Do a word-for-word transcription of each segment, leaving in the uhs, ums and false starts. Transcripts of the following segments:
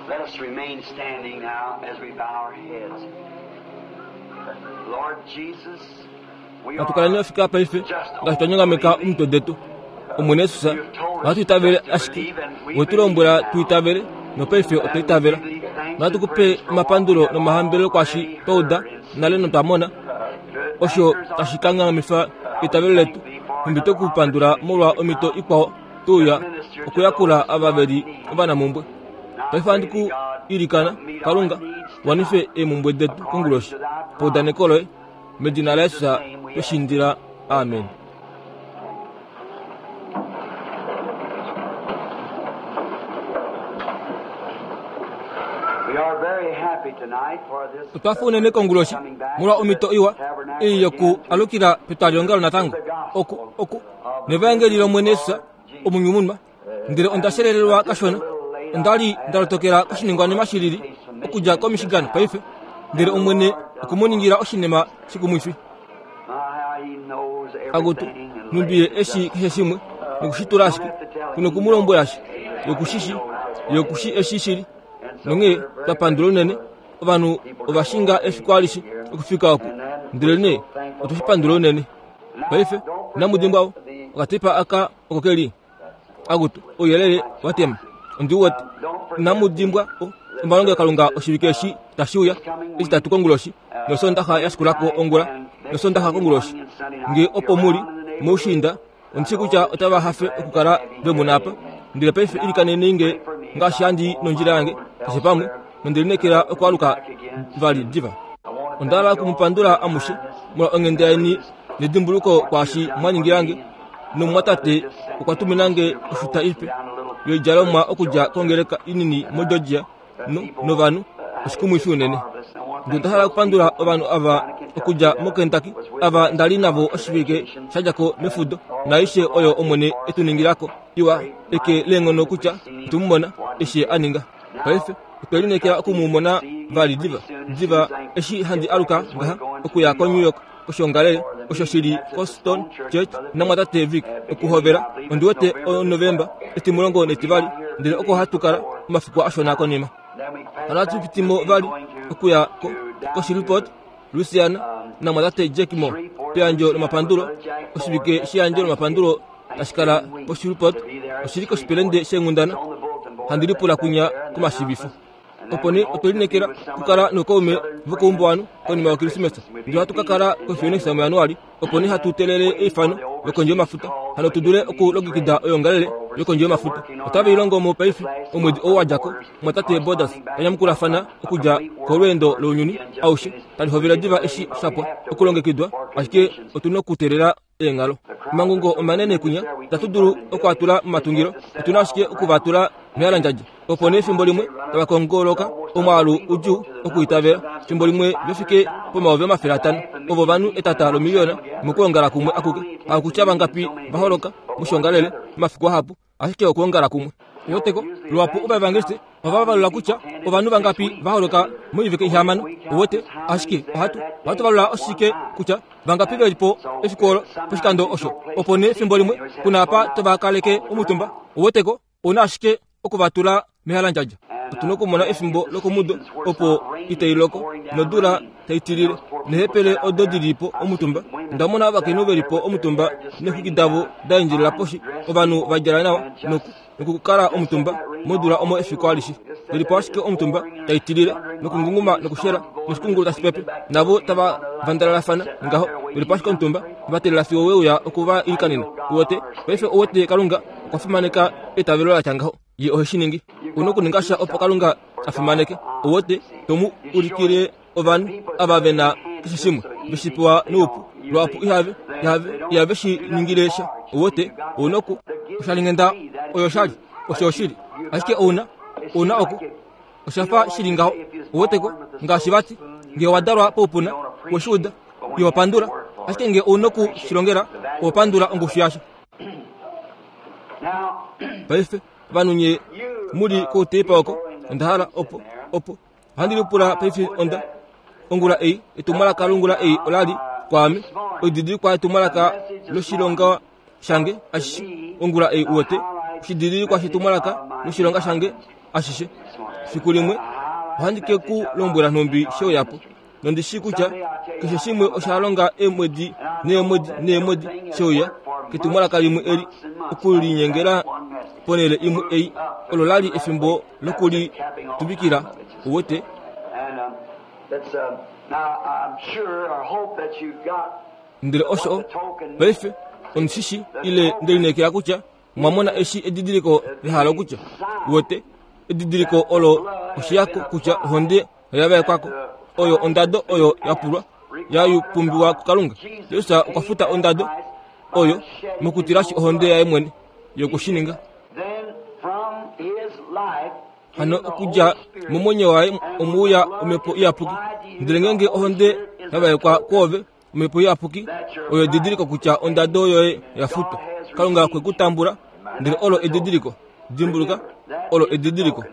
Let us remain standing now as we bow our heads. Lord Jesus, we Natu kaleni are ofika paife ngaashi twa nyongameka omitwe detu. Omwene Jesus, ohatu itavele ashike we tu lombwela tu itavele nopaife otwa itavela. Nohatu kupe omapandulo nomahambelelo kwaashi twa uda nale notwa mona osho tashi kangamifa eitavelo letu. Nhumbi twe ku pandula molwa omhito ikwao tuuya okuyakula ava veli ovanamumbwe. Paife ohandi ku ilikana, Kalunga, wanife eemumbwe detu konguloshi paudaneko loye, medina laJesus twe shi indila. Amen. We are very happy tonight for this Otwa fa unene konguloshi molwa omhito iwa ei yoku alukila petwalihongalo natango oku oku nevaengeli lOmwene Jesus omunyumunwa. Ndele onda shelelelwa kashona, onda li nda lotokela koshiningwanima shilili okudja koMichigan paife, ndele Omwene okumuningila oshinima shikumwifi. how he knows Akutu, everything and nhumbi ye eshi keshe shimwe nokushitula ashike, kunokumulombo ashe, yokushishi, yokushi eshi shili. Nonghee twa pandula unene, ovanhu ova shinga efiku alishe okufika oku, ndele nee otwe shi pandula unene. Paife, inamu dimbwa okatepa aka oko keli. Akutu, ouyelele wa tema. Ondi wete, inamu dimbwa omalongelokalunga oshivike eshi tashi uya, etitatu konguloshi, nosondaxa ya shikulako ongula, nosondaxa konguloshi. Nge opo muli moushiinda, ondi shi kutya otava hafe okukala ve mu na apa. Ndele paife ilikaneni nge ngaashi handi nondjila yange keshe pamwe, nonde lineekela okwaaluka vali diva. Onda hala okumupandula amushe molwa onghenda yeni nedimbuluko kwaashi mwa ningila nge, nomumwatate okwa tumina nge oshuta ipe yoidjalomwa okudja kongeleka inini moGeorgia no, novanhu oshikumwifi unene. Ndele onda hala okupandula ovanhu ava okudja moKentucky, ava nda li navo oshivike sha dja ko mefudo, naaishe oyo Omwene e tu ningilako iwa eke leenghono kutya otwe mu mona eshi a ninga. Paife otwe lineekela oku mu mona vali diva diva eshi handi aluka ngaha okuya koNew York koshoongalele osho shili koStone Church namwatate Vic okuhovela ondi wete oNovemba etimulongo netivali, ndele oko hatu kala omafiku ashona konima. Hano hatu pitimo vali okuya ko koShreveport, Louisiana namwatate Jack Moore peyandjo lomapandulo. Oshivike sheyandjo lomapandulo tashi kala poShreveport oshili koshipelende sheenghundana handi lipula kunya komashivifo. Opo nee otwe lineekela okukala nookaume vokoumbuwanhu konima yoKrismesa, ndele ohatu ka kala koPhoenix muJanuali. Opo nee hatu teelele eifano lokondje yomafuta, hano tu dule okulongekida oyoongalele yokondje yomafuta. Otave i longo mo paife omwedi ou wa dja ko, mumwatate Borders ta nyamukulafana okudja kolweendo lounyuni aushe, tali hovele diva eshi sha pwa okulongekidwa, ashike otu nokuteelela eenghalo. Omangungo omanene kunya itatu dulu okuatula momatungilo, otu na ashike okuvatula mehalandjadja. Opo nee fimbo limwe tava kongoloka omwaalu udjuu okuitavela, fimbo limwe ve fike pomayovi omafele atano, ovo ovanhu etata lomiliyona mokwoongala kumwe akuke. Hakutya vangapi va holoka moshoongalele omafiku ahapu, ashike okwoongala kumwe. Oweteko, luhapu ovaevangeliste ohava valula kutya ovanhu vangapi va holoka moivike ihamano. Owete, ashike ohatu ohatu valula oshike kutya vangapi veli po efiku olo poshikando osho. Opo nee fimbo limwe kuna apa tova kaleke omutumba. Oweteko, ouna ashike okuvatula mehalandjadja. Otu nokumona efimbo lokomudo opo itai loko nodula tai tilile, nehepele odo dili po omutumba. Onda mona ovakainhu veli po omutumba neexwiki davo da endjelela poshi, ovanhu va djala nawa noku nokukala omutumba modula omo efiku alishe, veli po ashike omutumba tai tilile nokungunguma nokushela noshikungulu tashi pepe, navo tava vandalalafana ngaho, veli po ashike omutumba va teelela fiyo weuya oku va ilikanena. Uwete paife, uwete Kalunga okwa fimaneka eitavelo la tya ngaho. Ye ohe shi ningi. Una okuninga sha opo Kalunga a fimaneke. Uwete, tomu ulikile ovanhu ava ve na keshe shimwe ve shi pewa noupu, luhapu ihave, ihave, ihave shi ningile sha. Uwete, ouna oku oshalinghenda oyo shali, osho oshili, ashike ouna, ouna oku osha fa shili ngaho. Uweteko, ngaashi vati nge owa dalwa poupuna, we shi uda, iho pandula, ashike nge ouna oku shi longela, oho pandula ongushu yasho. Paife ovanhu nye muli kouteipa oko, onda hala opo opo ohandi lipula paife onda ongula ei etumwalaka longula ei olali kwaame oididilikwa yetumwalaka loshilonga shange ashishe ongula ei uwete oshididilikwa shetumwalaka loshilonga shange ashishe. Fiku limwe ohandi ke ku lombwela nhumbi sheuyapo. Nondi shii kutya keshe shimwe osha longa eemwedi neemwedi neemwedi sheuya ketumwalaka limwe eli okulinyengela ponhele imwe ei olo lali efimbo lokulituvikila uwete. Ndele osho paife ondishishi ile ndelineekela kutya mwamona eshi edidiliko lehala kutya uwete edidiliko olo oshiyako kutya ohonde oyavaekwako oyo ondado oyo yapulwa yayupumbiwa kuKalunga. Jesus okwa futa ondado oyo mokutilashi ohonde yaye mwene yokushininga. Hano okudja momwenyo waye omuuya omhepo iyapuki. Ndele ngeenge ohonde yavaekwa kwoove omhepo iyapuki oyo edidiliko kutya ondado yoye yafutwa. Kalunga okwe ku tambula, ndele olo edidiliko. Dimbuluka, olo edidiliko.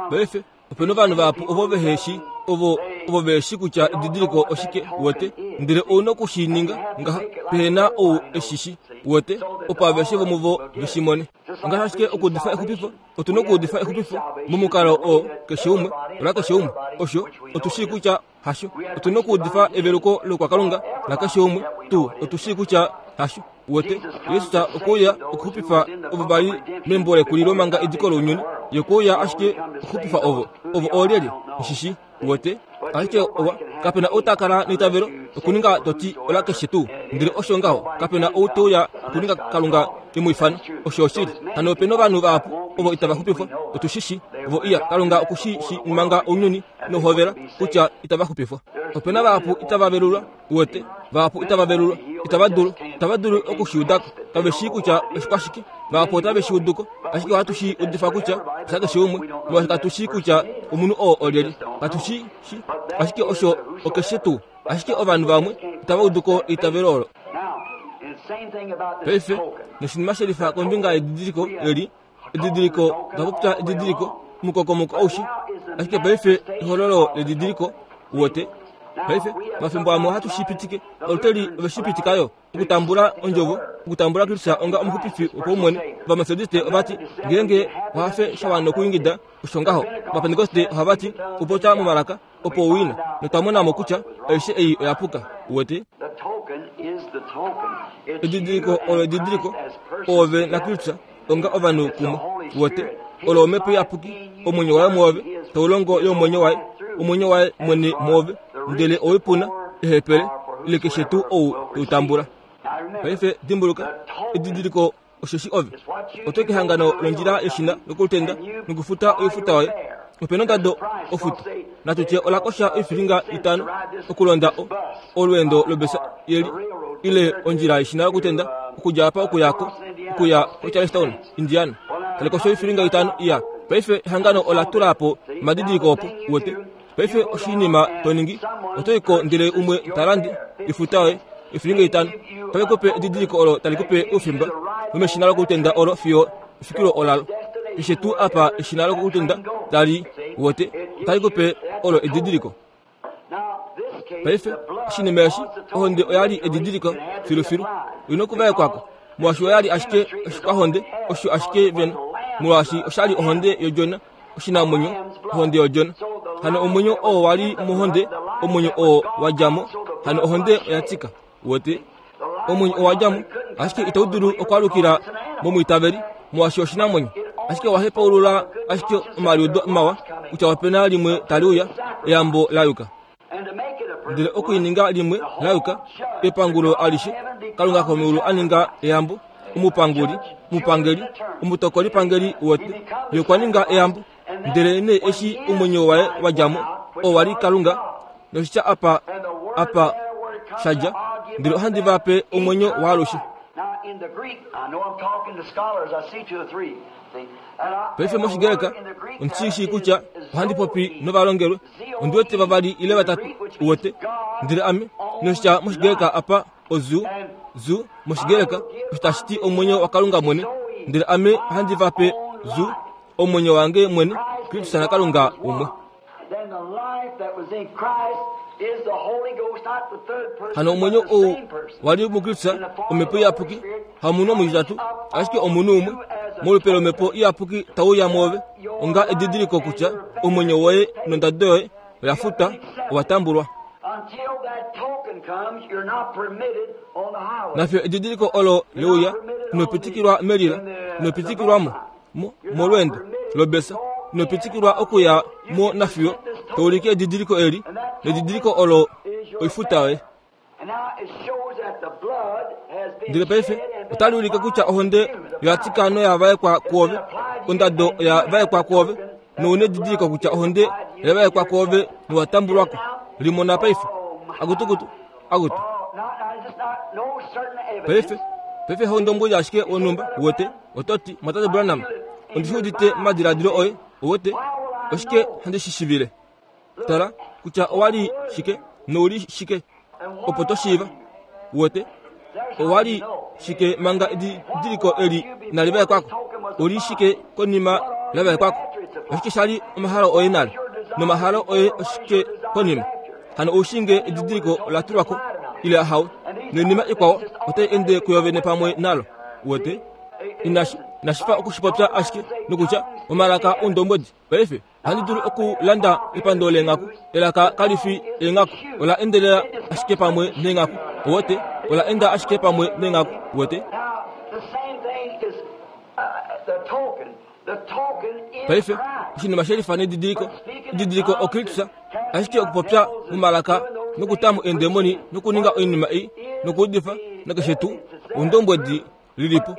Paife opena ovanhu vahapu ovo vehe shi ovo ovo vehe shi kutya edidiliko oshike uwete, ndele ouna okushininga ngaha pehena ou eshishi uwete, opo aveshe vomuvo veshimone. Ngaashi ashike okuudifa exupifo, otuna okuudifa exupifo momukalo oo keshe umwe ola keshe umwe. Osho otu shii kutya hasho. Otuna okuudifa eveluko lokwakalunga la keshe umwe tuu otu shii kutya hasho uwete. Jesus okuuya okuxupifa ovo vali membo lekulilo manga ediko lounyuni, ye okuuya ashike okuxupifa ovo ovo oolyelye oshishi uwete. Ashike owa kapena ou takala neitavelo okuninga toti ola keshe tuu, ndele osho ngaho kapena ou teuya okuninga Kalunga emuifano. Osho oshili. Hano opena ovanhu vahapu ovo itava xupifwa, otu shishi ovo iya Kalunga okushi shi manga ounyuni nohovela kutya itava xupifwa. Opena vahapu itava velulwa uwete, vahapu itava velulwa, itava dulu itava dulu okushiudako, kave shii kutya oshikwashike. Vahapu otave shi uduko, ashike ohatu shi udifa kutya osha keshe umwe, molwaashi katu shii kutya omunhu oo olyelye, katu shi shi, ashike osho okeshe tuu. Ashike ovanhu vamwe itava uduko eitavelo olo. Paife noshinima shelifa kombinga yedidiliko eli, edidiliko otwa popya edidiliko mukokomoko oushi, ashike paife ehololo ledidiliko uwete. Paife mafimbo amwe ohatu shi pitike, oluteli ove shi pitikayo okutambula ondjovo, okutambula Kristus onga omuxupifi wopaumwene. Ovametodiste ovati ngeenge ohafe shawana okuingida osho ngaho. Ovapentekoste ohavati upopya momalaka opo uwina, notwa kutya aishe ei oyapuka uwete. Edidiliko olo edidiliko ove naKristus onga ovanhu kumwe uwete. Olo omhepo iyapuki omwenyo waye mwoove taulongo yomwenyo waye omwenyo waye mwene mwoove, ndele owipuna ehepele ile keshe tuu ou toutambula. Paife dimbuluka edidiliko osheshi ove oto kehangano londjila yeshina lokulutenda nokufuta oifuta yoye. Opena ondado ofuto natutye olakosha oifilinga itano okulonda olweendo lobesa yeli ile ondjila yeshina lokutenda okudja apa okuyako okuya koCharlestown Indiana talikosha oifilinga itano iya. Paife ehangano ola tula po omadidiliko opo uwete. Paife oshinima toningi otoiko ndele umwe talande ifuta yoye oifilinga itano tave kupe edidiliko olo tali kupe oufimba womeshina lokutenda olo fiyo efikilo olalo. Keshe tuu apa eshina lokutenda tali uwete tali kupe olo edidiliko. Paife oshinima eshi ohonde oyali edidiliko filufilu oina okuvaekwako molwaashi oyali ashike oshikwahonde osho ashike vena molwaashi oshali ohonde yodjona oshinamwenyo ohonde yodjona. Hano omwenyo oo wali mohonde omwenyo oo wadjamo, hano ohonde oyatika uwete. Omwenyo oo wadjamo ashike itau dulu okwalukila momwiitaveli molwaashi oshinamwenyo ashike wahepaulula ashike omaliudo mawa kutya opena limwe tali uya eyambo layuka. Ndele okuininga limwe layuka epangulo alishe Kalunga komeulu aninga eyambo omupanguli omupangeli omutokoli pangeli uwete ye okwa ninga eyambo. Ndele ne eshi omwenyo waye wadjamo oo wali Kalunga noshitya apa apa shadja, ndele ohandi va pe omwenyo waalushe. Paife moshigreka ondishi kutya ohandi popi novalongelwe ondi wete vavali ile vatatu uwete. Ndele ame noshitya moshigreka apa ozu zu moshigreka osho tashi ti omwenyo waKalunga mwene, ndele ame ohandi va pe zu omwenyo wange mwene Kristus naKalunga umwe. Hano omwenyo ou wali muKristus omhepo iyapuki hamunhu omutitatu ashike omunhu umwe Molupe lomhepo iyapuki tauya mwoove onga edidiliko kutya omwenyo woye nondado yoye oya futwa, owa tambulwa. Nafyo edidiliko olo leuya inopitikilwa melila, inopitikilwamo molweendo lobesa, inopitikilwa okuya mo nafiyo toulike edidiliko eli, nedidiliko olo oifuta yoye. Ndele paife otali ulike kutya ohonde oya noya vaekwa kwoove, ondado oya vaekwa kwoove, nouna edidiliko kutya ohonde oya vaekwa kwoove nowa tambulwako. Limona paife. Akutukutu, akutu. Paife, paife hondombwedi ashike wonhumba wote, ototi Mwatate Branham, ondi udite madiladilo oye, wote, oshike handi shi shivile. Tala kutya owali shike nouli shike, opo to shiiva. Wote, owali shike manga edidiliko eli inali vaekwako, oli shike konima la vaekwako, oshike shali omahalo oye nale, nomahalo oye oshike konima. Hano oushinge edidiliko ola tulwako ile ahawe, noinima ikwao otai ende kuyovene pamwe nalo. Wote, inashi inashifa okushipopya ashike nokutya omalaka oundombwedi. Paife ohandi dulu okulanda epando leenghaku, elaka kalifi eenghaku, ola endelela ashike pamwe neenghaku. Wote, ola enda ashike pamwe neenghaku. Wote, paife oshinima shelifa nedidiliko, edidiliko oKristus, ashike okupopya momalaka nokutamu eendemoni nokuninga oinima ei nokuudifa nakeshe tuu oundombwedi lilipo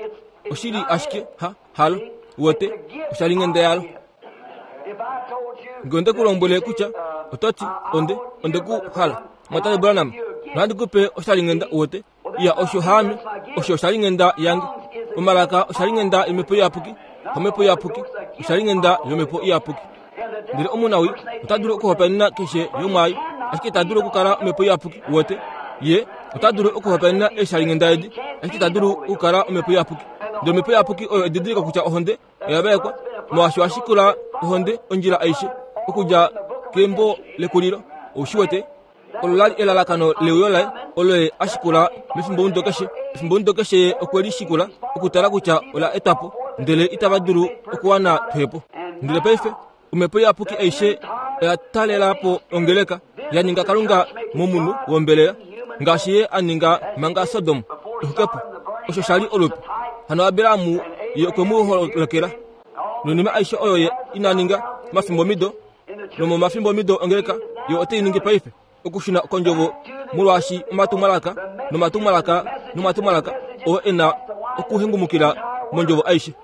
oshili ashike ha halo. Wote, oshalinghenda yalo. Nge onde ku lombwele kutya ototi onde onde ku hala Mwatate Branham, nohandi kupe oshalinghenda. Wote, iya osho haame, osho oshalinghenda yange. Omalaka oshalinghenda yomhepo iyapuki, omhepo iyapuki oshalinghenda yomhepo iyapuki. Ndele omunawi ota dulu okuhopaenena keshe yomwaayo, ashike ita dulu okukala omhepo iyapuki. Wote, ye ota dulu okuhopaenena eeshalinghenda edi, ashike ita dulu okukala omhepo iyapuki. Ndele omhepo iyapuki oyo edidiliko kutya ohonde oya vaekwa, molwaashi oya ohonde ondjila aishe okudja kembo lekulilo. Oushi wete, olo lali elalakano leuyo laye, olo ye a shikula mefimbomudo keshe. Efimbomudo keshe ye okwe li shikula okutala kutya ola etwa po, ndele itava dulu okuwana twepo. Ndele paife omhepo iyapuki aishe oya talela po ongeleka, ya ninga Kalunga momunhu wombelela, ngaashi ye a ninga manga Sodom exukepo. Osho shali olupe. Hano Abrahamu ye okwe mu holokela noinima aishe oyo ye ina ninga mafimbomido, nomomafimbomido ongeleka yo otai ningi paife okushuna kondjovo, molwaashi omatumwalaka nomatumwalaka nomatumwalaka oo e na okuhengumukila mondjovo aishe.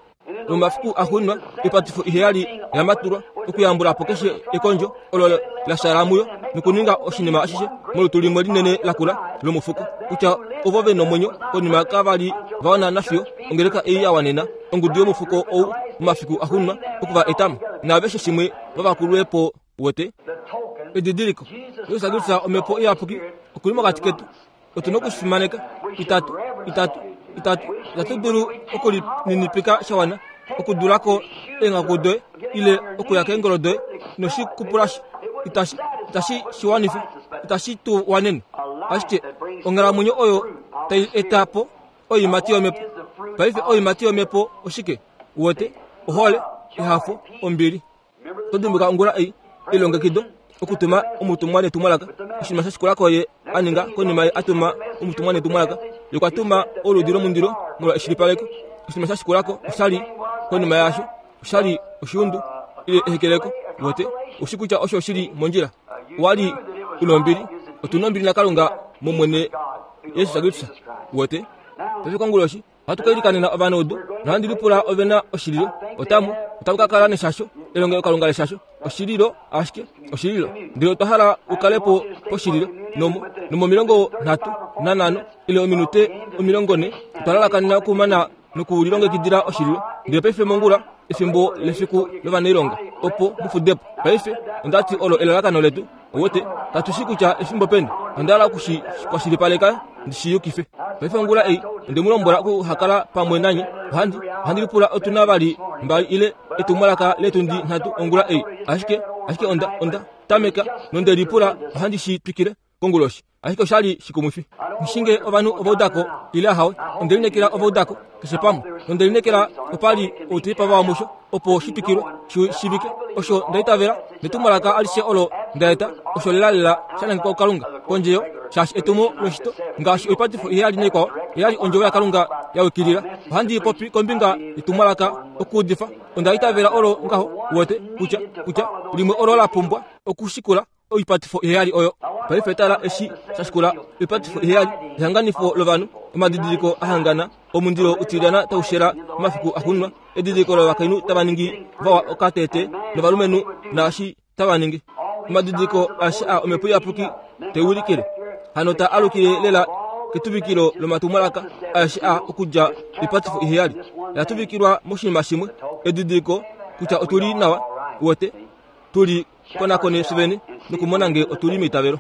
Nomafiku axuuninwa oipatifo iheyali ya matulwa okuyambula po keshe ekondjo olo la shala muyo nokuninga oshinima ashishe molutu limwe linene lakula lomufuko, kutya ovo ve nomwenyo konima kavali va wana nafiyo ongeleka ei ya wanena ongudu yomufuko ou momafiku axuuninwa okuva etamo naaveshe shimwe vavakulwe po. Wote, edidiliko Jesus Kristus omhepo iyapuki okuli mokati ketu, otu nokushifimaneka. Itatu itatu itatu itatu dulu okulininipika shawana okudulako eenghaku doye ile okuya keengolo doye noshikupulashi itashi itashi shiwanifa, itashi tu wanene. Ashike onghalamwenyo oyo tai eta po oiimati yomhepo. Paife oiimati yomhepo oshike? Wote, ohole, ehafo, ombili. Oto dimbuka ongula ei elongekido okutuma omutumwa netumwalaka. Oshinima sha shikulako ye a ninga konima ye a tuma omutumwa netumwalaka, ye okwa tuma oludi lomundilo molwa eshilipaleko. Oshinima sha shikulako oshali konima yaasho oshali oshiundu ile ehekeleko. Wote, oushi kutya osho shili mondjila. Owali una ombili, otu na ombili naKalunga mOmwene Jesus Kristus. Wote, paife konguloshi ohatu ka ilikanena ovanaudu, nohandi lipula ove na oshililo. Otamu otamu ka kala neshasho, elongelokalunga leshasho, oshililo ashike oshililo. Ndele otwa hala ukale po poshililo nomo nomomilongo nhatu nanhano ile ominute omilongo ne otwa lalakanena okumana nokulilongekidila oshililo. Ndele paife mongula efimbo lefiku lovanailonga opo mufudepo. Paife ondati olo elalakano letu. Wote, katu shi kutya efimbo peni, onda hala okushi kwashilipaleka ndi shi yukife. Paife ongula ei onde mu lombwela okuhakala pamwe nanye. Ohandi ohandi lipula otu na vali mbali ile etumwalaka letundi nhatu ongula ei, ashike ashike onda onda tameka nonde lipula ohandi shi twikile konguloshi. Ashike oshali shikumwifi. Nishinge ovanhu ovaudako ile ahawe. Ondelinekela ovaudako keshe pamwe. Nondelinekela opali outilipa vawamusho opo shitwikilwe shivike osho ndaitavela netumwalaka alishe olo ndaeta osho lelalela shanangekwa kuKalunga kondje yo shaashi etumo loshito ngaashi oipatifo iheyali naikwao eyali ondjovo yaKalunga ya wikilila. Ohandi popi kombinga yetumwalaka okuudifa. Ondaitavela olo ngaho wote kutya kutya limwe olo la pumbwa okushikula oipatifo iheyali oyo. Paife tala eshi shashikula oipatifo iheyali ehanganifo lovanhu omadidiliko ahangana omundilo utilyana taushela omafiku axuuninwa edidiliko lovakainhu tava ningi vawa okatete novalumenhu naashi tava ningi omadidiliko aeshe a omhepo iyapuki teulikile hano ta alukile lela ketuvikilo lomatumwalaka aeshe a okudja oipatifo iheyali yatuvikilwa moshinima shimwe edidiliko kutya otuli nawa wote tuli konakone svene nokumona nge otuli meitavelo.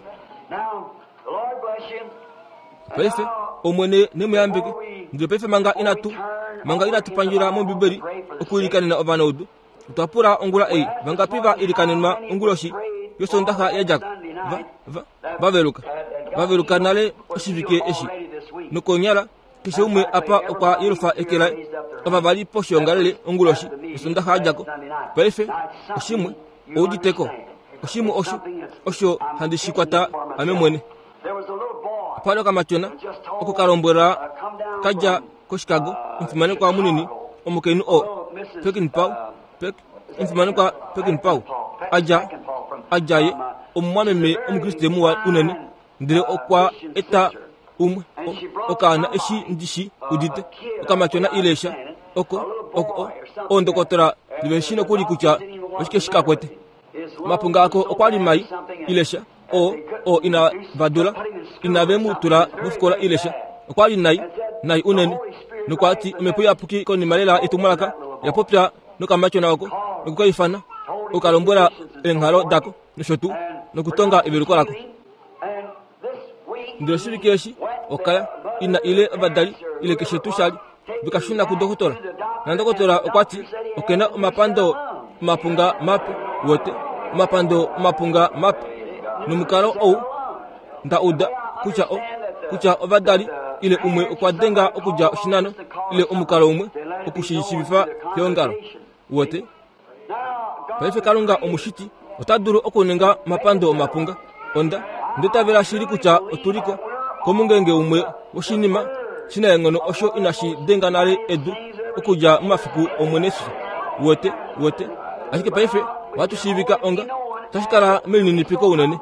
Paife omwene nemuyambike ndele paife manga inatu manga inatu pandjila mOmbibeli okuilikanena ovanaudu. Otwa pula ongula ei vangapi va ilikanenwa onguloshi yosondaxa yadjako va va vaveluka vaveluka nale oshivike eshi nokonyala keshe umwe apa okwa yelufa eke laye ova vali poshiongalele onguloshi yosondaxa yadjako. Paife oshimwe ouditeko oshimwe osho osho handi shikwata ame mwene. Opali okamatyona oko kalombwela kadja koChicago omufimanekwa munini omukainhu o Peckinpah Peck omufimanekwa Peckinpah adja adjaye omumwameme omukriste muwa unene ndele okwa eta umwe okaana eshi ndishi udite okamatyona ilesha oko oko ondokotola liveshi nokuli kutya oshike shikakwete mapunga ako okwali mai ilesha o o ina vadula ina vemutula mofikola ilesha okwali nai nai unene nokwati omhepo iyapuki konima lela etumwalaka yapopya nokamatyona oko nokukaifana okalombwela eenghalo dako nosho tuu nokutonga eveluko lako. Ndele oshivike eshi okaya ina ile ovadali ile keshe tuu shali vikashuna kudokotola nandokotola okwati okena omapando omapunga mape wote omapando omapunga mape nomukalo ou ndauda kutya o kutya ovadali ile umwe okwa denga okudja oshinano ile omukalo umwe okushiishivifa keongalo wote. Paife Kalunga omushiti ota dulu okuninga omapando omapunga. Onda ndetavela shili kutya otuliko komungenge umwe woshinima shina enghono osho inashi denga nale edu okudja momafiku Omwene Jesus wote wote. Ashike paife ohatu shiivika onga tashi kala melininipiko unene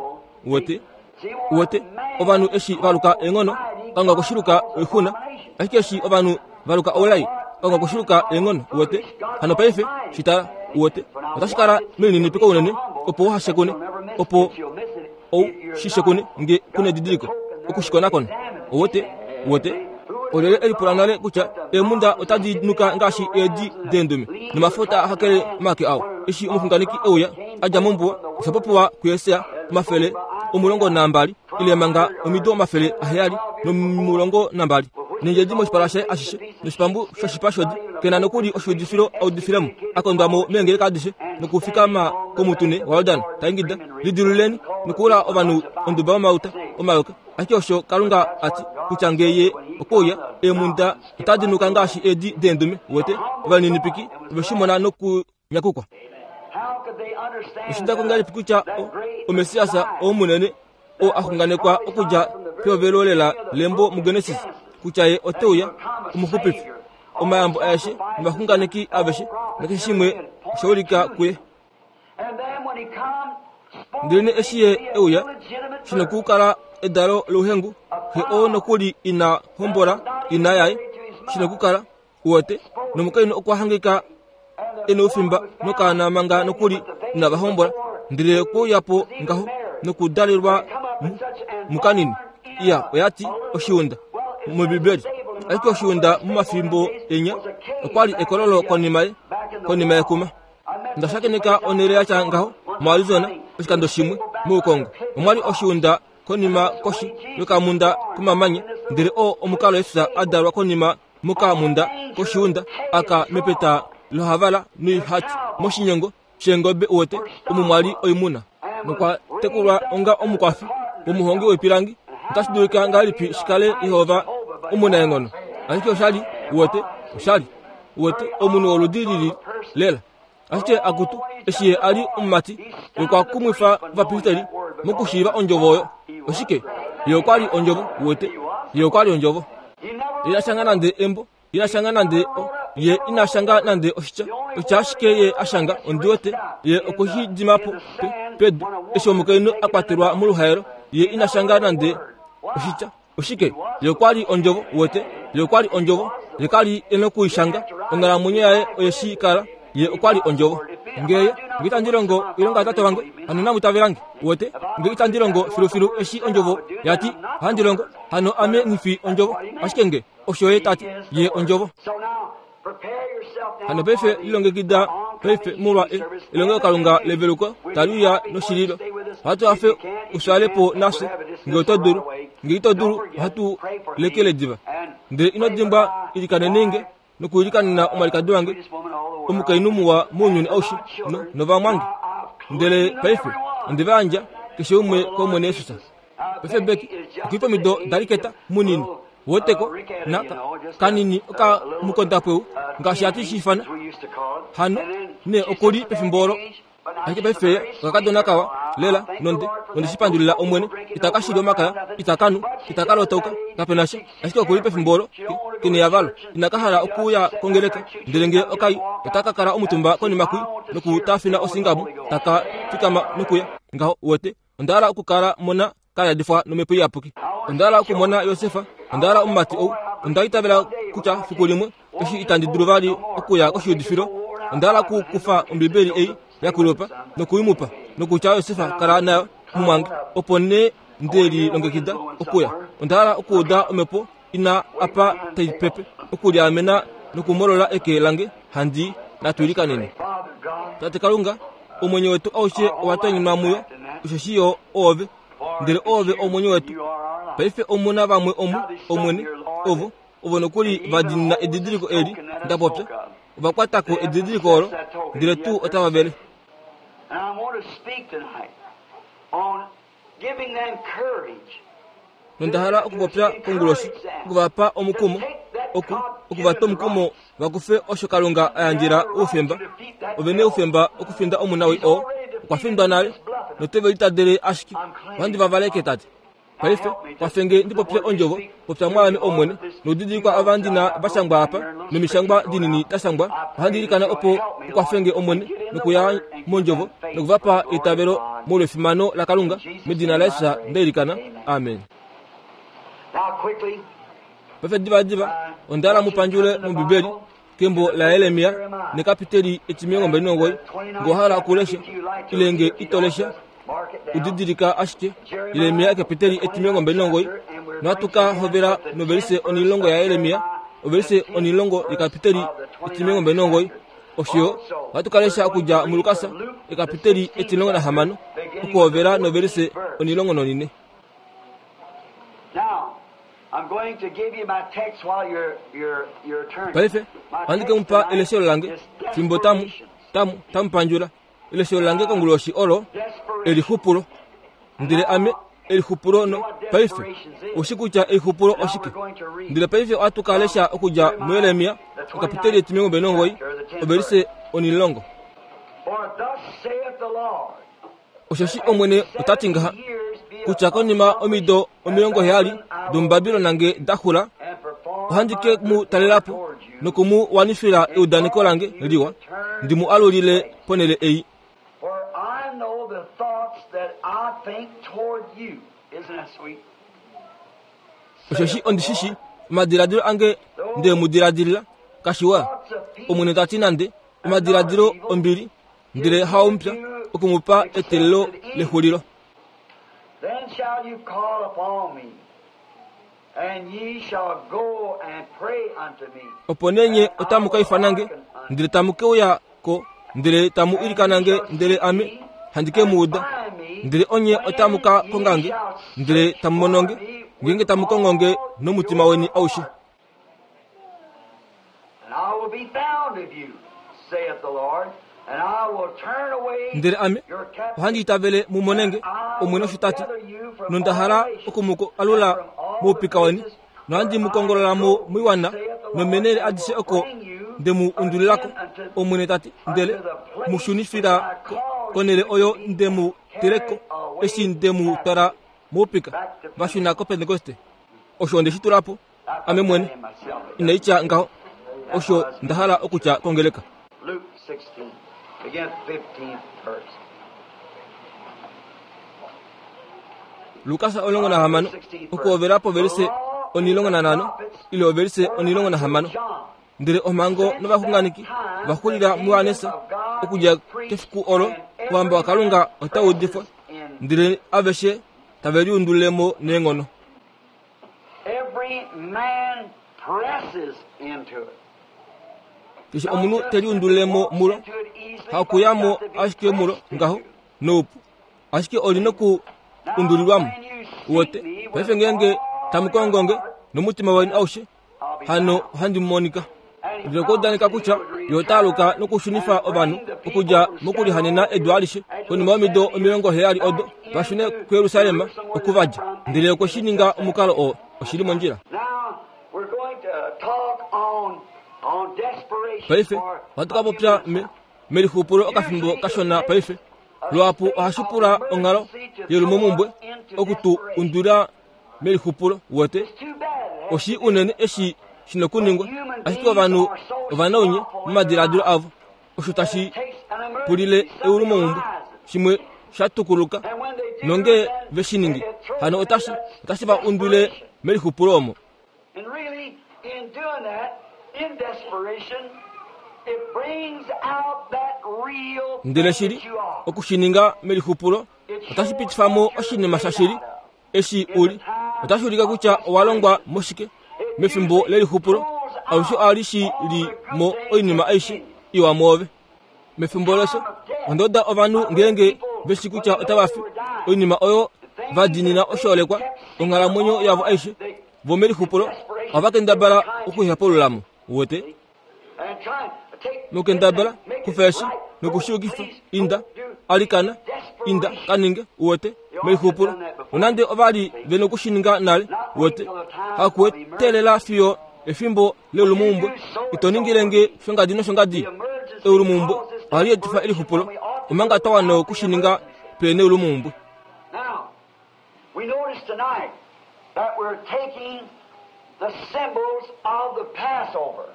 wote wote. Ovanhu eshi valuka eenghono Kalunga koshiluka oixuna, ashike eshi ovanhu valuka oulai Kalunga koshiluka eenghono wote. Hano paife shitala wote otashi kala melininipiko unene opo uhashekune opo ou shishekune nge kune edidiliko okushikonakona owote wote. Olele elipula nale kutya eemunda otadi nuka ngaashi eedi deendume nomafuta ahakele omake ao. Eshi omuxunganeki euya adja mombuwa osha kuYesaja omafele omulongo nambali ile manga omido omafele aheyali nomulongo nambali nendjedi moshipala shaye ashishe noshipambu shoshipa shodi kena nokuli oshiudifilo audifilemo akondwamo meengeleka adishe nokufikama komutune waYordan taingida lidiluleni nokuula ovanhu onduba yomauta omayoka. Ashike osho Kalunga ati kutya ngeye okuuya eemunda otadi nuka ngaashi eedi deendume wote. Ovalininipiki oveshimona nokunyakukwa. Oshidako ngahelipi kutya omesiasa omunene oo axunganekwa okudja pehovelo lela lembo muGenesis kutya ye oteuya omuxupifi omayambo aeshe novaxunganeki aveshe nakeshe shimwe oshaulika kuye. Ndelene eshi ye euya shinokukala edalo louhengu xe oo nokuli ina hombola ina yaye shinokukala wote nomukainhu okwa hangika ena oufimba nokaana manga nokuli inava hombola ndele okweuyapo ngaho nokudalelwa mukanini. Iya oyati oshiunda mOmbibeli ashike oshiunda momafimbo enya okwali ekololo konima ye konima yekuma. Ndashakeneka onhele yatya ngaho moArizona oshikando shimwe moukongo omwali oshiunda konima koshi yokamunda komamanya ndele oo omukalo Yesus adalwa konima mokamunda koshiunda aka mepeta lohavala noihati moshinyongo sheengobe wote omo mwali oimuna nokwa tekulwa onga omukwafi womuhongi woipilangi Otashi dulika ngahelipi shikale Jehova omunaenghono? Ashike oshali, uwete, oshali, uwete, omunhu woludi lili lela. Ashike akutu, eshi ye a li omumati, ye okwa kumwifa ovapristeli mokushiiva ondjovo oyo. Oshike? Ye okwa li ondjovo, uwete. Ye okwa li ondjovo. Ina shanga nande embo, ina shanga nande o, ye ina shanga nande oshitya. Oshitya ashike ye a shanga, ondi wete, ye okwe shi dima po pe, pedu. Eshi omukainhu a kwatelwa moluhaelo, ye ina shanga nande oshitya. Oshike? Ye okwa li ondjovo, uwete. Ye okwa li ondjovo. Ye ka li e nokuishanga. Onghalamwenyo yaye oye shi kala. Ye okwa li ondjovo. Ngee nge itandi longo oilonga yaTate wange, hano inamu itavelange. Uwete? Nge itandi longo filufilu eshi ondjovo yati ohandi longo, hano ame nghi fi ondjovo. Ashike nge osho ye tati, ye ondjovo. Hano paife lilongekida paife molwa e, elongelokalunga leveluko tali uya noshililo. Ohatu hafe uswale po nafye nge oto dulu. Nge ito dulu, ohatu lekele diva. Ndele ino dimbwa ilikaneni nge nokuilikanena omwalikadi wange, omukainhu muwa mounyuni aushe, no, novamwange. Ndele paife onde va yandja keshe umwe kOmwene Jesus. Paife Becky okuli pomido daliketa munini, woteko na kanini oka mukondapweu ngaashi hatu shi ifana. Hano ne okuli pefimbo olo. Ashike paife okakadona kawa lela nonde onde shi pandulila Omwene. Itaka shili omakaya, itaka nu, itaka lotauka, kapena sha. Ashike okuli pefimbo olo kene yavalo, inaka hala okuya kongeleka. Ndele nge okai otaka kala omutumba konima kui nokutafina osingamu, taka fikama nokuya ngaho. Uwete, onda hala okukala mona kayadifwa nomhepo iyapuki. Onda hala okumona Josefa, onda hala omumati ou. Onda itavela kutya fiku limwe eshi itandi dulu vali okuya koshiudifilo, onda hala okukufa Ombibeli ei yakulupa nokuimupa nokutya Josefa kala nayo mumwange, opo nee nde lilongekida okuya. Onda hala okuuda omhepo ina apa tai pepe, okuliamena nokumolola eke lange handi natu ilikaneni. Tate Kalunga, omwenyo wetu aushe owa tonyinwa muyo, osheshi yo oove, ndele oove omwenyo wetu. Paife omuna vamwe omu, Omwene, ovo, ovo nokuli va diinina edidiliko eli nda popya. Ova kwata ko edidiliko olo, ndele tuu otava vele. And I want to speak tonight on giving them courage. Nonda hala okupopya konguloshi, okuvapa omukumo, oku, okuvatwa omukumo va kufe osho Kalunga a yandjela oufemba. Ove ne oufemba okufinda omunawii oo okwa findwa nale, noteve litadele ashike. Ohandi va valeke, Tate. Paife kwafenge ndi popye ondjovo, popya mwaame Omwene, noudidilikwa ava ndina va shangwa apa, nomishangwa dinini da shangwa. Ohandi ilikana opo ukwafenge Omwene nokuya mondjovo nokuvapa eitavelo molwefimano laKalunga, medina laJesus nda ilikana. Amen. Now quickly, Paife divadiva onda hala mu pandjule mOmbibeli kembo laJeremia nekapiteli etimilongo mbali nomugoyi. Nge owa hala okulesha ile nge ito lesha, udidilika ashike Jeremia ekapiteli etimilongo mbali nomugoyi. Nohatu ka hovela novelise onilongo yaJeremia, ovelise onilongo yekapiteli etimilongo mbali nomugoyi. Osho ohatu ka lesha okudja muLukas ekapiteli etimilongo nahamano okuhovela novelise onilongo nonine. Now, I'm going to give you my text while you're, you're, you're turning. Paife ohandi ke mu pa eleshelo lange fimbo tamu tamu tamu pandjula. Eleshelo lange konguloshi olo elixupulo. Ndele ame elixupulo no paife oshi kutya elixupulo oshike. Ndele paife ohatu ka lesha okudja muJeremia ekapiteli etimilongo mbali nomugoyi ovelise onilongo. For thus saith the Lord, Osheshi Omwene ota ti ngaha, kutya konima omido omilongo heyali domuBabilon nge da xula, and perform ohandi ke mu talela po noku mu wanifila eudaneko lange liwa, ndi mu alulile ponhele ei. For I know the thoughts that I think toward you. Isn't that sweet? Osheshi ondi shi shi omadiladilo ange nde mu diladilila, kashiwa. Thoughts of peace Omwene ta ti nande omadiladilo ombili, ndele haomupya, oku mu pa eteelelo lexulilo. Then shall you call upon me, and ye shall go and pray unto me. Opo nee nye otamu ka ifana nge, ndele tamu ke uya ko, ndele tamu ilikana nge, ndele ame handi ke mu uda. Ndele onye otamu ka konga nge, ndele tamu mono nge, ngeenge tamu kongo nge nomutima weni aushe. And I will be found of you, saith the Lord, and I will turn away Ndele ame your ohandi captivity. itavele mu mone nge, Omwene osho ta ti, Nonda hala oku mu alula moupika weni, nohandi mu kongolola mo moiwana nomenele adishe oko nde mu undulilako, Omwene ta ti, ndele mu shunifila konhele oyo nde mu teleko eshi nde mu twala moupika. Va shuna koPentekoste. Osho nde shi tula po ame mwene, inai tya ngaho. Osho nda hala okutya kongeleka. Luke sixteen, begin fifteenth verse. Lukas omulongo nahamano, okuhovela povelise onilongo nanhano ile ovelise onilongo nahamano. Ndele omhango novaxunganeki va xulila muJohannes, okudja kefiku olo ouhamba waKalunga otau udifwa, ndele aveshe tave liundulile mo neenghono. Every man presses into it. Keshe omunhu te liundulile mo mulo, hakuya mo ashike mulo ngaho noupu, ashike oli noku undulilwamo. Uwete, paife ngeenge tamu kongo nge nomutima weni aushe, hano ohandi monika. Ndele okwa udaneka kutya ye ota aluka nokushunifa ovanhu okudja mokulihanena edu alishe konima yomido omilongo heyali odo va shune kuJerusalem oku va dja. Ndele okwe shi ninga omukalo oo oshili mondjila. Now we're going to talk on, on desperation Paife for ohatu ka popya me melixupulo okafimbo kashona paife. Luhapu ohashi pula onghalo yelumomumwe oku tu undulila melixupulo. Uwete, It's too bad. oshi unene eshi shina okuningwa, ashike ovanhu ovanaunye momadiladilo avo. Osho tashi pulile eulumomumwe shimwe sha tukuluka, nonge ve shi ningi hano otashi, otashi va undule melixupulo omo. And really, in doing that, in desperation, it brings out that real Ndele thing shili that you are. okushininga melixupulo otashi pitifa mo oshinima shashili eshi uli. Otashi ulika kutya owa longwa moshike mefimbo lelixupulo. Alushe ohali shi li mo oinima aishe iwa mwoove. Mefimbo lefyo, onda uda ovanhu ngeenge veshi kutya otava fi, oinima oyo va diinina oshoolekwa onghalamwenyo yavo aishe, vo melixupulo ohava kendabala okuihepulula mo. Uwete, And try to take nokendabala make it kufa eshi right. nokushiyukifa, Please, inda do alikana, inda kaninge. Uwete, melixupulo nonande ova li ve nokushininga nale. Uwete, hakuetelela fiyo efimbo leulumomumwe. Ito ningile nge shongadi noshongadi. Eulumomumwe ohali etifa elixupulo, omanga twa wana okushininga pe neulumomumwe. Now, we notice tonight that we're taking the symbols of the Passover.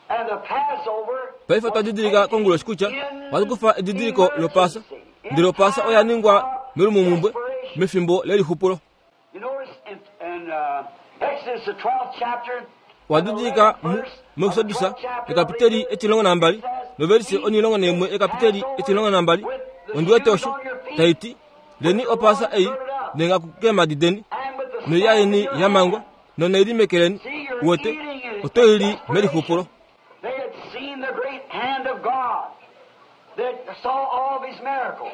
And the Passover Paife otwa didilika konguloshi kutya ohatu kufa edidiliko lOpaasa, ndele Opaasa oya ningwa melumomumwe mefimbo lelixupulo. You notice in, in uh, Exodus, the twelfth chapter, Owa didilika mu muExodus ekapiteli etilongo nambali novelise onilongo naimwe ekapiteli etilongo nambali ondi wete osho taiti, leni Opaasa ei neengaku keemhadi deni and with the noilya yeni ya mangwa nonaili meke leni. Uwete, oto ili melixupulo. They had seen the great hand of God. They saw all of his miracles.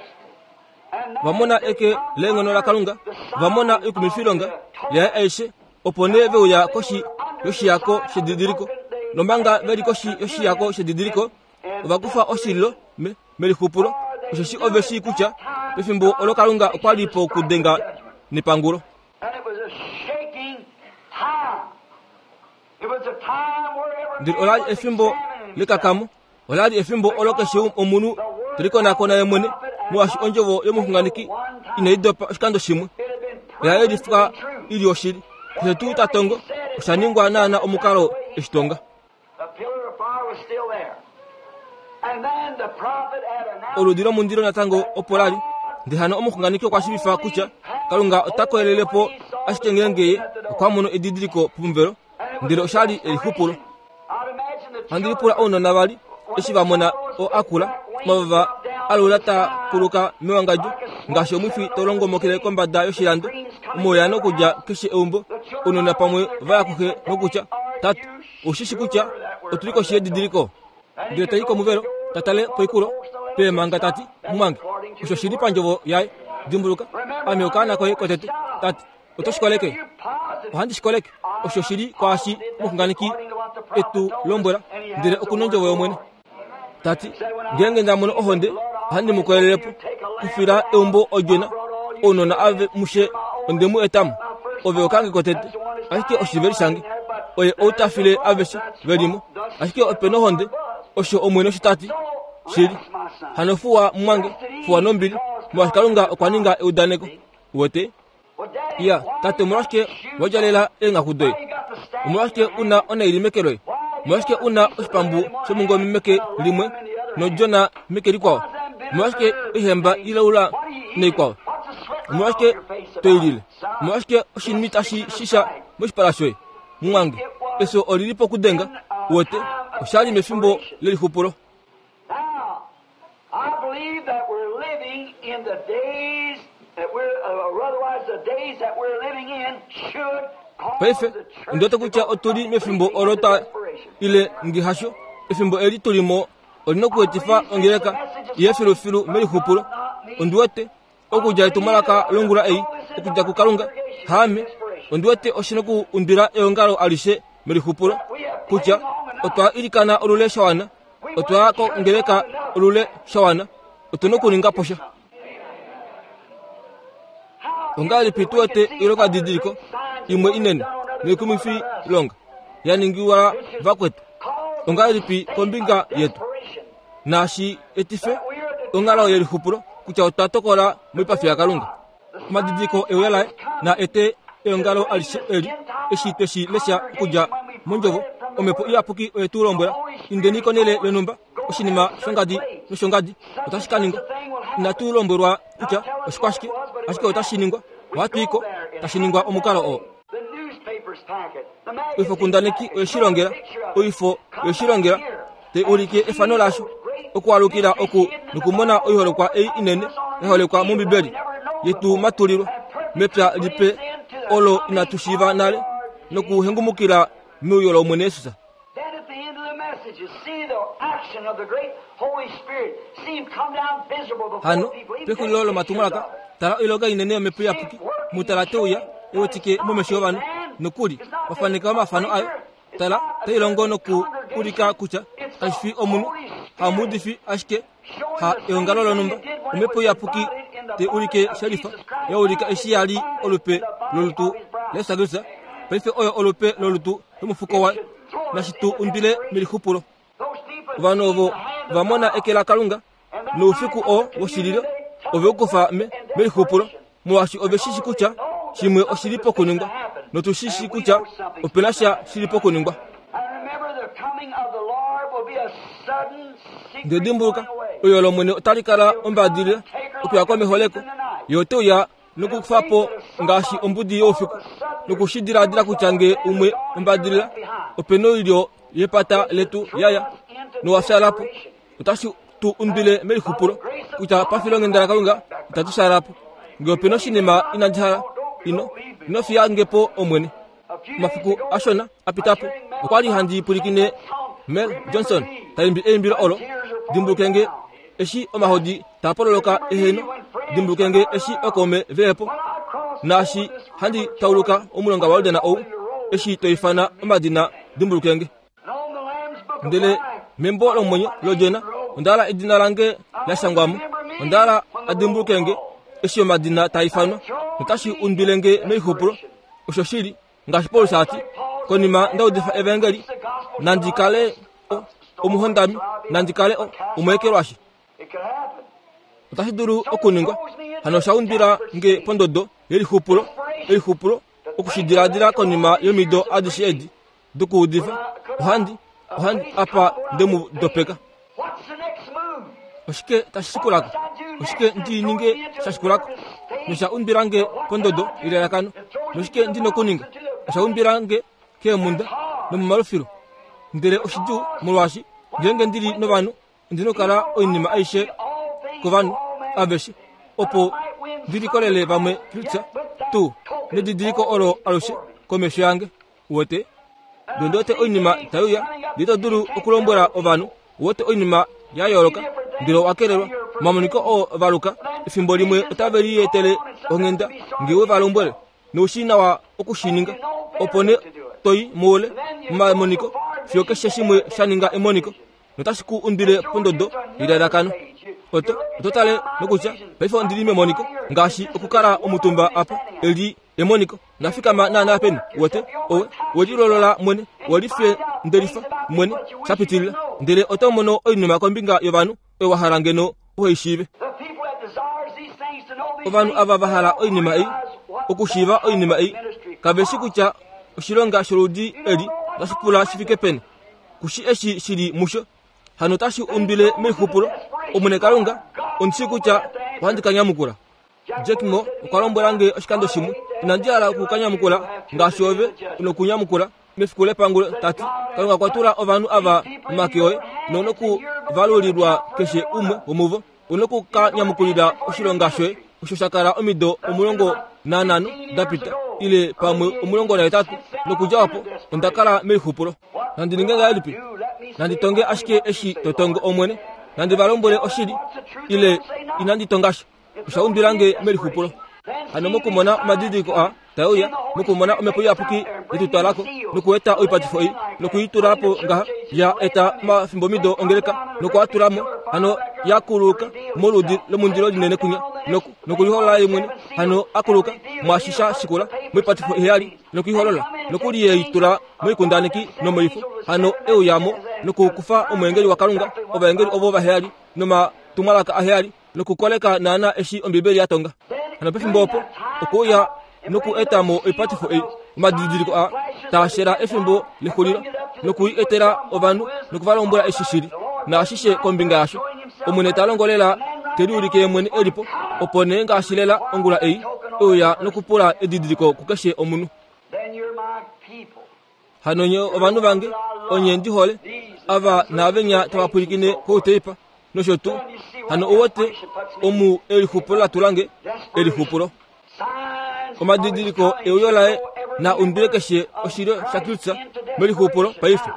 And now Va mona they eke come leenghono laKalunga, under the va mona sign oikumifilonga of the lyaye aishe, opo nee ve uya koshi yoshiyako shedidiliko. Nomanga ve li koshi yoshiyako shedidiliko, ova kufa oshililo me, melixupulo, osheshi ove shii kutya pefimbo olo Kalunga okwa li pokudenga nepangulo. And it was a shaking time. It was a time where every Ndele man ola li was efimbo examining himself. lekakamo, ola li efimbo olo keshe omunhu te likonakona ye mwene, molwaashi ondjovo yomuxunganeki inai dopa oshikando shimwe. It had been Oya proven to yelifwa be true. ili oshili. Keshe tuu ta tongo, osha ningwa naana omukalo eshi tonga. The pillar of fire was still there. And then the prophet had announced Oludi lomundilo natango opo lali. Ndele hano omuxunganeki okwa shiivifa kutya Kalunga ota koelele po ashike ngeenge ye okwa mono edidiliko pomuvelo, ndele osha li elixupulo. I'd imagine the Handi lipula ounona vali eshi va mona o akula omavava alula taa kuluka mewangadjo ngaashi omwifi tau longomokele kombada yoshilando, omauya nokudja keshe eumbo. Ounona pamwe va ya kuxe nokutya, Tate, oushi shi kutya otuli koshi yedidiliko? Ndele tai komuvelo, ta tale poikulo peemanga tati, Mumwange, osho shili pandjovo yaye. Dimbuluka, ame okaana koye kotete. Tate, oto shi koleke? Ohandi shi koleke. Osho shili kwaashi omuxunganeki etu lombwela, ndele oku nondjovo yOmwene. Tati, ngeenge nda mono ohonde, ohandi mu kolele po kufila eumbo odjona Ounona ave mushe ondemu etamo ove okange kotete ashike oshiveli shange oye ou ta file aveshe velimo ashike ope nohonde osho omwene osho tati shili hano fuwa mumwange fuwa nombili molwaashi Kalunga okwa ninga eudaneko wete iya tate omolwashike wadjalela eenghaku doye omolwashike una onaili meke loye omolwashike una oshipambu shomungome meke limwe nodjona meke likwao omolwashike oihemba ilaula naikwao omolwashike toilile omolwashike oshinima tashi shisha moshipala shoye mumwange efyo olili pokudenga wete oshali mefimbo lelixupulo. Now, I believe that we're living in the days that we're, uh, or otherwise the days that we're living in should cause Paife the church ondiwete to kutya go otuli mefimbo completely olo into twa desperation. ile ngihasho efimbo eli tulimo olina okuetifa ongeleka iye filufilu melixupulo ondiwete okudja etumwalaka longula ei okudja kuKalunga haame ondiwete oshina okuundwila eongalo alishe melixupulo kutya otwa ilikana olule shawana otwa kongeleka olule shawana otuna okuninga po sha. Ongahelipi tuwete oilongadidiliko imwe inene noikumwifi longa ya ningiwa vakwetu ongahelipi kombinga yetu naashi etife onghalo yelixupulo kutya otwa tokola moipafi yaKalunga. Omadidiliko euya laye na ete eongalo alishe eli eshi tweshi lesha okudja mondjovo omhepo iyapuki oye tu lombwela indeni konele yonhumba oshinima shongadi noshongadi otashi ka ningwa. Inatu lombwelwa kutya oshikwashike ashike otashi ningwa ohatu iko tashi ningwa omukalo oo. The newspapers pack it. The magazines Oifokundaneki pack it. oye shi longela oifo oye shi longela te ulike efano lasho okualukila oku nokumona oiholekwa ei inene yaholekwa mOmbibeli yetu matulilwa mepya lipe olo inatu shiiva nale nokuhengumukila meuyo lOmwene Jesus. Then at the end of the message, you see the action of the great Holy Spirit. See him come down visible before Hano people. Even pexulilo take lomatumwalaka pictures of it. tala oilonga inene yomhepo iyapuki mutala teuya ewetike momesho yovanhu nokuli wafaneka omafano ayo tala tailongo noku ulika kutya kashi fi omunhu hamuudifi ashike ha eongalo lonhumba omhepo iyapuki te ulike shelifa yaulika eshi yali olupe lolutu laJesus Kristus paife oyo olupe lolutu lomufuko waye nashi tu undwile melixupulo. Those people Ovanhu ovo see the hand of va mona God. eke laKalunga noufiku oo woshililo ove ukufa me melixupulo molwaashi ove shishi kutya shimwe oshili pokuningwa notu shishi kutya opena sha shili pokuningwa. And remember the coming of the Lord will be a sudden secret Ndele dimbuluka going away. oyo lOmwene otali kala ombadilila okuya kwameholeko ye ote uya nokukufa po ngaashi ombudi youfiku nokushidiladila kutya nge umwe ombadilila opena oilyo yepata letu yaya nowafyala po otashi tu undwile melixupulo kutya pafilonghenda laKalunga itatu fyala po nge opena oshinima inandi hala ino ino fiya nge po Omwene. A few days Omafiku ago, ashona apita po okwali handi pwilikine Mel Johnson taimbi eimbilo olo dimbulukenge eshi omahodi taa pololoka eheno dimbulukenge eshi okaume veepo when I crossed naashi over this handi river tauluka Jordan, omulonga waYordan ou eshi toifana omadina dimbulukenge. and on the Lamb's Book of Ndele Life, membo lomwenyo lodjona onda hala edina lange lashangwamo onda hala adimbulukenge eshi omadina taa ifanwa notashi undwilenge melixupulo osho shili ngaashi Paulus ati konima ndaudifa evangeli nandi kale o- omuhondami nandi kale o- omweekelwashi it could happen. otashi dulu okuningwa hano osha undwila nge pondodo yelixupulo elixupulo okushidiladila konima yomido adishe edi dokuudifa ohandi ohandi apa ndemu dopeka. What's the next move? Oshike tashi shikulako oshike ndi ninge sha shikulako nosha undwila nge pondodo yelalakano noshike ndina okuninga osha undwila nge keemhunda nomomalufilu ndele oshidjuu molwaashi ngeenge ndili novanhu ondina okukala oinima aishe All things kovanhu to all men. aveshe opo ndilikolele vamwe Kristus tuu nedidiliko olo alushe komesho yange uwete ndele wete oinima taiuya ndele ito dulu okulombwela ovanhu uwete oinima ya yooloka ndele owakelelwa omamoniko oo valuka efimbo limwe otave lietele onghenda nge we va lombwele noushii nawa okushininga opo nee toi moule momamoniko fiyo keshe shimwe sha ninga emoniko notashi ku undwile pondodo yelalakano. Oto oto tale nokutya paife ondili memoniko ngaashi okukala omutumba apa eli emoniko nafikama naana peni wete owe welilolola mwene welife ndelifa mwene shapitilila ndele oto mono oinima kombinga yovanhu oyo wa hala ngeno uheishiive. Ovanhu ava va hala oinima ei okushiiva oinima ei kaveshi kutya oshilonga sholudi eli otashi pula shi fike peni kushi eshi shili musho hano tashi umbile meixupulo Omwene Kalunga ondishi kutya ohandi ka nyamukula. Jack Moore okwa lombwela nge oshikando shimwe inandi hala okukanyamukula ngaashi ove unokunyamukula mefiku lepangulo tati Kalunga okwa tula ovanhu ava momake oye nonokuvalulilwa keshe umwe womuvo unokukanyamukulila oshilonga shoye osho sha kala omido omulongo nanhano dapita ile pamwe omulongo nahetatu nokudja opo onda kala meixupulo. Nandi ninge ngahelipi? Nandi tonge ashike eshi to tongo Omwene nandi va lombwele oshili ile inandi tonga sha osha umbila nge melixupulo. Hano mokumona omadidiliko a tauya mokumona omhepo iyapuki yetutwalako nokueta oipatifo ei nokuitulapo ngaha ya eta omafimbomido ongeleka nokuatulamo hano yakuluka moludi lomundilo linene kunya nokuliholola ye mwene hano akuluka mwashisha shikula moipatifo iheyali nokuiholola nokuliyeitula moikundaneki nomoifo hano euyamo nokukufa omweengeli waKalunga ovaengeli ovo vaheyali nomatumwalaka aheyali nokukoleka naana eshi Ombibeli ya tonga. Hano pefimbo opo okuuya nokuetamo oipatifo ei omadidiliko a taashela efimbo lexulilo nokuietela ovanhu nokuvalombwela eshi shili naashishe kombinga yasho. Omwene ta longolela teliulike ye mwene elipo opo nee ngaashi lela ongula ei euya nokupula edidiliko kukeshe omunhu. Hano nye ovanhu vange onye ndi hole ava naavenya tava pwilikine kouteipa nosho tuu hano uwete omu elixupulo la tulange elixupulo omadidiliko euyo laye na umbile keshe oshilyo shaKristus melixupulo paife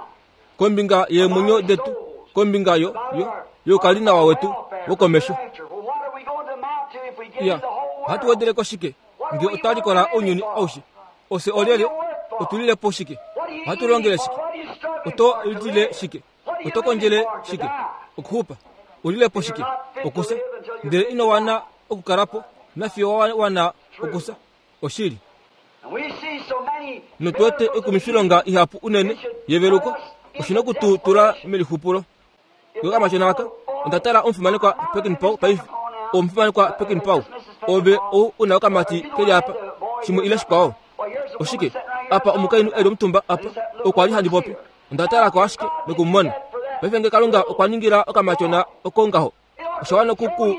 kombinga yeemwenyo detu kombinga yo yo youkalinawa wetu wokomesho. Ya ohatu wedeleko shike nge otwa likola ounyuni aushe ose olyelye otulilepo shike ohatu longele shike oto litile shike oto kondjele shike okuxupa ulilepo shike okusa ndele ino wana okukalapo nafiyo wana okusa oshili. Notuwete ekumifilonga ihapu unene yeveluko oshina okututula melixupulo. Yokamashona aka onda tala omufimanekwa Peckinpah paife omufimanekwa Peckinpah ove ou una okamati keli apa shimwe ile shikwao oshike apa omukainhu eli omutumba apa okwa li handi popi onda talako ashike nokumumona. Paife nge Kalunga okwa ningila okamatyona oko ngaho osha wana okuku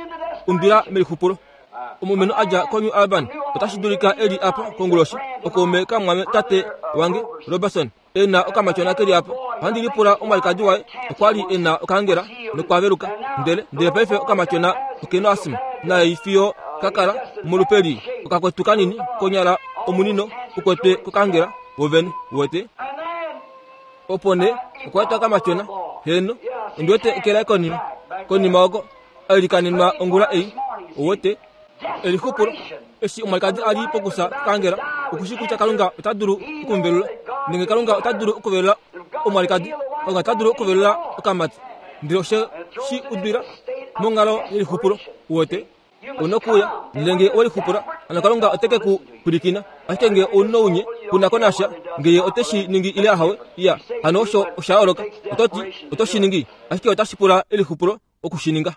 umbila melixupulo. Omulumenhu adja koNew Albany otashi dulika eli apa konguloshi okaume kamwame tate wange Robertson ena okamatyona keli apa. Ohandi lipula omwalikadi waye okwa li ena okangela nokwaveluka ndele ndele paife okamatyona okena asima naye fiyo kakala molupeli okakwetu kanini konyala omunino ukwetwe kokangela wovene wete opo nee okwaetwa okamatyona heno ondiwete ekela konima konima oko ailikanenwa ongula ei owete elixupulo eshi omwalikadi ali pokusa kokangela okushi kutya Kalunga ota dulu okumuvelula nenge Kalunga ota dulu okuvelula omwalikadi Kalunga ota dulu okuvelula okamati ndele oshe shi udwila monghalo yelixupulo uwete unokuya ndele owelixupula hano Kalunga oteke ku pwilikina ashike nge ounounye kuna konasha ngeye oteshi ningi ile ahawe ya hano osho osha yooloka ototi oto shi ningi ashike otashi pula elixupulo okushininga.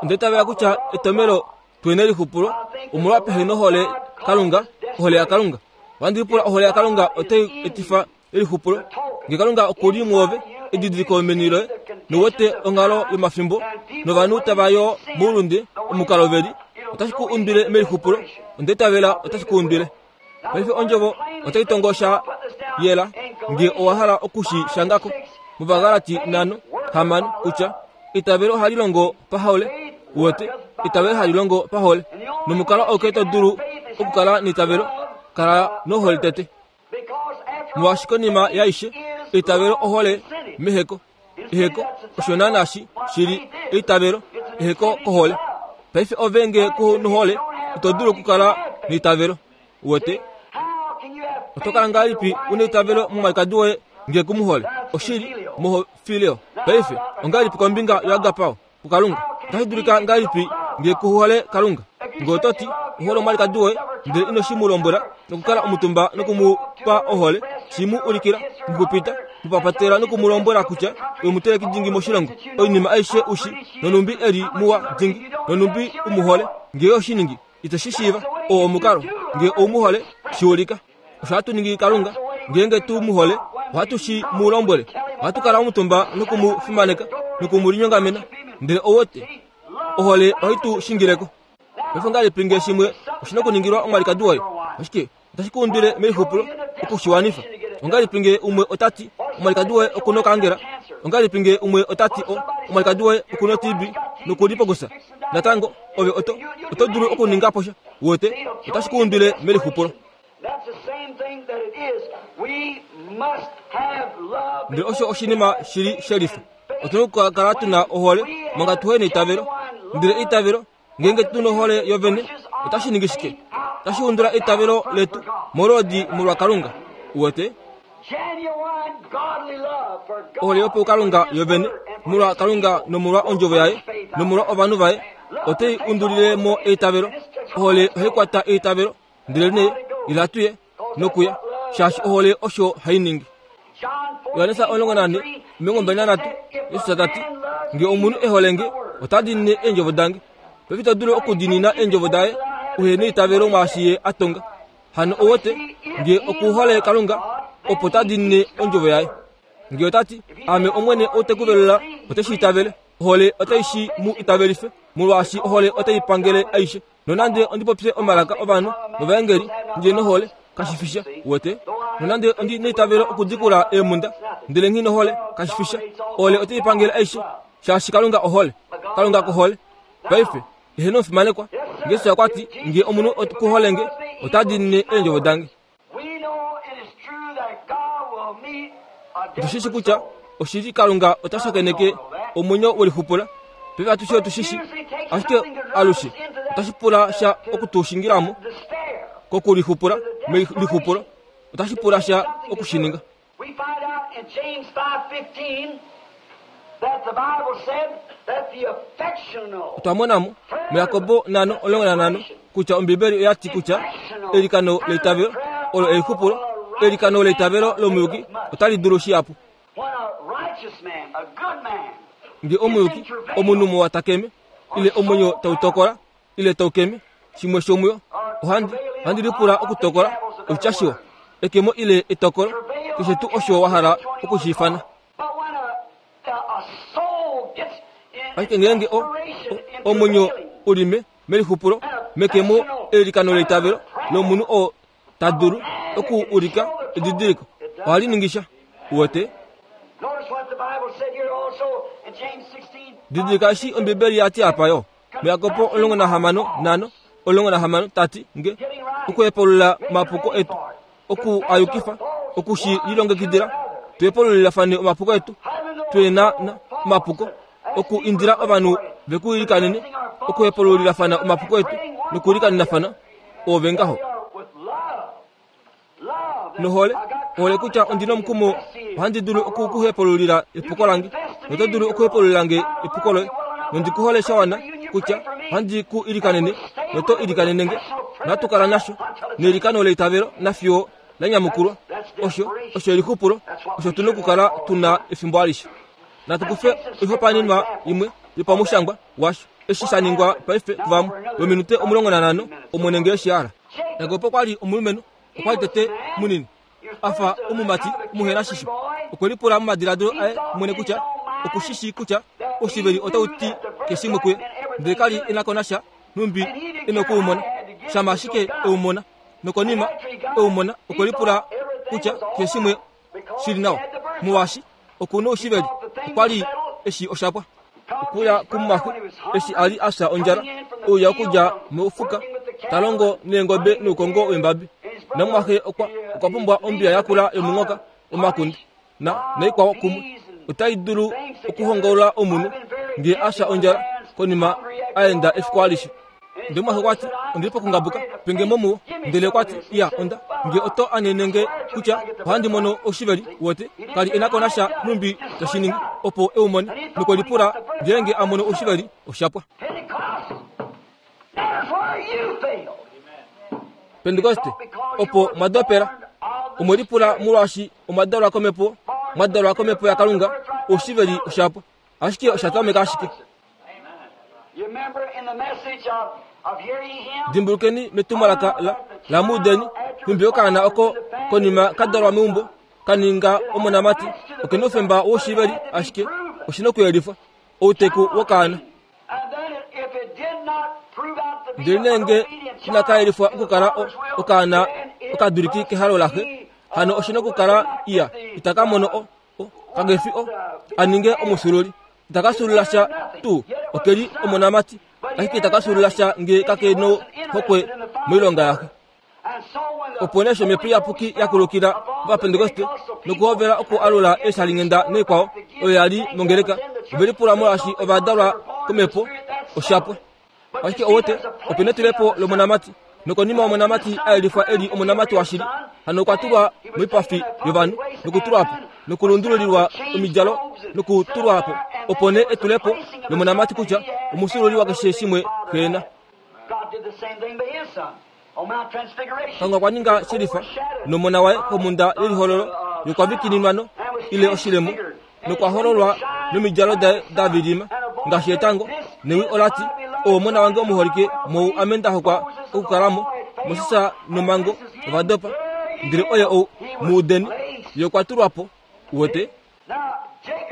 Onde tavela kutya etomelo tuene elixupulo omolwa pehe nohole Kalunga ohole yaKalunga. Ohandi lipula ohole yaKalunga otai etifa elixupulo nge Kalunga okuli muove edidiliko meni loye nowete onghalo yomafimbo novanhu tava yo moulunde omukalo veli otashi ku umbile melixupulo. Onde tavela otashi ku umbile. Paife ondjovo otai tongosha yela nge owa hala okushi shangako mOvagalati nhano hamano kutya itavelo ohali longo pahole uwete itavelo hali longo pahole nomukalo auke to dulu okukala neitavelo kala nohole tete molwaashi konima yaishe eitavelo ohole meheko eheko osho naana shi shili eitavelo eheko kohole. Paife ove nge ku nohole ito dulu okukala neitavelo uwete oto kala ngahelipi una eitavelo momwalikadi woye Nge ku mu hole oshili mohofileo. Paife ongahelipi kombinga yoagapao kuKalunga? Otashi dulika ngahelipi nge ku hole Kalunga? Nge oto ti ohole omwalikadi woye, ndele ino shi mu lombwela nokukala omutumba noku mu pa ohole, shi mu ulikila, mukupita, mupapatela noku mu lombwela kutya omuteleki dingi moshilongo, oinima aishe ushi, nonumbi eli muwa dingi, nonumbi umuhole. Nge oshiningi ite shi shiiva, oo omukalo. Nge oumuhole, shi ulika. Osho hatu ningi Kalunga, ngeenge tu mu hole, ohatu shi mu lombwele. Ohatu kala omutumba noku mu fimaneka, noku mu linyongamena. Ndele owote, ohole ohai tu shingileko. Paife ngahelipi nge shimwe oshina okuningilwa omwalikadi woye? Ashike otashi ku undwile melixupulo okushiwanifa. Ongahelipi nge umwe ota ti omwalikadi woye okuna okankera? Ongahelipi nge umwe ota ti omwalikadi woye okuna T B nokulipokusa? Natango ove oto, oto dulu okuninga po sha. Wote, otashi ku undwile melixupulo. Ndele osho oshinima shili shelifa. Otuna okukala tuna ohole manga tuhe neitavelo. Ndele eitavelo ngeenge tuna ohole yovene, otashi ningi shike? Otashi undula eitavelo letu molwodi molwa Kalunga. Uwete? Ohole yopaukalunga yovene molwa Kalunga nomolwa ondjovo yaye nomolwa ovanhu vaye otai undulile mo eitavelo. Ohole ohai kwata eitavelo, ndele nee ila tuye nokuya, shaashi ohole osho hai ningi. Johannes omulongo nane, omilongo mbali nanhatu, Jesus ta ti, nge omunhu e hole nge, ota diinine eendjovo dange. Paife ito dulu okudiinina eendjovo daye uhe neitavelo mwaashi ye a tonga. Hano owote, nge okuhole Kalunga, opo ta diinine ondjovo yaye. Nge ota ti, ame Omwene ou te ku velula, ote shi itavele. Ohole otai shi mu itavelife, molwaashi ohole otai pangele aishe. Nonande ondi popye omalaka ovanhu novaengeli, ndje nohole, kashi fi sha. Uwete? Nonande ondi neitavelo okudikula eemhunda, ndele nghi nohole, kashi fi sha. Ohole otai pangele aishe, shaashi Kalunga ohole. Kalunga kohole. Paife, eheno omufimanekwa, Jesus okwa ti, nge omunhu okuhole nge, ota diinine eendjovo dange. Otu shi kutya oshili Kalunga ota shakeneke omwenyo welixupula. Paife atushe otu shi shi, ashike alushe otashi pula sha okutushingilamo kokulixupula melixupulo. Otashi pula sha okushininga. We find out in James five fifteen that the Bible said that the affectional Otwa monamo muJakobo nano omulongo nanhano kutya Ombibeli oya ti kutya elikano leitavelo olo elixupulo, elikano leitavelo lomuyuki otali dulu shihapu. When a righteous man, a good man, Nge omuyuki, omunhu muwa ta keme, ile omwenyo tau tokola, ile tau keme, shimwe shomuyo, ohandi, ohandi lipula okutokola oshitya shiwa, ekemo ile etokolo, keshe tuu osho wa hala okushiifana. But when a, a, a soul gets in Ashike ngeenge o, o, omwenyo u li me, melixupulo, mekemo elikano leitavelo lomunhu oo ta dulu oku ulika edidiliko, ohali ningi sha. Uwete? Notice what the Bible said here also in James sixteen. Didilika eshi Ombibeli ya ti apa yo. MuJakobo omulongo nahamano nano, omulongo nahamano ta ti nge okuhepulula omapuko etu, oku a yukifa, oku shi lilongekidila, tu hepululilafane omapuko etu, tu na na omapuko, oku indila ovanhu ve ku ilikanene, okuhepululilafana omapuko etu nokuilikanenafana, ove ngaho. Nohole, ohole kutya ondi nomukumo, ohandi dulu oku ku hepululila epuko lange, noto dulu okuhepululila nge epuko loye, nondi ku hole sha wana kutya ohandi ku ilikanene, noto ilikanene nge. Natu kala nasho nelikano leitavelo nafiyo la nyamukulwa. Osho, osho elixupulo, osho tu nokukala tuna efimbo alishe. Natu kufe oihopaenenwa imwe yopamushangwa washo eshi sha ningwa paife kuvamwe vominute omulongo nanhano, Omwene nge eshi a hala. Jakob okwa li omulumenhu, okwa li tete munini, a fa omumati omuhenashisho. Okwe lipula momadiladilo aye mwene kutya oku shi shii kutya oshiveli otau ti keshimwe kuye, ndele ka li e na ko nasha nhumbi e nokuumona. Shama ashike e u mona, nokonima e u mona, okwe lipula kutya keshimwe shili nawa, molwaashi oku na oshiveli, okwa li eshi oshapwa. Okuya kumumwaxe eshi a li a fya ondjala, ouya okudja mofuka, ta longo neengobe noukongo weembabi. Namumwaxe okwa, okwa pumbwa ombiya yakula yomunghoka, omakunde na, naikwao kumwe. Otai dulu okuhongaula omunhu nge a fya ondjala konima a enda efiku alishe. Ndele mumwaxe okwa ti, Ondili pokungabuka penge momuwo. Ndele okwa ti, iya, onda nge oto anene kutya ohandi mono oshiveli wote kali enako nasha numbi tashiningi opo eumone nokwelipula ngeenge a mono oshiveli oshapwa. Pentekoste opo mwadopela omwelipula molwaashi omwadalwa komhepo, mwadalwa komhepo yaKalunga, oshiveli oshapwa. Ashike oshatameka ashike. Dimbulukeni metumwalaka la lamudeni numbi okaana oko konima kadalwa meumbo kaninga omonamati okena oufemba woshiveli ashike oshina okuyelifwa outeku wokaana. Ndele nenge inakayelifwa okukala okaana okaduliki kehalo laxe, hano oshina okukala iya itaka mono o kagefi o aninge omusululi. Itaka sulula sha tuu okeli omonamati ashike itaka sulula sha nge kake no hokwe moilonga yaxe. Opo nee omhepo iyapuki yakulukila Ovapentekoste nokuhovela okualula eeshalingenda neikwao oyo yali mongeleka. Ovelipula molwaashi ovadalwa komhepo oshapwa. Ashike owote opena etulepo lomonamati nokonima omonamati ayelifwa eli omonamati washili, hano okwa tulwa moipafi yovanhu nokutulwapo nokulundululilwa omidjalo nokutulwapo opo nee etulepo lomonamati kutya omusululi wakeshe shimwe xeena. Kalunga okwa ninga shelifa nomona waye komhunda yelihololo yokwavikininwano ile oshilemo nokwa hololwa nomidjalo daye da vilima ngaashi etango. Newi olati, owo omona wange omuholike, mou ame nda hokwa okukalamo. Moses nomango ovadopa, ndele oye ou muudeni ye okwa tulwapo. Uwete?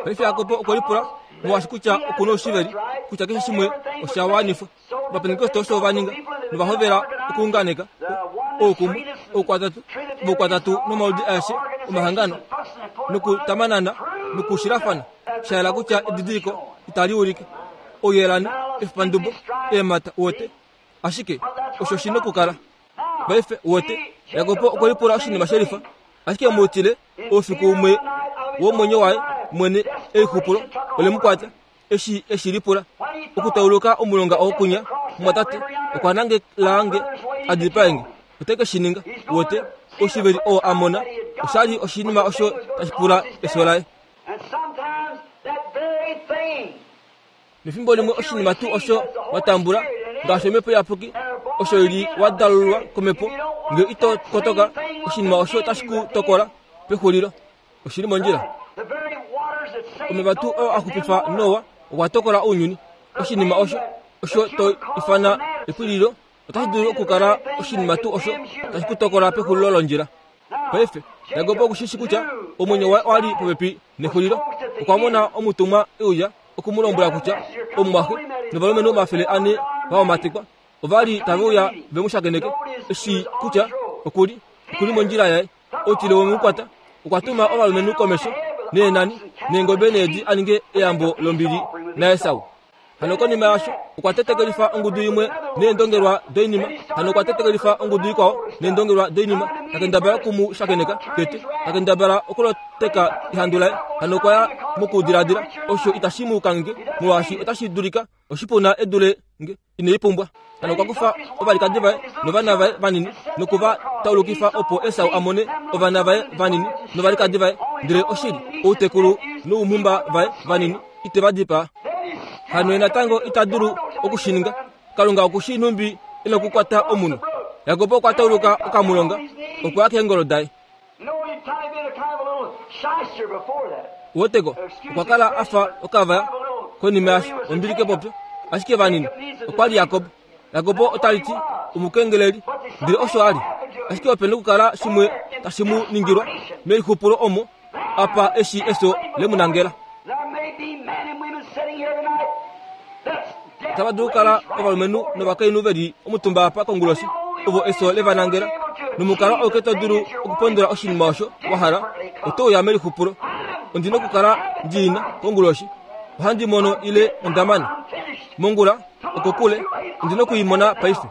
Paife Jakob okwe lipula molwaashi kutya okuna oshiveli kutya keshe shimwe osha wanifwa. Ovapentekoste osho va ninga novahovela okuunganeka oukumwe, oukwatatu, voukwatatu nomaludi aeshe omahangano nokutamanana nokushilafana. Sha yela kutya edidiliko itali ulike ouyelani, efipandubo, eemhata. Uwete? Ashike osho shina okukala. Paife uwete, Jakob okwe lipula oshinima shelifa, ashike muutile oufiku umwe womwenyo waye mwene eixupulo ole mu kwata eshi eshi lipula okutauluka omulonga okunya. Mwatate okwa nangelange adipaenge ote ke shi ninga. Uwete, oshiveli oo a mona oshali oshinima osho tashi pula efyo laye. Nefimbo limwe oshinima tuu osho watambula ngaashi omhepo iyapuki osho ili wadalulwa komhepo, nge ito kotoka oshinima osho tashi ku tokola pexulilo. Oshili mondjila. Omeva tuu oo a xupifa Noa okwa tokola ounyuni. Oshinima osho osho to ifana epwililo otashi dulu okukala oshinima tuu osho tashi ku tokola pexulilo londjila. Paife Jakob okushishi kutya omwenyo waye owali popepi nexulilo. Okwa mona omutumwa euya okumulombwela kutya omumwaxe novalumenhu omafele ane vaomatekwa ovali tave uya ve mu shakeneke, eshi kutya okuli okuli mondjila yaye. Outile wemukwata okwa tuma ovalumenhu komesho neenani neengobe needi a ninge eyambo lombili naEsau. Hano konima yasho okwa tetekelifa ongudu imwe neendongelwa doinima. Hano okwa tetekelifa ongudu ikwao neendongelwa doinima. Takendabala okumu shakeneka tete, takendabala okuloteka ehandu laye. Hano okwa ya mokudiladila osho itashi mu kange molwaashi otashi dulika oshipuna edule nge inei pumbwa. Hano okwa kufa ovalikadi vaye novana vaye vanini nokuva taulukifa opo Esau a mone ovana vaye vanini novalikadi vaye. Ndele oshili outekulu noumhumba vaye vanini ite va dipaa. Hano ye natango ita dulu okushininga. Kalunga okushi numbi ina okukwata omunhu. Jakob okwa tauluka okamulonga okwa ya keengolo daye. Woteko okwa kala afa okavaya konima yasho ombili kepopyo, ashike vanini okwa li Jakob. Jakob otali ti omukengeleli, ndele osho a li. Ashike opena okukala shimwe tashi mu ningilwa melixupulo omo apa eshi efyo lemunangela. Otava dulu okukala ovalumenhu novakainhu veli omutumba apa konguloshi ovo efyo levanangela. Nomukalo auke to dulu okupondola oshinima osho wa hala, oto uya melixupulo. Ondina okukala ndiina konguloshi. Ohandi mono ile ondamana mongula okokule, ondina okuimona paife.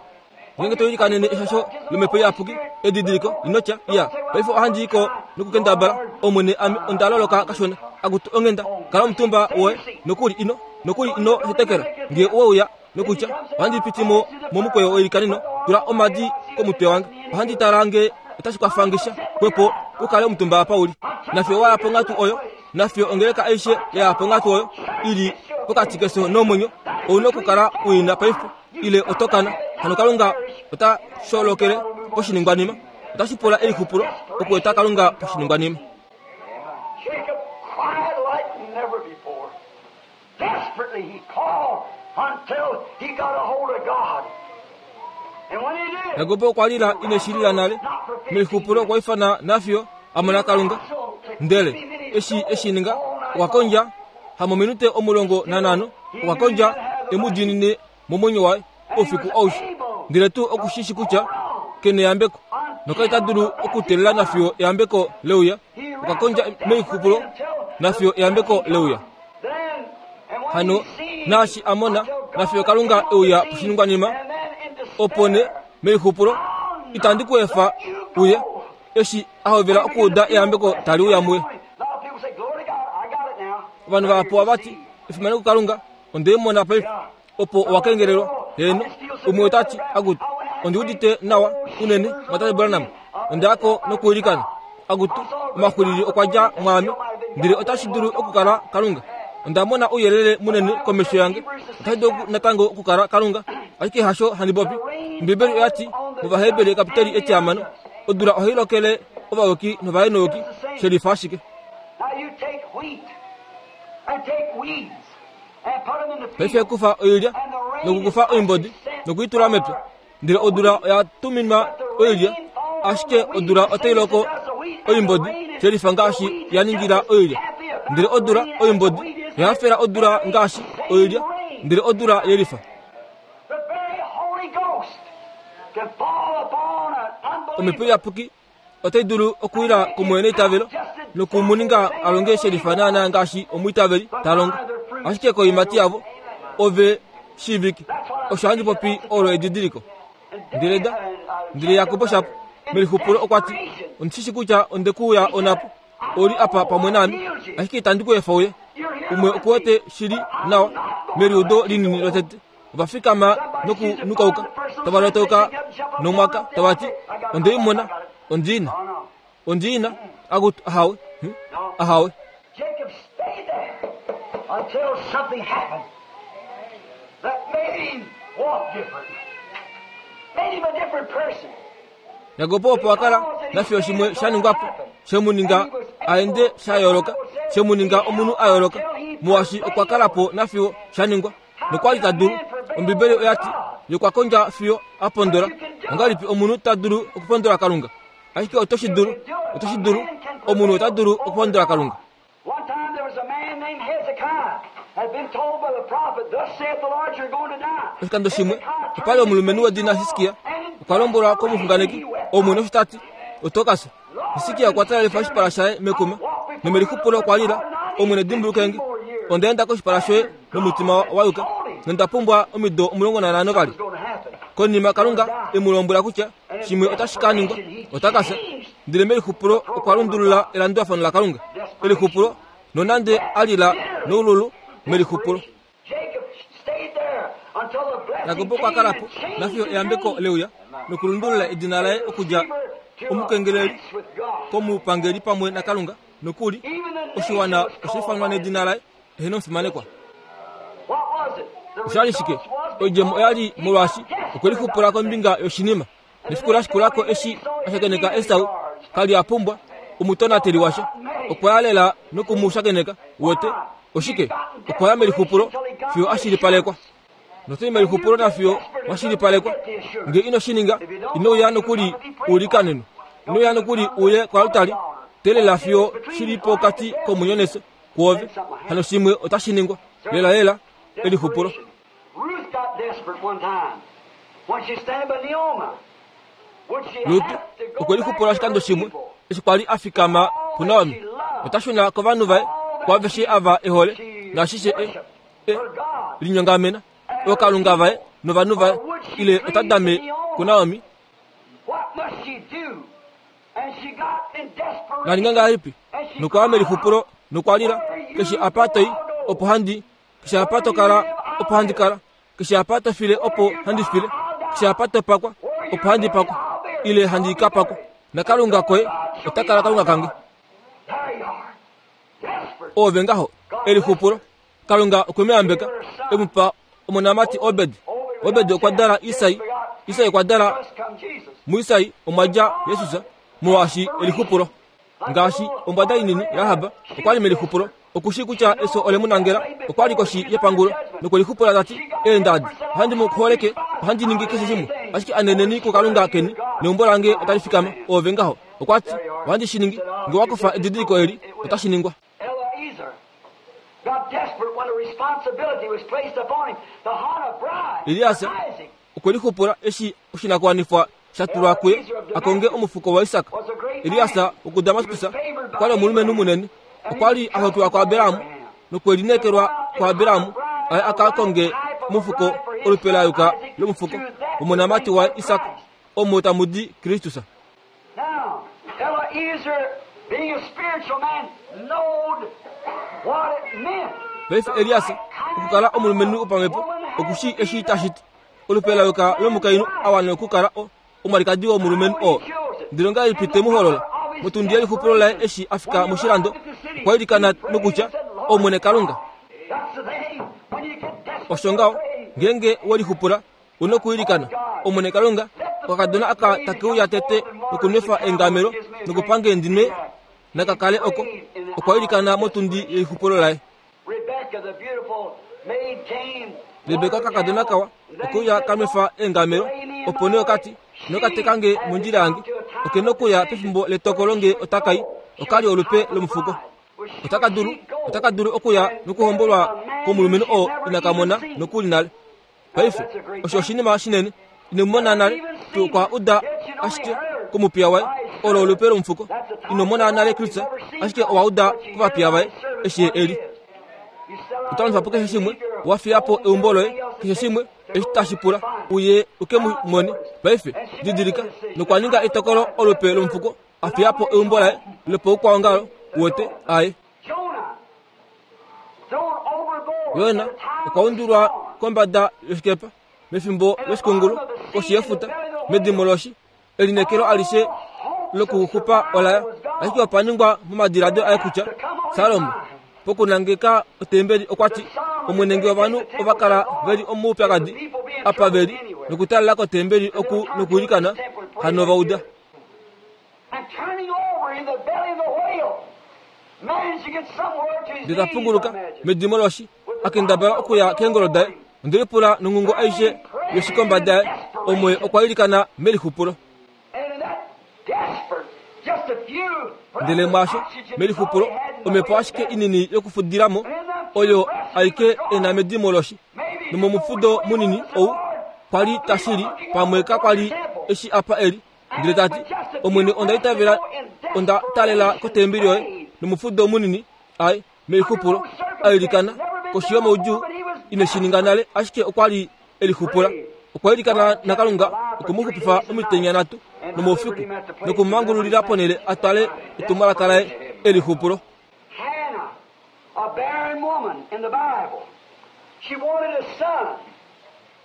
Ngeenge to ilikanene eshasho lomhepo iyapuki, edidiliko inotya iya paife ohandi iko nokukendabala. Omwene, ame onda loloka kashona. Akutu onghenda, kala omutumba woye nokuli ino nokuli ino hetekela. Nge owe uya nokutya ohandi piti mo momukweyo weilikaneno tula omadi komutwe wange ohandi tala nge otashi kwafangisha kwepo ukale omutumba apa uli nafyo waya ponghatu oyo nafyo ongeleka aishe yaya ponghatu oyo ili pokati keso nomwenyo ouna okukala uina paife ile otokana hano kalunga ota sholokele poshiningwanima otashi pula elixupulo okueta kalunga poshiningwanima. Jacob cried like never before. Desperately he called until he got a hold of God. And when he did, Yakobo okwa lila ineshilila nale melixupulo okwa ifana nafyo amona kalunga ndele eshi eshininga okwa kondja hamominute omulongo nanhano okwa kondja emudinine momwenyo waye oufiku aushe ndele tuu okushishi kutya kene eyambeko nokali ta dulu okutelela nafiyo eyambeko leuya okwa kondja melixupulo nafiyo eyambeko leuya then, and when hano he seen naashi amona until God nafiyo kalunga euya poshiningwanima and then in despair, opo ne melixupulo itandi ku efa uye eshi ahovela okuuda eyambeko tali uya muye A lot of people say, Glory to God, I got it now. ovanhu vahapu vati efimano kukalunga ondeimona paife opo owakengelelwa heno umwe otati akutu ondiudite nawa unene mwatate Branham ondayako nokuilikana akutu omaxwilili okwa dja mwaame ndele otashi dulu okukala kalunga ondamona ouyelele munene komesho yange otashi dulu natango okukala kalunga ashike hasho handi popi ombibeli oyati movaheberi kapiteli etihamano odula ohai lokele ovayuki novahenouki shelifa ashike. Now you take wheat and take weeds and put them in the paife field. kufa oilya nokukufa oimbodi nokuitula mepya ndele odula oya tuminwa oilya ashike odula otai loko oimbodi shelifa ngaashi ya ningila oilya ndele odula oimbodi oyahafela odula ngaashi oilya ndele odula yelifa. The very Holy Ghost can fall upon an omhepo unbeliever. iyapuki otai dulu okuwila kumwene eitavelo nokumuninga alonge shelifa naana ngaashi omwiitaveli ta longo ashike koimati yavo ove shiivike osho handi popi olo edidiliko ndele da ndele Jakobo shapo melixupulo okwa ti ondishishi kutya ondekuuya onapo oli apa pamwe naame ashike itandi ku efa uye umwe okuwete shili nawa meliudo linini lotete ovafikama nokunukauka tava lotauka nomwaka tava ti ondeimona ondiina ondiina akutu ahawe hm, ahawe. Jacob stayed there until something happened that made him walk different, made him a different person. Yakobo opo akala nafiyo shimwe sha ningwapo shemuninga aende sha yooloka shemuninga omunhu a yooloka muwashi okwa kalapo nafiyo sha ningwa nokwali ta dulu ombibeli oyati yokwa kondja fiyo a pondola ongalipi omunhu ta dulu okupondola kalunga ashike otoshi dulu otoshi dulu omunhu ota dulu okupondola kalunga. One time there was a man named Hezekiah had been told by the prophet, Thus saith the Lord, you're going to die. Oshikando shimwe opali omulumenhu wedina Hiskia okwa lombwelwa komuxunganeki omwene osho tati oto ka fya. Hiskia okwa talelifa oshipala shaye mekuma nomelixupulo okwa lila omwene dimbulukenge ondaenda koshipala shoye nomutima wa yuka nonda pumbwa omido omulongo nanhano vali. What's going to happen? Konima kalunga emu lombwela kutya shimwe otashi ka ningwa ota ka fya ndele melixupulo okwa lundulula elandulafano lakalunga elixupulo nonande alila noululu melixupulo. Jacob stayed there until the blessing Yakobo okwa came kalapo and changed nafiyo his eyambeko name. leuya nokulundulula edina laye okudja omukengeleli With God. komupangeli pamwe nakalunga nokuli oshiwana osha ifanwa nedina laye ehena omufimanekwa. What was it? The Oshali shike result was oidjemo oyali molwaashi because okwe lixupula kombinga yoshinima nefiku la shikulako eshi ashakeneka Esau kali a pumbwa omutonateli washa okwa ya lela nokumushakeneka wete oshike okwa ya melixupulo fiyo ashilipalekwa notoi melixupulo nafiyo washilipalekwa nge ino shininga inouya nokuli ulikaneno inouya nokuli uye koalutali telela fiyo shili pokati komwenyo nefyo kuove hano shimwe otashi ningwa lela lela elixupulo. Ruth got desperate one time when she standing by Naomi. Would she Lut have to go okwe back lixupula to her oshikando shimwe people? eshi kwali a fikama puNaomi ota shuna kovanhu vaye kwaaveshe ava ehole naashishe e, e Her God. linyongamena ookalunga vaye novanhu vaye ile ota dame kuNaomi What must she do? And she got in desperation. naninga ngahelipi nokwaya melixupulo nokwalila keshe apa toi opo handi keshe apa to kala opo handi kala Keshe apa to file opo handi file, keshe apa to pakwa opo handi pakwa, ile handi ka pakwa, nakalunga koye ota kala kalunga kange. Ove ngaho elixupulo. Kalunga okwe mu yambeka, e mu pa omonamati Obed. Obed okwa dala Isai, Isai okwa dala muIsai omwa dja Jesus, molwaashi elixupulo. Ngaashi ombwada inini Rahab okwa li melixupulo, okushi kutya eso ole mu nangela, okwa li koshi yepangulo nokwelixupula tati, eendadi, ohandi mu holeke, ohandi ningi keshe shimwe, ashike aneneni kukalunga keni neumbo lange otali fikama. Ove ngaho okwa ti, ohandi shi ningi, nge wa kufa edidiliko eli, otashi ningwa. Elias okwelixupula eshi oshinakuwanifwa sha tulwa kuye akonge omufuko waIsak. Elias wokuDamaskus okwa li omulumenhu munene, okwa li a hokiwa kuAbraham nokwelineekelwa kuAbraham aye aka konge omufuko olupe la yuka lomufuko womonamati waIsak, omo tamu di Kristus. Paife Elias okukala omulumenhu wopamhepo okushi eshi tashi ti olupe la yuka lomukainhu a wana okukala omwalikadi womulumenhu oo. Ndele ongahelipi te mu holola? Motundi yelixupulo laye eshi a fika moshilando, okwa ilikana nokutya, Omwene Kalunga. Osho ngaho, ngeenge welixupula, una okuilikana, Omwene Kalunga, okakadona aka take uya tete nokunwefa eengamelo nokupange ndinwe nakakale oko. Okwa ilikana motundi yelixupulo laye. Rebeka kakadona kawa okuya kanwefa eengamelo, opo nee okati nokatekange mondjila yange, oke nokuya pefimbo letokolo nge otakai, okali olupe lomufuko. Otaka dulu, otaka dulu okuya nokuhombolwa komulumenhu oo ina mona nokuli nale. Paife osho oshinima shinene, ino mona nale, tuu kwa uda ashike komupiya waye, olo olupe lomufuko. Ino mona nale Kristus, ashike owa uda kovapiya vaye eshi eli. Otawanifa po keshe shimwe, wa fiya po eumbo loye, keshe shimwe eshi tashi pula uye uke mu mone. Paife didilika, nokwa ninga etokolo olupe lomufuko, a fiya po eumbo laye lopoukwaongalo wote aye. Yona okwa undulwa kombada yoshikepa mefimbo loshikungulu koshi yefuta, medimo loshi, elineekelo alishe lokuxupa olaya, ashike opa ningwa momadiladilo aye kutya Salomo pokunangeka otembeli okwa ti, Omwene nge ovanhu ova kala veli omoupyakadi apa veli nokutalela kotembeli oku nokuilikana, hano va uda. Ndele ta punguluka medimo loshi, a kendabala okuya keengolo daye, onde lipula nonghungo aishe yoshikomba daye, omwe okwa ilikana melixupulo. Ndele mwaasho melixupulo omhepo ashike inini yokufudilamo oyo aike ena medimo loshi, nomomufudo munini ou kwali tashili pamwe kakwali eshi apa eli. Ndele tati, Omwene onda itavela, onda talela kotembeli yoye, nomufudo munini ai melixupulo ailikana koshi yomaudjuu, ine shi ninga nale, ashike okwa li elixupula. Okwa ilikana naKalunga okumuxupifa omitenya nhatu nomoufiku nokumumangululila ponhele a twale etumwalaka laye elixupulo.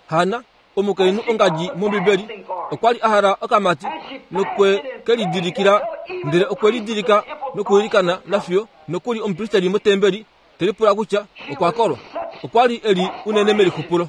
Hanna, omukainhu ongadji mOmbibeli, okwa li a hala okamati nokwe ke lidilikila, ndele okwe lidilika nokuilikana nafiyo nokuli omupristeli motembeli te lipula kutya okwa kolwa. Okwa li e li unene melixupulo.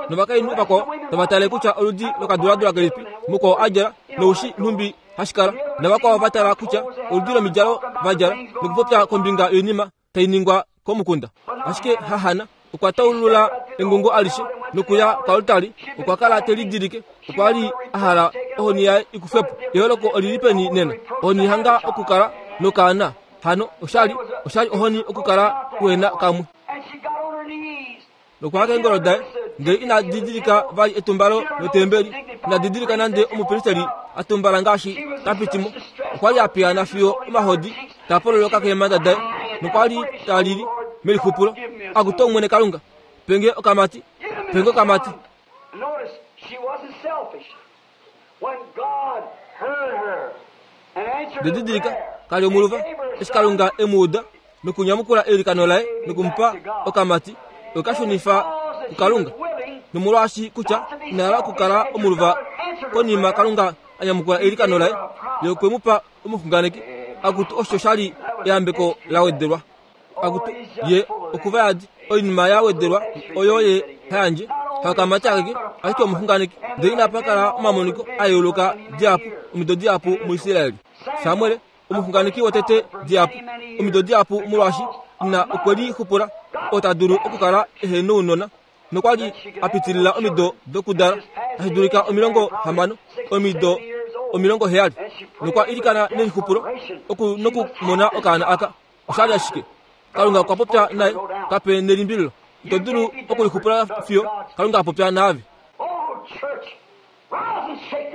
Novakainhu vakwao tava tale kutya oludi lokaduladula kelipi mukwao a djala noushi nhumbi hashi kala, navakwao va tala kutya oludi lomidjalo va djala nokupopya kombinga yoinima tai ningwa komukunda. Ashike haHanna okwa taulula engungo alishe nokuya koaltari, okwa kala te lidilike, okwa li a hala ohoni yaye ikufwe po. Eholoko olili peni nena? Ohoni hanga okukala nokaana, hano oshali oshali ohoni okukala kuhena kamwe. Nokwa keengolo daye, ndele ina didilika vali etumbalo lotembeli, ina didilika nande omupristeli a tumbala ngaashi ta piti mo. Okwa li a piyaana fiyo omahodi taa pololoka keemhanda daye, nokwa li ta lili melixupulo, Akutu Omwene Kalunga, penge okamati, penge okamati. Ndedidilika, kali omuluva, eshi Kalunga e mu uda nokunyamukula eilikano laye nokumupa okamati, okwe ka shunifa kuKalunga. Nomolwaashi kutya ina hala okukala omuluva konima Kalunga a nyamukula eilikano laye, ye okwe mu pa omuxunganeki. Akutu osho sha li eyambeko la wedelwa. Akutu ye okuvayadi oinima ya wedelwa oyo ye hayandje hakamati akeke ashike omuxunganeki. Ndele inapa kala omamoniko a yooloka dihapu omido dihapu muIsraeli. Samuel omuxunganeki wotete dihapu omido dihapu molwaashi ina okwe lixupula oo ta dulu okukala ehe nounona nokwa li a pitilila omido dokudala tashi dulika omilongo hamano omido omilongo heyali nokwa ilikana nelixupulo oku nokumona okaana aka. Oshali ashike Kalunga okwa popya naye kape nelimbililo. Ito dulu okulixupula fiyo Kalunga a popya naave.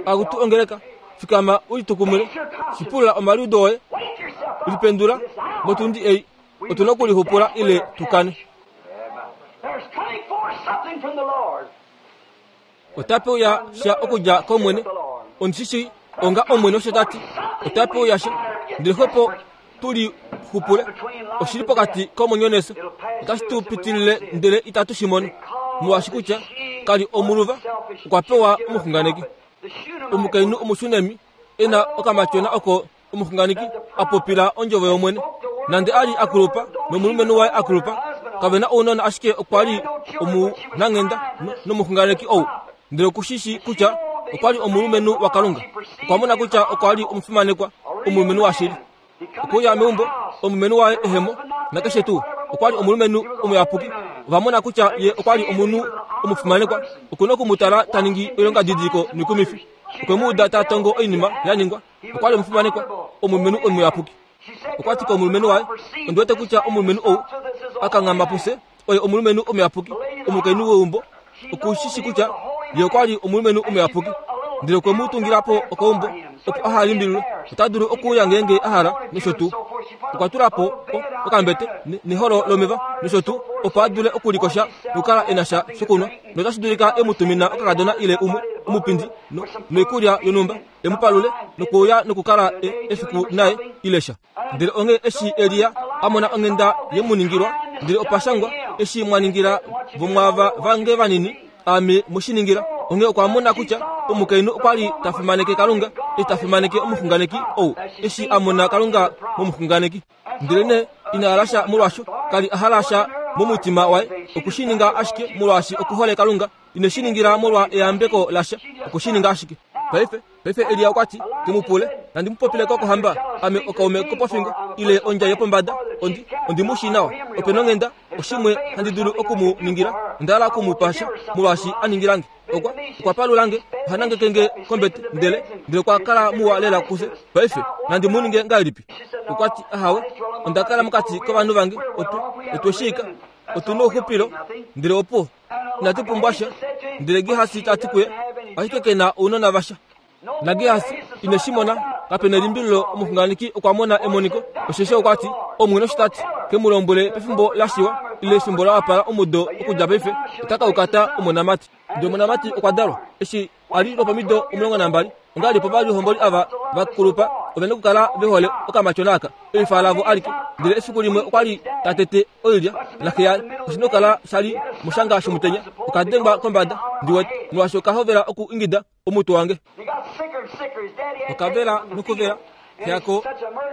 Akutu ongeleka fikama ulitukumule shipula omaliudo oye lipendula motundi ei otuna okulixupula ile tukane. Otape uya sha okudja kOmwene. Ondishishi onga Omwene osho tati otape uya sha ndele xwepo tulixupule oshili pokati komwenyo nefyo otashi tu pitilile ndele itatu shi mono molwaashi kutya kali omuluva okwa pewa omuxunganeki. Omukainhu omushunemi e na okamatyona oko omuxunganeki a popila ondjovo yOmwene. Nande a li a kulupa nomulumenhu waye a kulupa kave na ounona ashike okwa li omunanghenda nomuxunganeki ou. Ndele okushishi kutya okwa li omulumenhu waKalunga. Okwa mona kutya okwa li omufimanekwa omulumenhu washili. Okuya meumbo omulumenhu waye ehemo nakeshe tuu okwa li omulumenhu omuyapuki. Ova mona kutya ye okwa li omunhu omufimanekwa. Okuna okumutala ta ningi oilongadidiliko noikumifi. Okwe mu uda ta tongo oinima ya ningwa. Okwa li omufimanekwa omulumenhu omuyapuki. Okwa ti komulumenhu waye, ondi wete kutya omulumenhu ou a kanghama pufye oye omulumenhu omuyapuki, omukainhu weumbo. Okushishi kutya ye okwa li omulumenhu omuyapuki. Ndele okwe mu tungila po okaumbo opo aha limbililwe. Ota dulu okuuya ngeenge a hala nosho tuu. Okwa tula po okambete neholo lomeva nosho tuu opo a dule okulikosha nokukala e na sha shokunwa. Notashi dulika e mu tumina okakadona ile umwe omupindi noikulya yonhumba e mu palule nokuuya nokukala efiku naye ile sha. Ndele onghee eshi Elia a mona onghenda ye mu ningilwa, ndele opa shangwa eshi mwa ningila vomwaava vange vanini aame mu shi ningila. Onghee okwa mona kutya omukainhu okwa li ta fimaneke Kalunga eshi ta fimaneke omuxunganeki ou eshi a mona Kalunga momuxunganeki. Ndele nee ina hala sha molwaasho kali a hala sha momutima waye okushi ninga ashike molwaashi okuhole Kalunga. Ine shi ningila molwa eyambeko lasha, okushi ninga ashike. Paife paife Elia okwa ti ke mu pule, nandi mu popile ko kohamba, ame okaume kopofingo ile ondjai yopombada, ondi ondi mu shii nawa. Ope nonghenda oshimwe handi dulu oku mu ningila, onda hala oku mu pa sha molwaashi a ningilange. Okwa okwa palulange, oha nangekenge kombete, ndele ndele okwa kala muwa lela kufye. Paife nandi mu ninge ngahelipi? Okwa ti ahawe, onda kala mokati kovanhu vange, otu otwe shiika, otu nouxupilo, ndele opo inatu pumbwa sha. Ndele Gehasi ta ti kuye, ashike ke na ounona vasha. NaGehasi ine shi mona, kape nelimbililo omuxunganeki okwa mona emoniko, osheshi okwa ti Omwene osho ta ti, ke mu lombwele pefimbo la shiwa ile efimbo la wapala omudo okudja paife ota ka ukata omonamati. Ndele omonamati okwa dalwa eshi a li lwopomido omulongo nambali. Ongahelipi ovalihomboli ava va kulupa ove na okukala ve hole okamatyona aka eifa lavo alike. Ndele efiku limwe okwa li ta tete oilya naxe yaye. Oshi nokukala sha li moshanga shomutenya. Oka dengwa kombada ndi wete molwaashi oka hovela oku ingida omutwe wange. Okavela nokuvela xe yako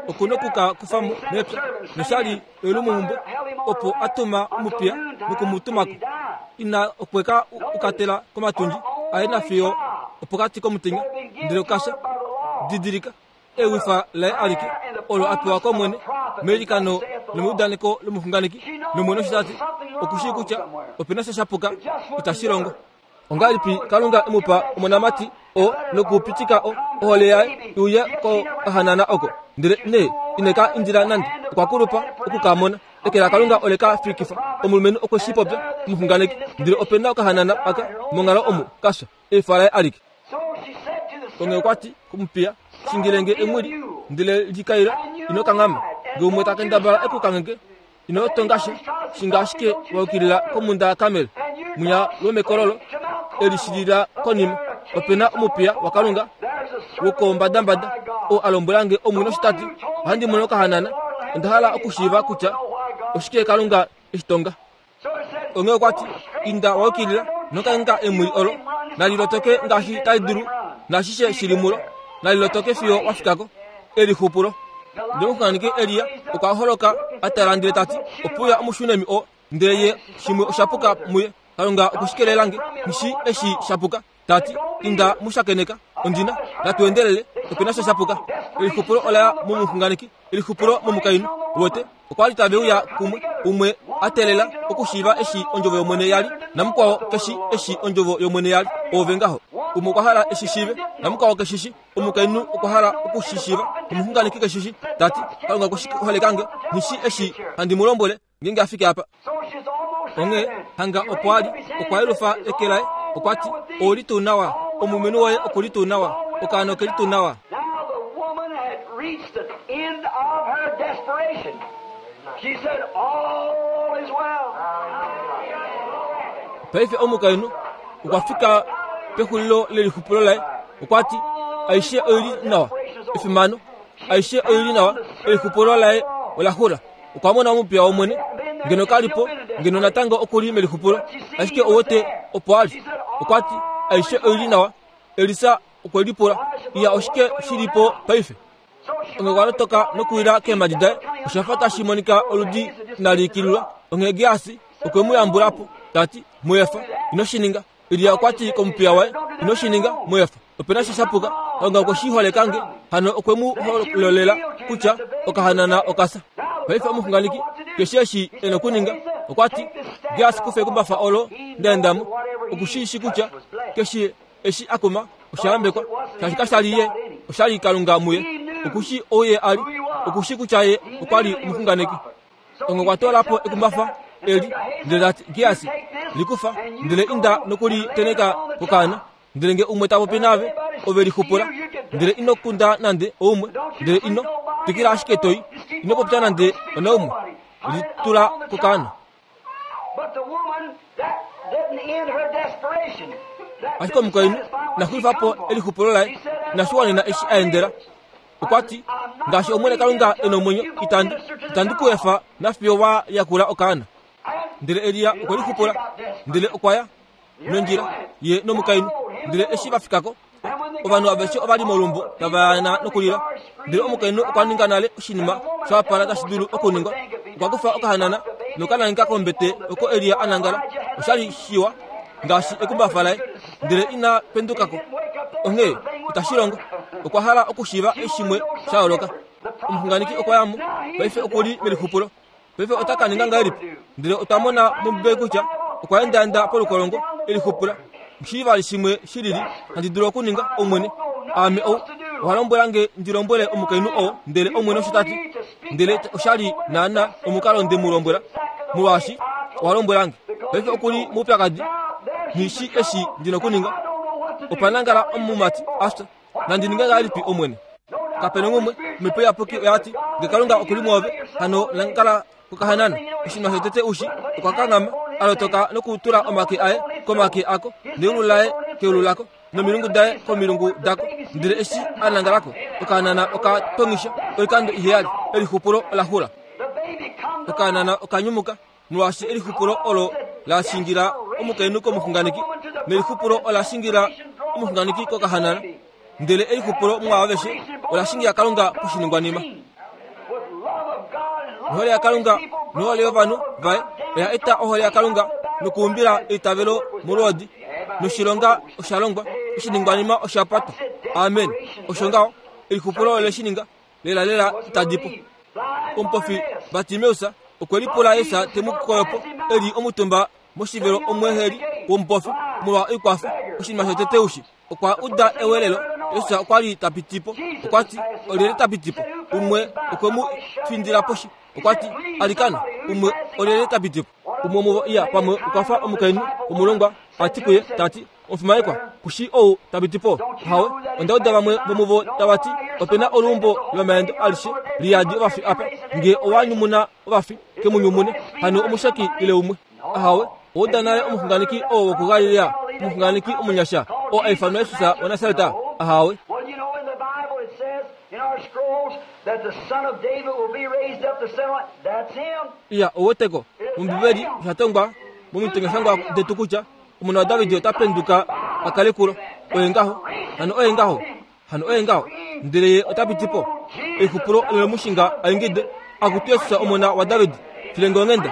oku nokuka kufa mo mepya nosha li eulumomhumbwe opo a tuma omupiya noku mu tumako. Ina okwe ka ukatela komatundji aye nafiyo opokati komutenya ndele okasha. Didilika ewifa laye alike olo a pewa kOmwene meilikano nomeudaneko lomuxunganeki. NOmwene osho ta ti okushii kutya ope na sha shapuka itashi longo. Ongahelipi Kalunga e mu pa omonamati oo nokupitika ohole yaye i uye kokahanana oko? Ndele nee ine ka indila nande, okwa kulupa oku ka mona. Eke laKalunga ole ka fikifa. Omulumenhu okwe shi popya omuxunganeki. Ndele ope na okahanana aka monghalo omu ka fya eifa laye alike. Onghee okwa ti komupiya, shingilenge emwili ndele likaila, ino kanghama. Ngee umwe ta kendabala e ku kangheke, ino tonga sha, shinga ashike wa yukilila komhunda yaKarmel, mwinya lwomekololo e lishilila konima. Ope na omupiya waKalunga wokombadambada oo a lombwela nge Omwene osho ta ti, ohandi mono okahanana, onda hala okushiiva kutya oshike Kalunga e shi tonga. Onghee okwa ti, inda wa yukilila, Nokanka emwili olo nalilotoke ngaashi tali dulu nashishe shili mulo nalilotoke fiyo wafikako elixupulo. Ndele omuxunganeki Elia okwa holoka a tala ndele tati opuya omushunemi oo ndele ye shimwe oshapuka muye. Kalunga okushikelelange nishi eshi shapuka. Tati inda mushakeneka ondina natuendelele opena sha shapuka. Elixupulo olaya momuxunganeki, elixupulo momukainhu wote okwa li tave uya kumwe umwe atelela okushiiva eshi ondjovo yomwene yali namukwao keshi eshi ondjovo yomwene yali ove ngaho. Umwe okwa hala eshishiive namukwao keshishi. Omukainhu okwa hala okushishiiva omuxunganeki keshishi. Tati Kalunga okushiholekange nishi eshi handi mu lombwele ngeenge afike apa. Onghee hanga opo ali okwa yelufa eke laye okwa ti ouli tuu nawa, omulumenhu woye okuli tuu nawa, okaana okeli tuu nawa. Now the woman had reached the end of her desperation. She said, all is well. Paife omukainhu okwa fika pexulilo lelixupulo laye okwa ti aishe oili nawa, efimano aishe oili nawa, elixupulo laye ola xula. Okwa mona omupiya womwene ngeno kalipo ngeno natango okuli melixupulo, ashike owote opo ali. Okwa ti aishe oili nawa. Elisa okwe lipula iya oshike shilipo paife. Onge okwa lotoka nokuwila keemhadi daye oshafa tashi monika oludi inali ikililwa. Onghee Geasi okwe mu yambulapo tati muefa ino shi ninga. Elia okwa ti komupiya waye ino shi ninga muefa, opena sha shapuka. Kalunga okwe shi holekange hano okwe mu hololela kutya okahanana okasa. Paife omuxunganeki keshe eshi e nokuninga okwa ti Geasi kufe ekumbafa olo ndaendamo okushiishi kutya keshe eshi akuma oshayambekwa shaashi kashali ye oshali Kalunga muye. Okushi ouye ali okushi kutya ye okwa li omuxunganeki. Onge okwa toolapo ekumbafa eli ndele tati Geasi likufa ndele inda nokuli teneka kokaana ndele nge umwe ta popi naave ove lixupula ndele ino kunda nande oumwe ndele ino twikila ashike toi ino popya nande onaumwe litula kokaana. But the woman, that didn't end her desperation. That Ashike omukainhu naxulifapo elixupulo laye nashiwanena eshi a endela. Okwa ti ngaashi Omwene Kalunga e nomwenyo itandi itandi ku efa nafiyo wa yakula okaana. Ndele Elia okwe lixupula ndele okwa ya nondjila ye nomukainhu ndele eshi va fikako ovanhu aveshe ova li molumbo tava yana nokulila. Ndele omukainhu okwa ninga nale oshinima sha wapala tashi dulu okuningwa. Okwa kufa okahanana nokanangeka kombete oko Elia a nangala. Oshali shiwa ngaashi ekumbafa laye ndele ina pendukako. Onghee itashi longo. Okwa hala okushiiva eshimwe sha yooloka. Omuxunganeki okwa yamo paife okuli melixupulo. Paife ota ka ninga ngahelipi? Ndele otwa mona mOmbibeli kutya okwa endaenda polukolongo elixupula. Nghishivali shimwe shilili handi dulu okuninga Omwene. Aame ou owa lombwela nge ndi lombwele omukainhu oo ndele Omwene osho tati. Ndele oshali naana omukalo nde mu lombwela molwaashi owa lombwela nge. Paife okuli moupyakadi nghishi eshi ndi nokuninga. Opa nangala omumati afya nandi ninge ngahelipi Omwene? Kapena umwe Omhepo Iyapuki oya ti nge Kalunga okuli mwoove hano nangala kokahanana. Oshinima shotete ushi okwa kanghama a lotoka nokutula omake aye komake ako neulu laye keulu lako nomilungu daye komilungu dako. Ndele eshi a nangalako okahanana oka tongisha oikando iheyali. Elixupulo ola xula. Okahanana okanyumuka molwaashi elixupulo olo la shingila omukainhu komuxunganeki nelixupulo ola shingila omuxunganeki kokahanana. Ndele elixupulo mwaaveshe ola shingila Kalunga poshiningwanima. Nohole yaKalunga nohole yovanhu vaye oya eta ohole yaKalunga nokuumbila eitavelo molwoodi. Noshilonga osha longwa, oshiningwanima osha patwa. Amen. Osho ngaho elixupulo ole shi ninga lelalela itadipo. Omupofi Bartimeus okwe lipula Jesus te mu koyopo e li omutumba moshivelo omweeheli womupofi molwa oikwafa. Oshinima shotete ushi okwa uda ewelelo. Jesus okwa li ta pitipo. Okwa ti olyelye ta pitipo? Umwe okwe mu findila poshi. Okwa ti alikana umwe olyelye ta pitipo? Umwe womuvo iya pamwe okwa fa omukainhu womulongwa a ti kuye tati omufimanekwa kushi ou ta pitipo? Hawe, onda uda vamwe vomuvo tava ti opena oluumbo lomaendo alishe liyadi ovafi apa. Nge owa nyumuna ovafi ke mu nyumune hano omusheki ile umwe. Ahawe, ouda nale omuxunganeki oo wokuGalilea, omuxunganeki omunyasha oo a ifanwa Jesus waNasareta. Ahawe. Well, you know, in the Bible it says in our scrolls that the son of David will be raised up to seven. That's him. Iya oweteko mOmbibeli osha tongwa momitengeshangwa detu kutya Omona waDavid ota penduka a kale kulo. Oye ngaho, hano oye ngaho, hano oye ngaho. Ndele ye ota piti po. Exupulo lemushinga aingide akutu Yesus omona waDavid, filenge onghenda.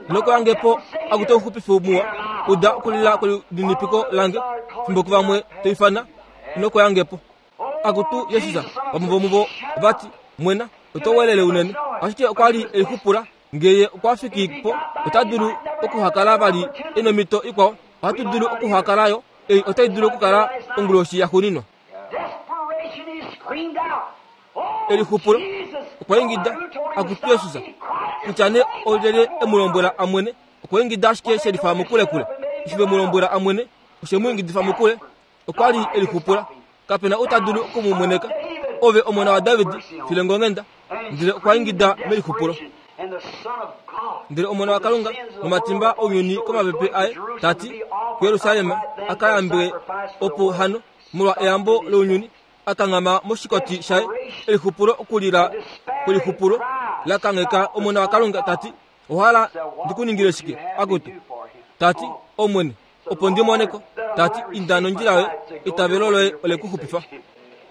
Nokoyange po akutu omuxupifi muwa, uda okulila kwelininipiko lange, fimbo kuvamwe toifana, nokoyange po. Akutu Yesus, vamwe vomuvo vati, mwena, oto welele unene. Ashike okwa li elixupula, ngeye okwa fiki po, ota dulu okuhakala vali enomito ikwao. Ohatu dulu okuhakalayo, ei otai dulu okukala onguloshi yaxuuninwa. Elixupulo okwa ingida akutu Yesus, kutya nee olyelye e mu lombwela amwene. Okwa ingida ashike shelifa mokulekule. Eshi ve mu lombwela amwene, oshe mu ingidifa mokule. Okwa li elixupula, kapena ou ta dulu okumu mweneka. Ove omona waDavid, filenge onghenda. Ndele okwa ingida melixupulo. Ndele omona waKalunga nomatimba ounyuni komapepe aye, tati kuJerusalem a ka yambe opo hano molwa eyambo lounyuni, akanghama moshikoti shaye. Elixupulo okulila kwelixupulo lakangheka omona waKalunga, tati ohala ndikuningile shike akutu? Tati Omwene, opo ndimoneko. Tati inda nondjila yoye, eitavelo loye ole ku xupifa.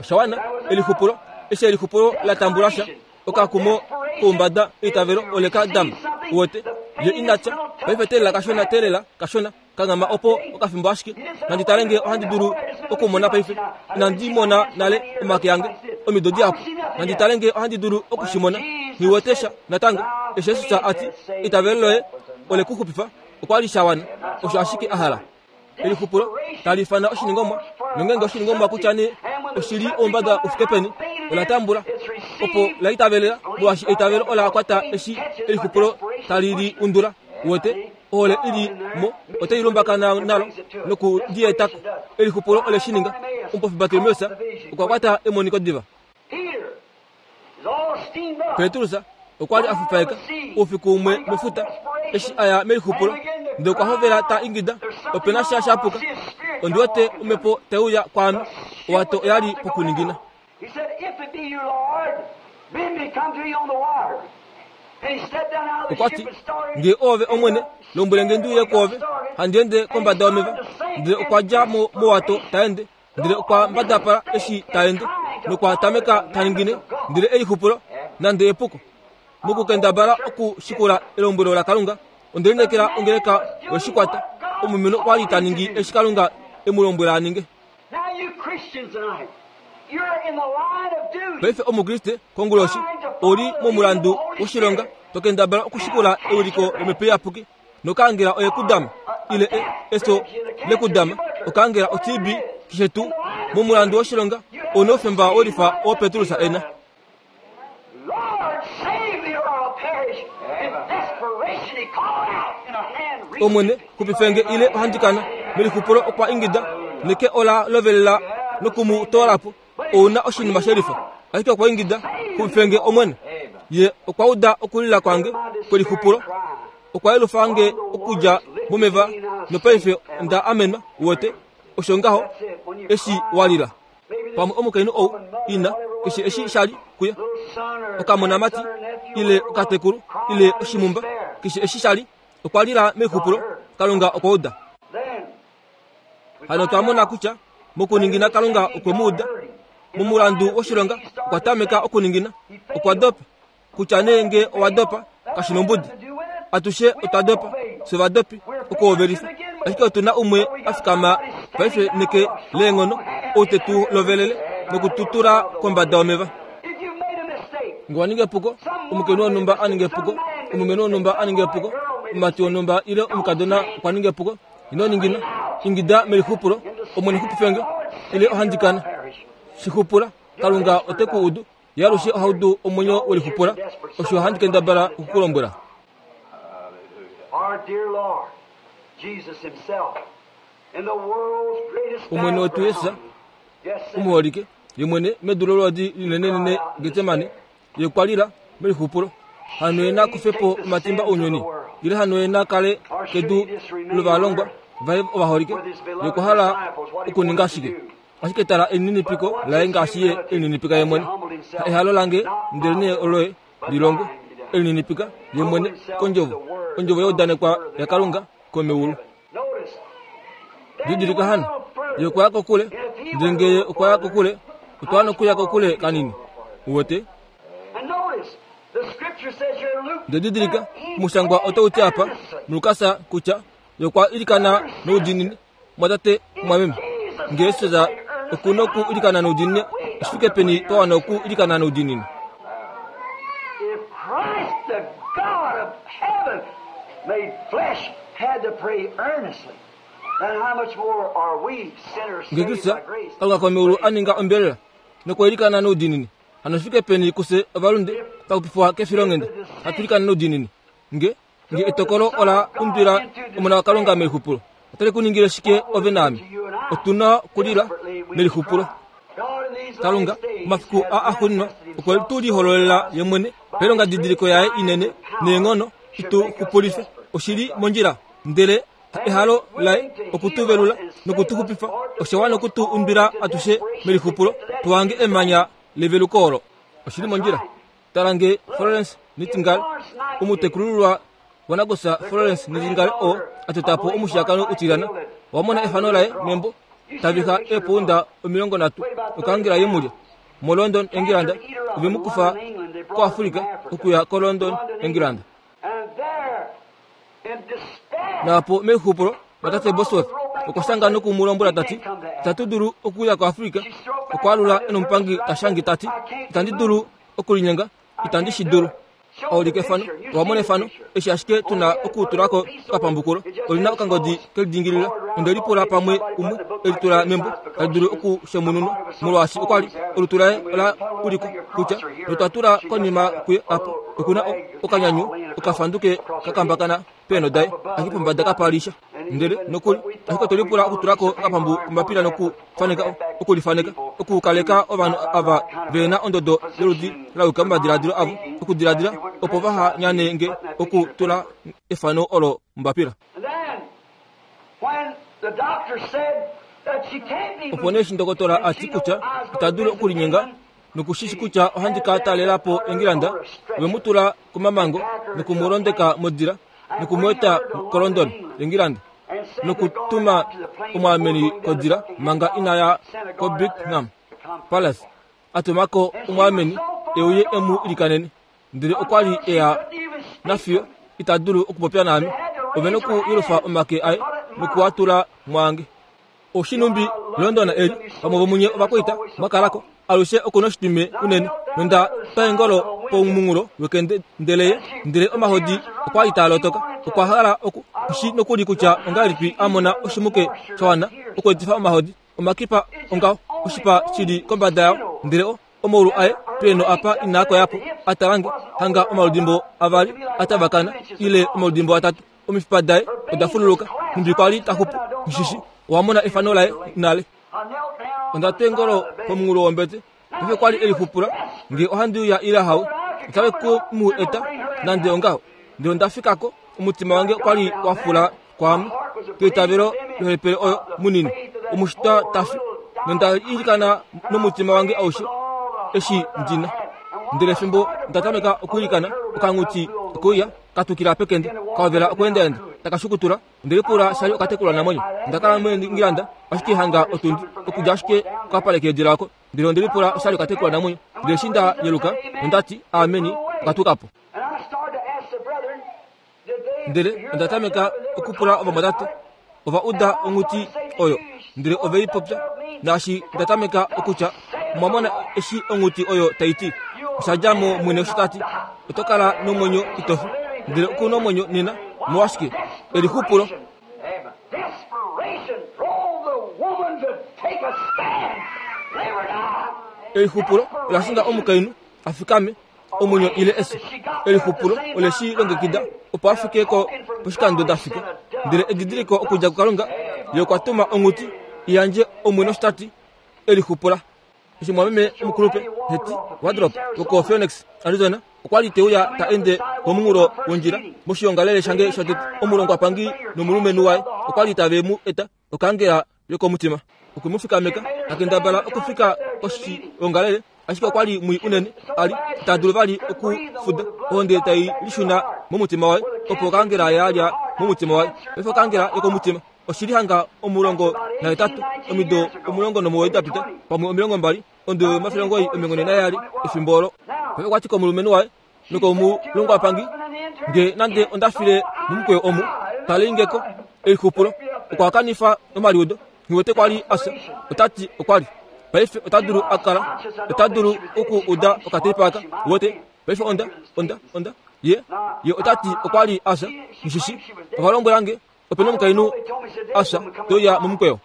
Osha wana elixupulo. Eshi elixupulo la tambula sha, okakumo koumbada eitavelo ole ka dama. Uwete ye inatya paife teelela kashona, teelela kashona, kanghama opo okafimbo ashike. Nandi tale nge ohandi dulu okumona paife. Inandi mona nale omake ange omido dihapu. Nandi tale nge ohandi dulu okushimona. Nghiwete sha natango. Eshi Yesus ati eitavelo loye ole ku xupifa, okwa li sha wana. Osho ashike a hala. Elixupulo tali ifana oshiningomwa, nongenge oshiningomwa kutya nee oshili oumbada ufike peni, ola tambula opo la itavelela, molwaashi eitavelo ola kwata eshi elixupulo tali li undula. Uwete ohole ili mo otai lumbakana nalo noku li etako. Elixupulo ole shi ninga. Omupofi Bartimeus okwa kwata emoniko diva. Petrus okwa li a fufaeka oufiku umwe mefuta eshi aya melixupulo, ndele okwa hovela ta ingida, opena sha shapuka, ondi wete omhepo tai uya kwaame. Owato oya li pokuningina. Okwa ti, nge oove Omwene, lombwele nge ndi uye kwoove, handi ende kombada yomeva. Ndele okwa dja mo mowato ta ende, ndele okwa mbadapala eshi ta ende, nokwa tameka ta ningine, ndele elixupulo nande epuko. Mokukendabala okushikula elombwelo laKalunga, onde lineekela ongeleka weshikwata. Omulumenhu okwa li ta ningi eshi Kalunga e mu lombwela a ninge. Paife omukriste konguloshi oli momulandu woshilonga, tokendabala okushikula euliko lomhepo iyapuki, nokangela oye kudama ile e, eso lekudama, okangela o-T B keshe tuu. Momulandu woshilonga ouna oufemba wolifa oo Petrus ena. Omwene, xupifenge ile ohandikana. Melixupulo okwa ingida, neke ola lovelela nokumu toolapo. Ouna oshinima shelifa. Ashike okwa ingida, xupifenge Omwene. Ye okwa uda okulila kwange kwelixupulo, okwa yelufa nge okudja momeva, nopaife onda amenwa. Uwete osho ngaho eshi walila. Pamwe omukainhu ou ina keshe eshi shali kuye, okamonamati ile okatekulu ile oshimumba, keshe eshi shali, okwa lila mexupulo. Kalunga okwa uda. Hano twa mona kutya mokuningina Kalunga okwe mu uda. Momulandu woshilonga okwa tameka okuningina, okwa dopa. Kutya nee nge owa dopa kashi nombudi, atushe otwa dopa, fye vadopi okuhovelifa. Ashike otu na umwe a fikama paife neke leenghono, ou te tu lovelele nokututula kombada yomeva. Nge wa ninga epuko, omukainhu wonhumba a ninga epuko, omulumenhu wonhumba a ninga epuko, omumati wonhumba ile omukadona okwa ninga epuko, ino ningina, ingida melixupulo, Omwene xupifenge ile ohandikana. Shixupula, Kalunga ote ku udu. Ye alushe oha udu omwenyo welixupula. Osho handi kendabala okukulombwela. Omwene wetu Jesus omuholike, ye mwene medu lolwoodi linenenene Getsemane, ye kwa lila melixupulo. Hano ye na kufe po omatimba ounyuni, ile hano ye na kale kedu lovalongwa vaye ovaholike. Ye okwa hala okuninga shike? Ashike tala elininipiko laye ngaashi ye elininipika ye mwene. Ha ehalo lange, ndelenee oloye lilongwe. Elininipika ye mwene kondjovo, ondjovo ya udanekwa yaKalunga komeulu. Didilika hano ye okwa ya kokule, ndele ngee ye okwa ya kokule, otwa nokuya kokule kanini. Uwete? And notice, the scripture says here in Luke, Ndele didilika, omushangwa otau ti apa mulukasa kutya ye okwa ilikana noudiinini. Mwatate mwameme, ngee Jesus okuna oku ilikana noudiinini, oshifike peni twa wana oku ilikana noudiinini? If Christ, the God of heaven, made flesh, had to pray earnestly, then how much more are we sinners Ngee saved Kristus by grace? Kalunga komeulu a ninga ombelela nokwa ilikana noudiinini, hano shifike peni kufye ovalunde pakupifwa kefilonghenda hatu ilikana noudiinini? Nge nge etokolo ola undwila Omona waKalunga melixupulo, otali ku ningile shike ove naame? Otuna okulila melixupulo. God in these Kalunga last days omafiku has a axuuninwa manifested okwe tu lihololela ye mwene pailonga didiliko yaye inene neenghono itu xupulife. Oshili mondjila, ndele ehalo laye okutuvelula nokutuxupifa osha wana okutu undwila atushe melixupulo tuhange emanya leveluko olo. Oshili mondjila. Tala nge Florence Nightingale, omutekulululwa wanakusa Florence Nightingale oo a tota po omushiyakano utilyana, owamona efano laye membo tavixa eepounda omilongo nhatu okangela yemulya mo London, England. Ovemukufa koAfrica okuya ko London, England. And there, in despair, Naapo melixupulo matate Bosworth okwa shanga nokumulombwela tati itatu dulu okuya koAfrica. Okwaalula enomupangi tashangi tati itandi dulu okulinyenga, itandi shi dulu. Aulika efano, owamona efano, eshi ashike tuna okutulako okapambukulo, olina okangodi kelidingilila. Onde lipula pamwe umwe elitula membo tali dulu okushemununwa, molwaashi okwali olutu laye ola ulikwa kutya notwa tula konima kuye apa okuna o- okanyanyu okafanduke kakambakana peenho daye ashike pombada kapalisha. Ndele nokuli ashike otwe lipula okutulako okapambu kombapila nokufaneka okulifaneka okukaleka ovanhu ava vena ondodo yoludi layuka momadiladilo avo okudiladila opo vaha nyane nge okutula efano olo mombapila. And then, when the doctor said that she can't be Opo nee eshi ndokotola a ti kutya ita dulu okulinyenga nokushishi kutya ohandi ka talela po England, ovemu tula komamango nokumulondeka modila nokumweeta koLondon, England, nokutuma omwaameni kodila manga inaya koBuckingham Palace, a tumako omwaameni e uye emu ilikanene. Ndele okwa li eya nafiyo ita dulu okupopya naame. Ove nokuyelufa omake aye nokuwatula mwange. Oshinumbi London eli pamwe vomunye ovakwaita mwakalako alushe okuna oshitwime unene nonda twa eengolo pomunghulo wekende ndele ye ndele omahodi okwa li taa lotoka. Okwa hala oku shi nokuli kutya ongahelipi a mona oshimuke sha wana okweetifa omahodi omakipa ongaho oshipa shili kombada yao, ndele o omaulu aye peenho apa inaa koyapo a talange hanga omaludimbo avali a tavakana ile omaludimbo atatu. Omifipa daye oda fululuka nhumbi kwali taxupu nshishi. Owamona efano laye nale. I knelt down Onda twa eengolo pomunghulo wombete. Paife kwali elixupula ngee ohandi uya ile hawe, otave ku mu eta nande ongaho. Ndele onda fikako, omutima wange okwali wa fula kwaame keitavelo lohepele oyo munini omushitwa tafi, nonda ilikana nomutima wange aushe eshi ndina. Ndele fimbo nda tameka okwiilikana, okanghuti okeuya katukila pekende kahovela okweendaenda takashukutula. Onde lipula shali okatekulwa namwenyo. Onda kala muEngland ashike hanga otundi okudja ashike kokapale keedila oko. Ndele onde lipula oshali okatekulwa namwenyo. Ndele eshi nda yeluka nondati ameni, okatukapo. And I started to ask the brethren, did they Ndele hear onda that tameka dove? They were okupula talking ovamwatate, about it. ova uda onghuti oyo, ndele ove i popya. Naashi nda tameka okutya, mwamona eshi onghuti oyo tai ti, osha dja mo mwene osho tati oto kala nomwenyo itofi, ndele okuna omwenyo nena. Molwashike? Elixupulo. Amen. Desperation drove the woman to take a stand. Live or die. Elixupulo ola shinga omukainhu a fikame omwenyo ile efyo. Elixupulo ole shi longekida opo a fike ko poshikando da fika. Ndele edidiliko okudja kuKalunga, ye okwa tuma onghuti i yandje omwene osho tati elixupula. Eshi mwameme omukulupe Hetty Wardrop woko Phoenix, Arizona, okwa li te uya ta ende komunghulo wondjila moshiongalele shange shotete, omulongwapangi nomulumenhu waye okwa li tave mu eta okangela yokomutima. Okwe mu fikameka ta kendabala okufika koshiongalele, ashike okwa li mwii unene a li ita dulu vali okufuda ohonde tai lishuna momutima waye, opo okangela yalya momutima waye. Paife okangela yokomutima Oshili hanga omulongo nahetatu omido omulongo nomuwoi dapita pamwe omilongo mbali ondo omafele omugoyi omilongo nhe nayali efimbo olo. Paife okwati komulumenhu waye nokomulongwapangi nge nande onda file momukweyo omu talengeko elixupulo okwa kanifa omaliudo nghiwete kwali asa otati okwali paife ota dulu akala ota dulu oku uda okateipa wote paife onda onda onda ye ye otati okwali asa nishishi ovalombwelange opena omukainhu asa toya momukweyo.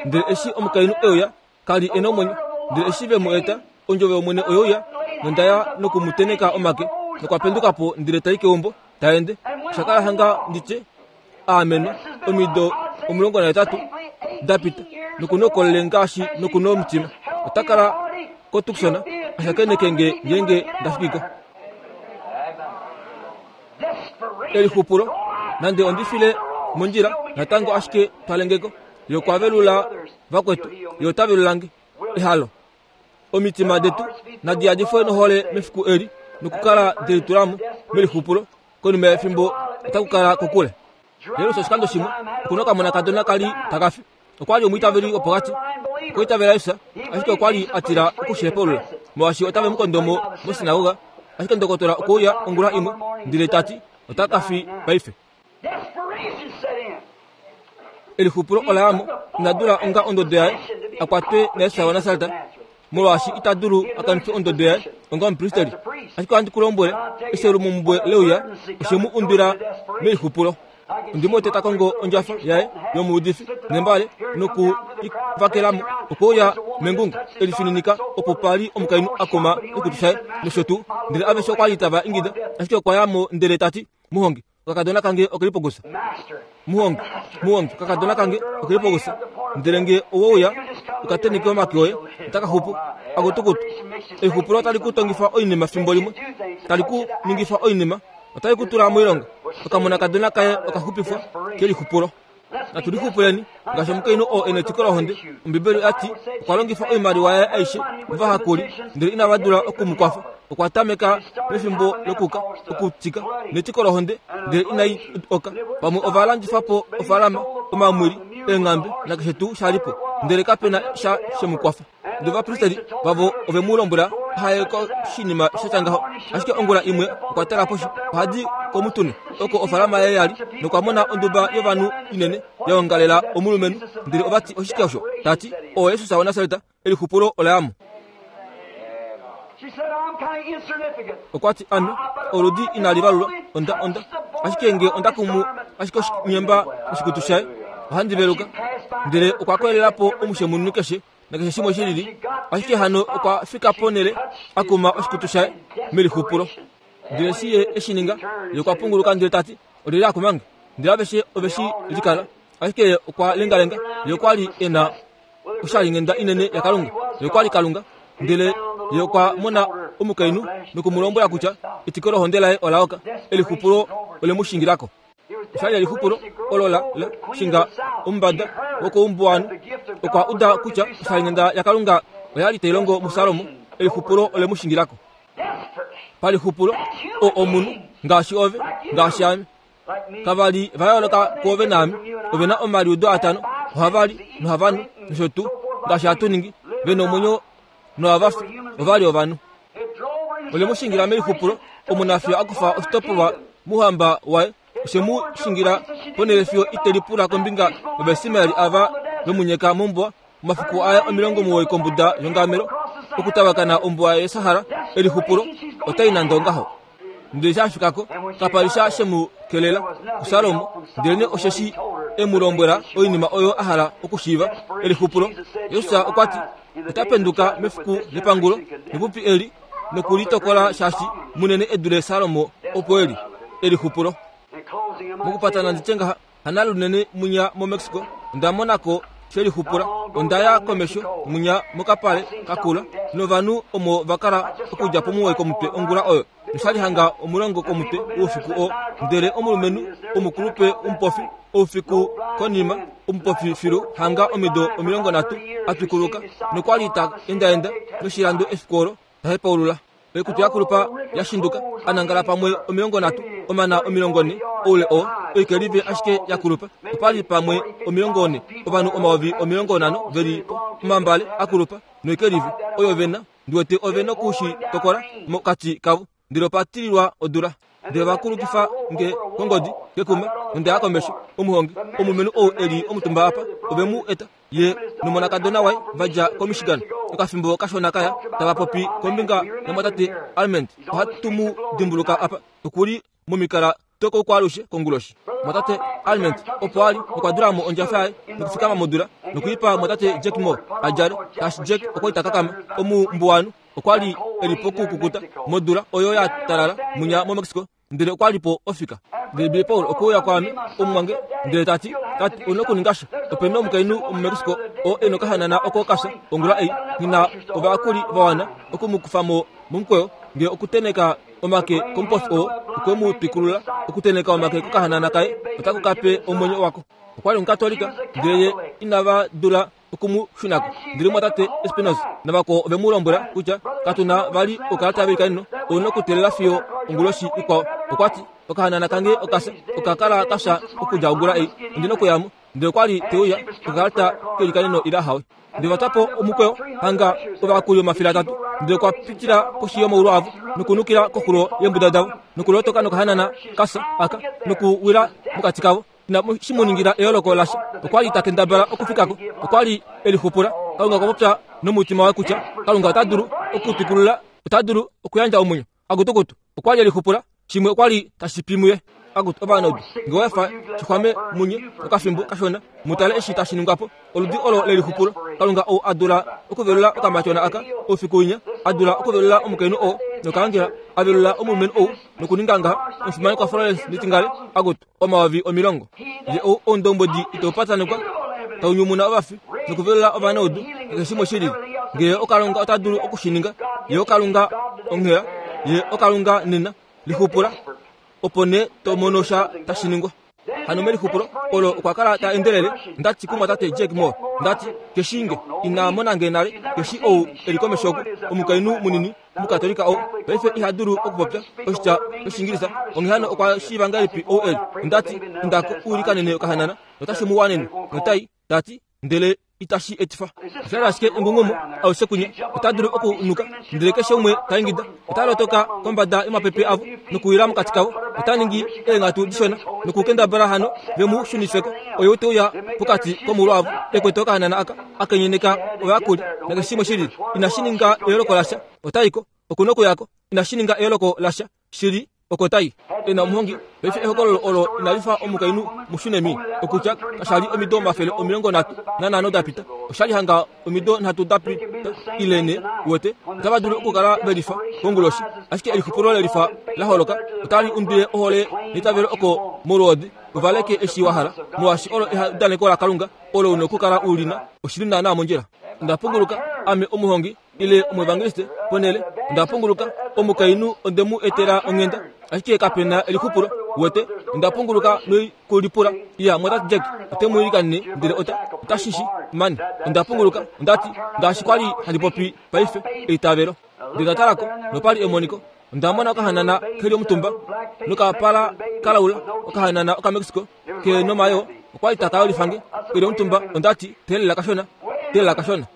Ndele eshi omukainhu euya kali ena omwenyo ndele eshi ve mu eta ondjove yomwene oyouya nondaya nokumuteneka omake nokwapendukapo ndele tai keumbo taende shakala hanga nditye aamenwa omido omulongo nahetatu dapita nokunokolele ngaashi nokuno omutima otakala koTucson ashakeneke nge ngenge ndafikiko. Elixupulo nande ondifile mondjila natango ashike twalengeko yokwavelula vakwetu yotavelulange ehalo omitima detu nadi nohole mefiku eli nokukala delitulamo melixupulo konima yefimbo otakukala kokule. Lelo oshikando shimwe okuna okamona kadona kali takafi okwali omwiitaveli wopokati okwiitavela Yesu ashike okwali atila okushihepulula molwaashi otave mukondomo mosinagoga ashike ndokotola okuuya ongula imwe ndele tati otakafi paife. Elixupulo olayamo inadula onga ondodo yaye akwatwe naYesu waNasareta molwaashi ita dulu akanife ondodo yaye onga omupristeli ashike ohandi ku lombwele eselumumbwe leuya oshemu undwila melixupulo. Ondimo teta kongo ondjafa yaye yomuudifi nembale noku ivakelamo okuuya mengunga elifininika opo pali omukainhu akoma oikutu shaye nosho tuu ndele aveshe okwali tava ingida ashike okwayamo ndele tati muhongi okakadona kange okelipokusa muhongi muhongi okakadona kange okelipokusa ndele nge owouya ukateneke omake oye otakaxupu akutukutu. Exupulo otali ku tongifa oinima fimbo limwe tali ku ningifa oinima otali ku tula moilonga okamona kadona kaye okaxupifwa kelixupulo. Natulixupuleni ngaashi omukainhu oo ena etiko lohonde Ombibeli ati okwa longifa oimaliwa yaye aishe movahakuli ndele inava dula okumukwafa okwa tameka mefimbo lokuka okutika netiko lohonde ndele inai oka pamwe ova landifapo ofalama omamwili eenghambe nakeshe tuu shalipo ndele kapena sha shemukwafa. Ndele ovapristeli vavo ove mu lombwela haye koshinima shatya ngaho ashike ongula imwe okwa tala poshi ohadi komutune oko ofalama yaye yali nokwa mona onduba yovanhu inene yaongalela omulumenhu ndele ovati oshike osho tati oo Jesus waNasareta elixupulo olayamo. Okwati ame oludi inali valulwa onda onda ashike nge onda kumu ashike oshinyemba oshikutu shaye ohandi veluka ndele okwa kwelelapo omushemunhu keshe nakeshe shimwe shilili ashike hano okwa fika ponele akuma oshikutu shaye melixupulo. Ndele si ye eshininga ye okwa punguluka ndele tati olili akumange ndele aveshe oveshi likala ashike okwa lengalenga ye okwali ena oshalinghenda inene yaKalunga ye okwali Kalunga ndele ye okwa mona omukainhu nokumulombwela kutya etiko lohonde laye olaoka elixupulo olemushingilako. Oshali elixupulo olo la la shinga omumbada wokoumbuwanhu okwa uda kutya oshalinghenda yaKalunga oyali tai longo muSalomo elixupulo olemushingilako. Palixupulo o omunhu ngaashi ove ngaashi ame kavali va yooloka kuove naame ovena omaliudo atano ohavali nohavanu nosho tuu ngaashi hatu ningi vena omwenyo nohavafi ovali ovanhu. Olemushingila melixupulo omunafiyo akufa oshitopolwa muhamba waye oshemu shingila ponele fiyo itelipula kombinga yovaismaeli ava vemunyeka mombuwa omafiku aye omilongo muwoi kombuda yongamelo okutavakana ombuwa yeSahara elixupulo otai nande ngaho. Ndele shafikako kapali sha shemu kelela kuSalomo ndelene osheshi emulombwela oinima oyo ahala okushiiva elixupulo. Yesu okwati otapenduka mefiku lepangulo nepupi eli nokulitokola shaashi munene edule Salomo opo eli elixupulo. Mokupatana nditye ngaha hana lunene munya moMexico onda monako shelixupula ondaya komesho munya mokapale kakula novanhu omo vakala okudja pomuwoi komutwe ongula oyo noshali hanga omulongo komutwe oufiku o ndele omulumenhu omukulupe omupofi oufiku konima omupofi filu hanga omido omilongo nhatu atwikuluka nokwali ta endaenda noshilando efiku olo tahepaulula oikutu yakulupa yashinduka anangala pamwe omilongo nhatu omana omilongo ne oule oo oikelive ashike yakulupa opali pamwe omilongo ne ovanhu omayovi omilongo nhano veli po omambale akulupa noikelive oyo vena ndiwete ove nokushi tokola mokati kavo ndele opatililwa odula ndele vakulukifa nge kongodi kekuma nondaya komesho omuhongi omulumenhu ou eli omutumba apa ove mu eta ye nomonakadona waye vadja koMichigan okafimbo kashona kaya tava popi kombinga yamwatate Alment ohatu mu dimbuluka apa okuli momikala tokoukwaalushe konguloshi mwatate Alment opo ali okwa dulamo ondjafa yaye nokufikama modula nokuipa mwatate Jack Moore adjale tashi Jack okwa ita kakama omumbuwanu okwali eli pokukukuta modula oyo ya talala munya moMexico ndele okwali po ofika ndele Billy Paul okuuya kwaame omumwange ndele tati tati una okuninga sha opena omukainhu omuMexico oo ena okahanana oko kafya ongula ei ngina ovayakuli vawana okumukufamo momukweyo nge okuteneka omake komupofi oo okwe mu twikulula okuteneka omake kokahanana kaye otaku kape omwenyo wako okwali omukatolika ndele ye inava dula okumu shunako ndele mwatate Espinosa navakwao ove mu lombwela kutya katuna vali okalata velikanino ouna okuteelela fiyo onguloshi ikwao okwati okahanana kange okafya okakala kafya okudja ongula ei ondina okuyamo ndele okwali teuya okakalata kelikanino ila hawe ndele vatwapo omukweyo hanga ovayakuli omafele atatu ndele okwa pitila koshi yomaulu avo nokunukila koxulo yeembuda davo nokulotoka nokahanana kafya aka nokuwila mokati kavo ina shi mu ningila eyooloko lasha okwali takendabala okufikako okwali elixupula Kalunga okwa popya nomutima waye kutya Kalunga ota dulu okutwikulula ota dulu okuyandja omwenyo akutukutu okwali elixupula shimwe okwali tashi pi muye akutu ovanaudu nge wefa shixwame munye okafimbo kashona mutale eshi tashi ningwapo oludi olo lelixupulo Kalunga ou adula okuvelula okamatyona aka oufiku winya adula okuvelula omukainhu oo nokaangela avelula omulumenhu ou nokuninga ngaha omufimanekwa Florence Nitingale akutu omayovi omilongo ye ou oundombwedi itaupatanekwa taunyumuna ovafi nokuvelula ovanaudu keshe shimwe shilili ngee okalunga ota dulu okushininga ye okalunga onghela ye okalunga nena lixupula opo nee to mono sha tashi ningwa hano melixupulo olo okwa kala ta endelele ndati kumwatate Jack Moore ndati keshinge ina monange nale keshi ou eli komesho oku omukainhu munini omukatolika ou paife iha dulu okupopya oshitya oshingilisa onghee hano okwa shiiva ngahelipi ou eli ondati indako uilikanene okahanana notashi mu wanene notai tati ndele itashi etifa oshali ashike engungumo aushe kunye ota dulu okunuka ndele keshe umwe ta ingida ota lotoka kombada yomapepe avo nokuwila mokati kavo ota ningi eenghatu dishona nokukendabala hano vemu shunifeko oyo teuya pokati komuulu avo ekwete okahanana aka akenyeneka ovayakuli nakeshe shimwe shilili inashi ninga eyooloko lasha otaiko okuna okuyako inashi ninga eyooloko lasha shili oko tai ena omuhongi paife ehokololo olo inalifa omukainhu mushunemi okutya kashali omido omafele omilongo nhatu nanhano dapita oshali hanga omido nhatu dapita ile ne wete otava dulu okukala velifa konguloshi ashike elixupulo lelifa la holoka otali undwile ohole neitavelo oko molwoodi uvaleke eshi wa hala molwaashi olo eudaneko laKalunga olo una okukala ulina oshili naanaa mondjila onda punguluka ame omuhongi ile omuevangeliste ponele onda punguluka omukainhu onde mu etela onghenda ashike kapena elixupulo wete onda punguluka noikulipula iya mwatate Jack ote mu ilikanene ndele ota otashishi mani onda punguluka ondati ngaashi kwali handi popi paife eitavelo ndele ndatalako nopali emoniko onda mona okahanana keli omutumba nokapala kalaula okahanana okaMexico ke nomayo okwali takayolifange keli omutumba ondati teelela kashona teelela kashona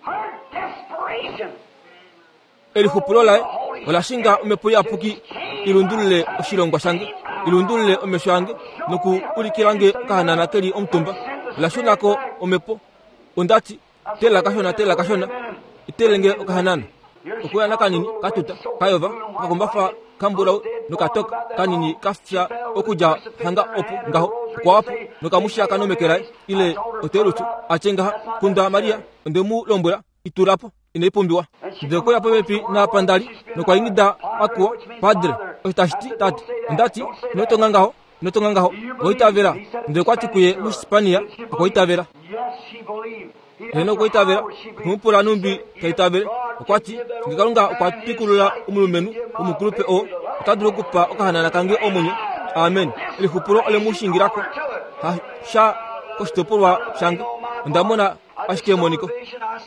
Her desperation elixupulo laye ola shinga omhepo iyapuki ilundulule oshilongwa shange ilundulule omesho ange noku ulikilange okahanana keli omutumba ola shunako omhepo ondati teelela kashona teelela kashona itelenge okahanana okuya nakanini katuta kayova okakumbafa kambulau nokatoka kanini kafya okudja hanga opo ngaho okwawapo nokamushiyaka nomeke laye ile otelutu atye ngaha kunda Maria onde mu lombwela itulapo inaipumbiwa ndele okweya popepi napandali nokwa ingida akuwa padre osho tashi ti tate ondati inotonga ngaho inotonga ngaho okwaitavela ndele okwati kuye moshispania okwaitavela Yes, she believed. He heno okwaitavela okumupula numbi taitavele okwati nge Kalunga okwa twikulula omulumenhu omukulupe oo ota dulu okupa okahanana kange omwenyo amen elixupulo ole mu shingilako hasha koshitopolwa shange onda mona ashike emoniko.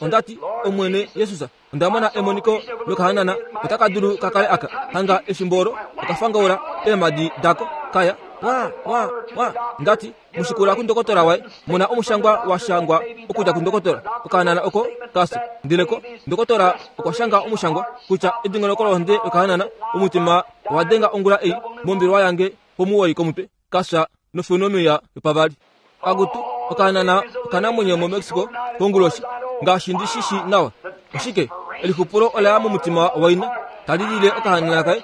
Ondati Omwene Jesus, onda mona emoniko lokahanana otaka dulu kakale aka hanga efimbo olo okafangaula eemadi dako kaya wa wa wa. Ndati mushikula kundokotola waye mona omushangwa washangwa okudja kundokotola okahanana oko kasi ndeleko ndokotola okwashanga omushangwa kutya edingonoko lohonde lokahanana omutima wadenga ongula ei mombelwa yange pomuwoi komutwe kasha nofenomia yopavali. Akutu okahanana okanamwenyo mo Mexico konguloshi ngaashi ndishishi nawa. Oshike elixupulo olaya momutima waina talilile okahanana kaye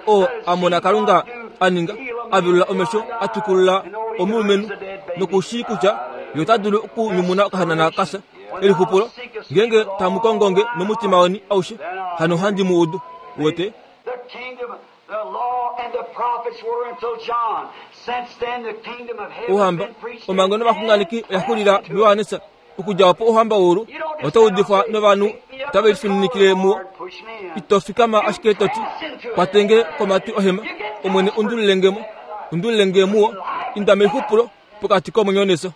o amona Kalunga aninga avelula omesho atukulula omulumenhu nokushi kutya ye ota dulu okunyumuna okahanana kasa. Elixupulo ngenge tamukongonge nomutima weni aushe hano handi mu udu wete. Ohamba omhango novaxunganeki oya xulila muYohanesa. Okudja opo ohamba woulu otaudifwa novanhu otave lifininikile muwo. Ito fikama ashike toti kwatenge komatwi ohema Omwene undulilengemo undulilenge muwo inda melixupulo pokati komwenyo neso.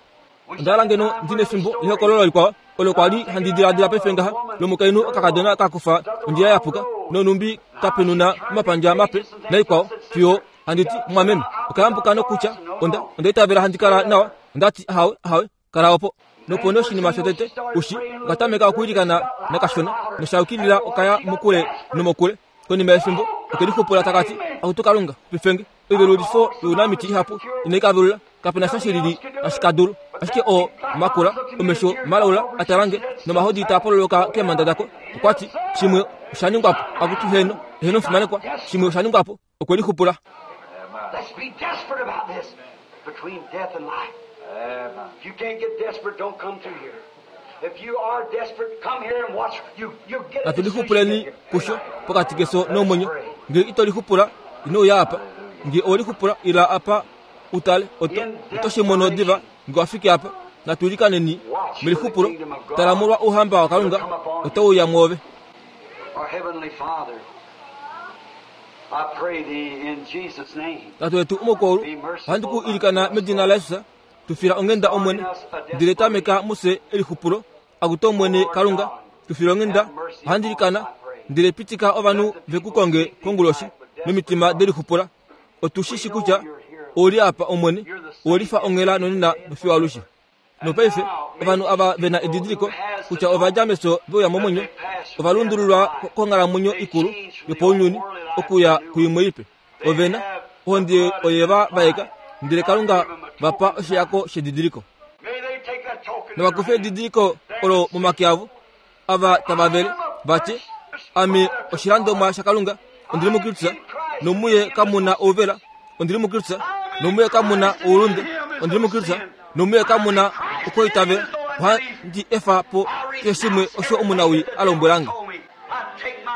Onda ngeno ndine efimbo lehokololo likwao olo kwali handi diladila paife ngaha lomukainhu okakadona kakufa ondjila yapuka nonumbi kapenuna omapandja mape naikwao fiyo handiti mwameme okayambuka nokutya onda onda itavela handi kala nawa. Ondati ahawe ahawe kala opo. Nopo noshinima shotete ushi okatameka okwiilikana nakashona noshaukilila okaya mokule nomokule. Konima yefimbo okelixupula takati akutu Kalunga pifenge oivelulifo younamiti ihapu inaikavelula kapena sha shilili ashikadulu ashike o makula omesho malaula atalange nomahodi taapololoka keemanda dako. Okwati shimwe oshaningwapo akutu heno heno mfimanekwa shimwe oshaningwapo okwelixupula. Let's be desperate about this between death and life. If you can't get desperate, don't come through here. If you are desperate, come here and watch. You you get. Natulixupuleni kusho pokati keso nomwenyo. Nge itolixupula inouya apa. Nge olixupula ila apa utale oto otoshimono diva nge wafike apa. Natulikaneni melixupulo talamulwa ouhamba waKalunga otauya mwoove. Our heavenly Father, I pray thee in Jesus' name. Tatu wetu omukulu ohandi ku ilikana medina laYesus tufila ongenda Omwene ndele tameka muse elixupulo akuto Omwene Kalunga tufila ongenda ohandi ilikana ndele pitika ovanhu vekukonge konguloshi nomitima delixupula. Otushishi kutya oli apa Omwene olifa onghela nonena nofiyo alushe. Nopaife ovanhu ava vena edidiliko kutya ovadja meso veuya momwenyo ovalundululwa konghalamwenyo ikulu yopounyuni okuya kuimwe ipe. Ovena ohonde oyeva vaeka ndele Kalunga vapa oshiyako shedidiliko. Novakufe edidiliko olo momake avo ava tava vele vati ame oshilandomwa shaKalunga ondili muKristus nomuye kamuna ouvela ondili muKristus nomuye kamuna oulunde ondili muKristus nomuye kamuna okoitavela ohandi efa po keshe shimwe osho omunawi alombwelange.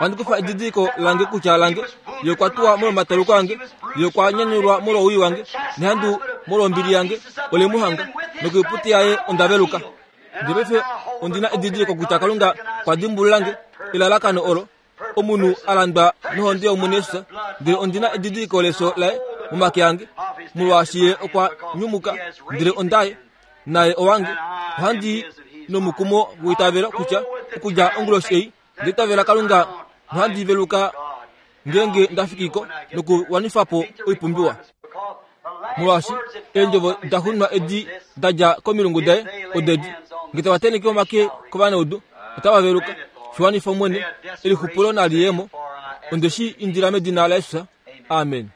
Ohandi kufa edidiliko lange kutya lange ye okwa tuwa molwomataluko ange, ye okwa nyanyulwa molwowii wange, nehandu molwombili yange ole mu hanga nokoiputi yaye onda veluka. Ndele paife ondina edidiliko kutya Kalunga kwa dimbululange elalakano olo omunhu alandwa nohonde yOmwene Jesus, ndele ondina edidiliko leso laye momake ange molwaashi ye okwa nyumuka ndele ondaye naye owange. Ohandi nomukumo woitavelo kutya okudja onguloshi ei ndeitavela Kalunga nohandi veluka ngenge ndafikiko nokuwanifapo oipumbiwa. Molwaashi eendjovo daxunwa edi dadja komilungu daye odedi nge tava teneke omake kovanaudu otava veluka. Shiwanifa Omwene elixupulo naliyemo ondeshi indila medina laYesus. Amen.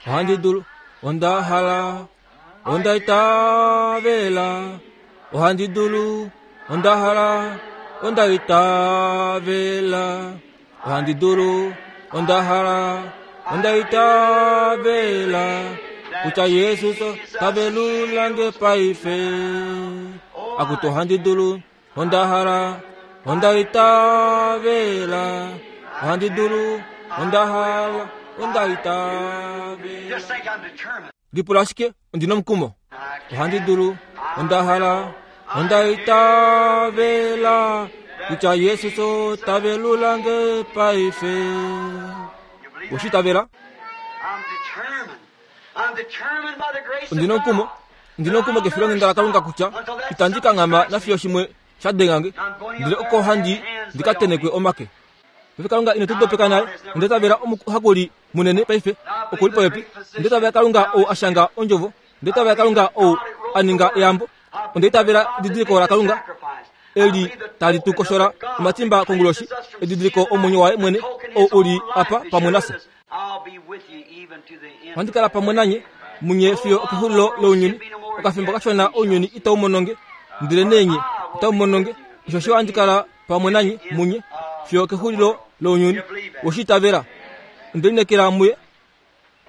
Ohandi dulu onda hala onda itavela ohandi dulu onda hala onda itavela ohandi dulu onda hala onda itavela kutya Yesus tavelulange paife. Akutu ohandi dulu onda hala onda itavela ohandi dulu onda hala onda itavela. Lipula ashike ondina omukumo. Ohandi dulu onda hala onda itavela kutya Yesus tavelulange paife. Oshitavela ondina omukumo Ndina omukumo kefilonghenda laKalunga kutya itandi kanghama nafiyo shimwe sha dengange, ndele oko handi ndikatenekwe omake. Paife Kalunga ine tu dopeka nale, onde tavela omuhakuli munene paife okuli popepi. Onde tavela Kalunga ou ashanga ondjovo, onde tavela Kalunga ou aninga eyambo, onde tavela edidiliko laKalunga eli tali tu koshola omatimba konguloshi, edidiliko omwenyo waye mwene ou uli apa pamwe nafye. Ohandi kala pamwe nanye munye fiyo okexulilo lounyuni. Okafimbo kashona ounyuni itau mononge, ndele nenye itau mononge. Osho ohandi kala pamwe nanye munye fiyo okexulilo lounyuni. Oshitavela onde lineekela muye,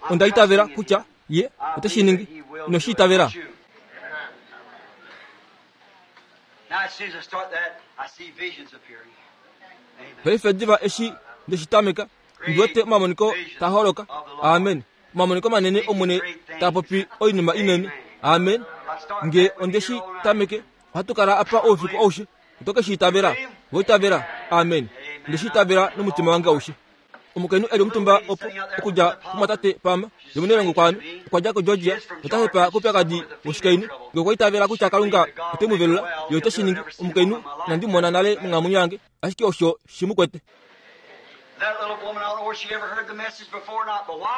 onda itavela kutya ye ote shi ningi. Inoshitavela. Paife diva eshi ndeshitameka, ndiwete omamoniko taa holoka. Amen. Omamoniko manene Omwene taa popi oinima inene. Amen. Nge ondeshi tameke, ohatu kala apa oufiku aushe. Oto ke shi itavela? Voitavela. Amen. Ndeshi itavela nomutima wange aushe. Omukainhu eli omutumba opo okudja kumwatate Pama yomunelongo kwaame, okwa dja koGeorgia, ota hepa koupyakadi woshikainhu. Nge okwa itavela kutya Kalunga ote mu velula, ye ote shi ningi. Omukainhu inandi mona nale monghalamwenyo yange, ashike osho shi mu kwete.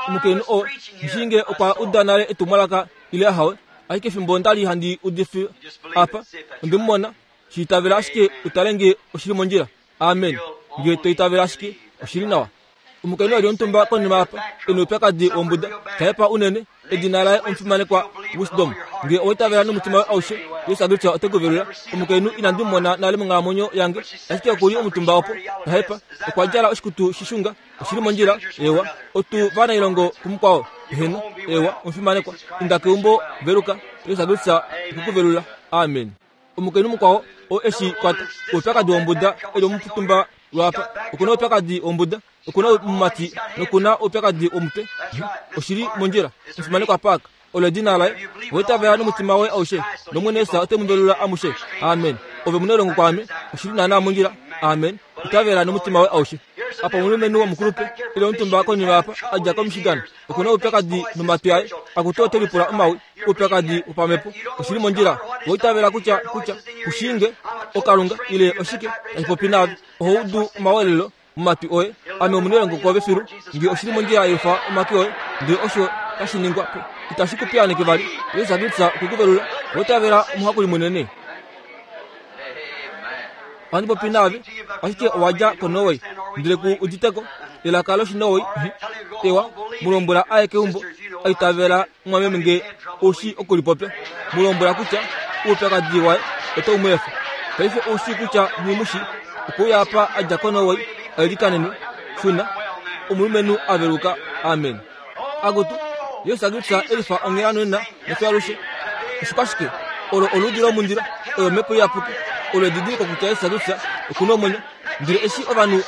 Omukainhu oo ngishinge okwa uda nale etumwalaka ile ahawe, ashike fimbo ndali handi udifa apa, onde mu mona. Shi itavela ashike utale nge oshili mondjila. Amen. Nge to itavela ashike oshili nawa. Omukainhu eli omutumba konima apa, ena oupyakadi wombuda, tahepa unene, edina laye omufimanekwa Wisdom. Nge owa itavela nomutima waye aushe, Jesus Kristus ote ku velula. Omukainhu inandi mu mona nale monghalamwenyo yange, ashike okuli omutumba opo, tahepa, okwa djala oshikutu shishunga, oshili mondjila. Ewa, otu vanailongo kumukwao. Eheno, ewa, omufimanekwa, inda keumbo, veluka, Jesus Kristus ote ku velula. Amen. Omukainhu mukwao oo eshi kwata oupyakadi wombuda eli omutumba lwapa, okuna oupyakadi wombuda, okuna omumati nokuna oupyakadi womutwe. Oshili mondjila. Omufimanekwa Park, olo edina laye. Owa itavela nomutima woye aushe, nOmwene Jesus ote mu velula amushe. Amen. Ove munelongo kwaame, oshili naana mondjila. Amen. Itavela nomutima woye aushe. Apa omulumenhu womukulupe ile omutumba konima apa a dja koMichigan, okuna oupyakadi nomatwi aye, akutu ote lipula omawi, oupyakadi wopamhepo. Oshili mondjila. Owa itavela kutya kutya kushinge okalunga ile oshike tashi popi naave, oho udu omawelelo momatwi oye. Ame omunelongo kwoove filu. Nge oshili mondjila yefa omake oye, ndele osho tashi ningwa po itashi ku piyaaneke vali. Jesus Kristus okwe ku velula. Owa itavela omuhakuli munene. Ohandi popi naave, ashike owa dja koNorway, ndele ku uditeko elaka lOshinorway. Ewa, mu lombwela aye keumbo, a itavela mwameme nge oushi okulipopya. Mu lombwela kutya oupyakadi waye otau mu efa. Paife oushi kutya nghi okuuya apa a dja koNorway, ailikanenwe. Shuna, omulumenhu a veluka. Amen. Akutu, Jesus Kristus elifa onghela nonena nefyo alushe. Oshikwashike? Olo oludi lomundilo, oyo omhepo iyapuki, olo edidiliko kutya Jesus Kristus okuna omwenyo. Ndele eshi ovanhu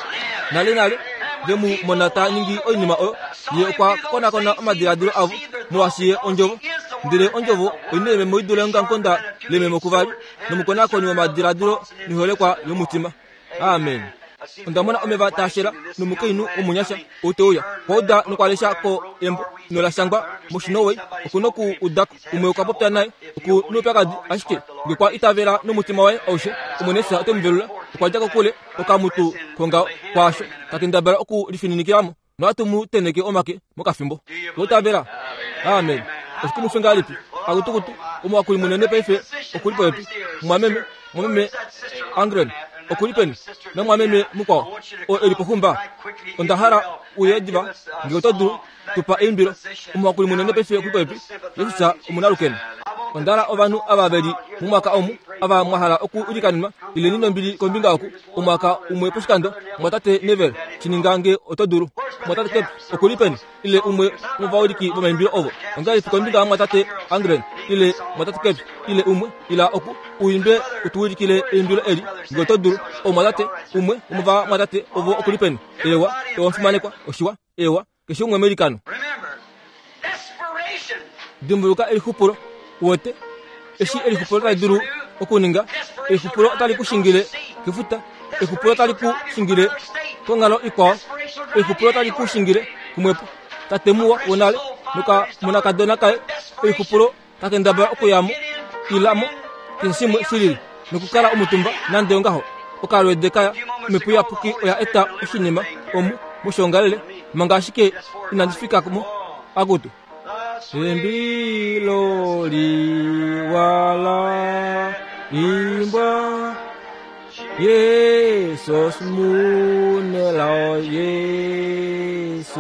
nale nale ve mu mona ta ningi oinima oyo, ye okwa konakona omadiladilo avo, molwaashi ye ondjovo. Ndele ondjovo oina ememo i dule eongamukonda lememo kuvali, nomukonakoni womadiladilo noiholekwa yomutima. Amen. Onda mona omeva taa shela nomukainhu womunyasha ou te uya. Okwa uda nokwa lesha ko embo nola shangwa mOshinorway, oku noku udako. Umwe okwa popya naye, oku noupyakadi, ashike nge kwa itavela nomutima waye aushe, Omwene Jesus ote mu velula. Okwa dja kokule okamutu kongaho kwaasho, ta kendabala oku lifininikilamo, nohatu mu teneke omake mokafimbo. Oitavela. Amen. Oshikumwifi ngahelipi? Akutukutu, omuhakuli munene paife okuli popepi. Mwameme, mwameme Angren, okuli peni? Namwameme mukwao, oo eli poxumba. Onda hala uye diva, nge oto dulu, tupa eimbilo. Omuhakuli munene paife okuli popepi. Jesus omunalukeno. Onda hala ovanhu ava veli mumwaka omu, ava mwa hala oku ilikanenwa, ileni nombili kombinga oku, omwaka umwe poshikando, mwatate Neville, shininga nge oto dulu. Mwatate Kep, okuli peni? Ile umwe wovawiliki vomaimbilo ovo. Ongahelipi kombinga yamwatate Angren, ile mwatate Kep, ile umwe, ila oku, uimbe utuwilikile eimbilo eli, nge oto dulu. Omwatate, umwe womovamwatate ovo okuli peni? Ewa, ewa omufimanekwa, oshiwa, ewa, keshe umwe meilikano. Dimbuluka elixupulo, uwete, eshi elixupulo tali dulu okuninga. Elixupulo otali ku shingile kefuta, elixupulo otali ku shingile konghalo ikwao, elixupulo otali ku shingile kumwepo. Tate muwa wonale nokamonakadona kaye, elixupulo Takendabala okuyamo ilamo keshe shimwe shilili nokukala omutumba nande ongaho okalwede kaya omhepo iyapuki oya eta oshinima omu moshongalele manga ashike inandi fika mo akutu embilo liwala imbwa Jesus munelao Jesus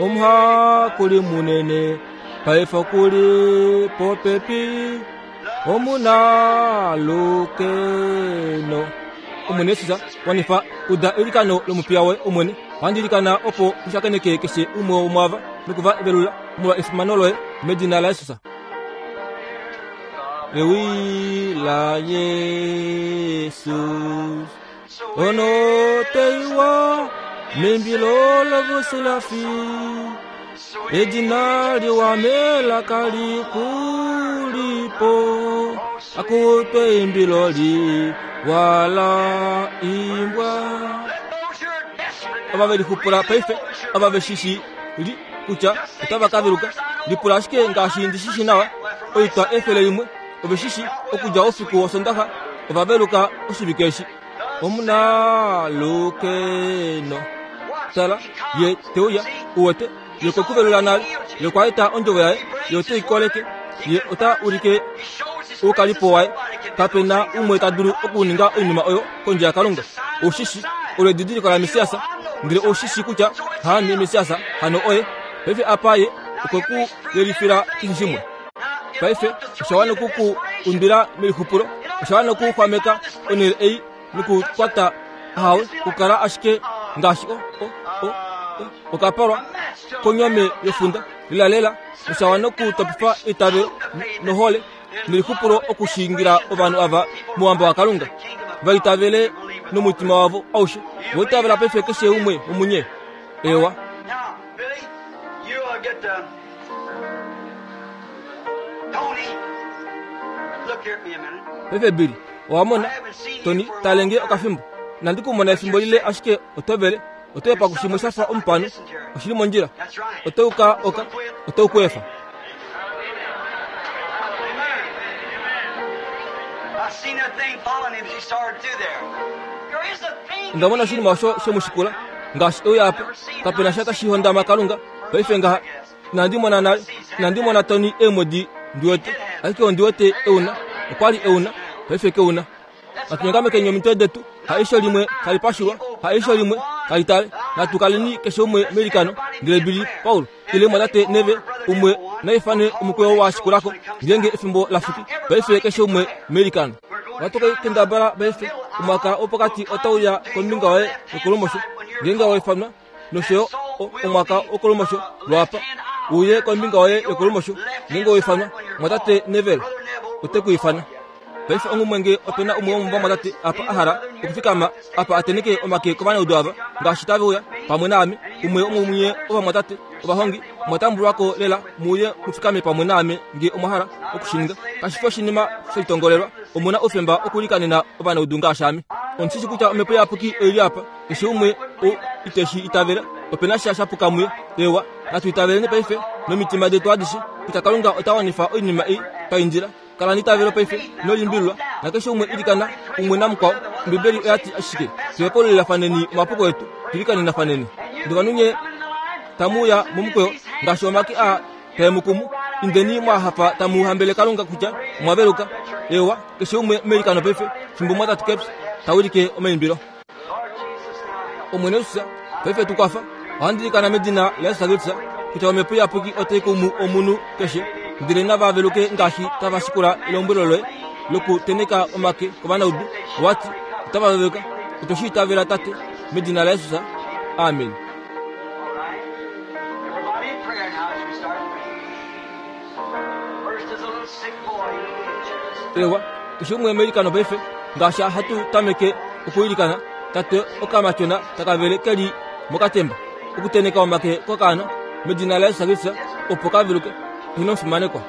omha kuli munene paife kuli popepi omuna lukeno omwene Jesus wanifa uda elikano lomupiya woye omwene wandilikana opo ushakeneke keshe umwe womwava nokuva evelula molwa efimano loye medina la Jesus. Ewi la Jesus ono teiwa membilo lovoselafi edina liwamela kalikulipo akutwe imbilo liwala imbwa ava velixupula paife ava veshishi li kutya otava kaveluka lipula ashike ngaashi ndishishi nawa oitwa efele limwe oveshishi okudja oufiku wosondaxa ovaveluka oshivike eshi omuna lukeno tala ye teuya uwete ye kwekuvelula nale ye kwaeta ondjovo yaye ye oteikoleke ye ota ulike oukalipo waye kapena umwe ta dulu okuninga oinima oyo kondje yakalunga oushishi olo edidiliko la mesiasa ndele oushishi kutya haame mesiasa hano oye paife apa ye okwekuyelifila keshe shimwe paife oshawana okuku undwila melixupulo oshawana okuxwameka onhele ei nokukwata hawe kukala ashike ngaashi o o o okapalwa konyome yofunda lilalela oshawana okutopifa eitavelo nohole nelixupulo okushingira ovanhu ava mouhamba wakalunga vaitavele nomutima wavo aushe voitavela paife keshe umwe womunye ewa. Paife Billy owamona Tony talenge okafimbo nandi kumona efimbo lile ashike otovele otoyepa kushimwe shafa omupano oshili mondjila otouka oka otoukuefa. Ndamona oshinima osho shemushikula ngaashi euya apa kapena sha tashihondama kalunga paife ngaha inandi mona nale inandi mona Tony eemwedi ndiwete ashike ondiwete euna okwali euna paife keuna natunyongamekeni omitwe detu haisho limwe kalipashilwa haisho limwe kalitale natukaleni keshe umwe melikano ndele Billy Paul ile mwatate neve umwe naifane omukweyo washikulako ngenge efimbo lafiki paife keshe umwe melikano watoka kendabala paife omwaka wopokati otauya kombinga waye yokolumosho ngenge waifanwa noshoyo omwaka wokolumosho lwapa uye kombinga waye yokolumosho ngenge waifanwa mwatate Neville otekuifana paife ongumwe opena umwe womumva mwatate apa ahala okufikama apa ateneke omake kovanaudu ava ngaashi taveuya pamwe naame umwe omumunye ovamwatate ovahongi mwatambulwako lela muye mufikame pamwe naame nge omwahala okushininga kashifi oshinima shelitongolelwa omuna oufemba okulikanena ovanaudu ngaashi ame ondishishi kutya omhepo iyapuki oili apa keshe umwe o iteshi itavela opena sha shapuka muye ewa natu itaveleni paife nomitima detu adishe kutya kalunga ota wanifa oinima ei paindjila kala nitavelo paife nolimbilwa nakeshe umwe ilikana umwe namukwao ombibeli oyati ashike tuhepaululilafaneni omapuko etu tulikaninafaneni ndovanunye tamuya momukweyo ngaashi omake a taemukumu indeni mwahafa tamuhambele kalunga kutya mwaveluka ewa keshe umwe melikano paife fimbo mwatatu keps tawilike omaimbilo omwene Jesus paife tukwafa ohandilikana medina la Yesu Kristu kutya omhepo iyapuki otaikumu omunhu keshe ndele navaveluke ngaashi tavashikula elombwelo loye lokuteneka omake kovanaudu owati otavaveluka otoshiitavela tate medina la Jesus amen. Ewa keshe umwe melikano paife ngaashi hatu tameke okuilikana tate okamatyona takavele keli mokatemba okuteneka omake kokaana medina la Yesu Kristu opo kaveluke inofimanekwa.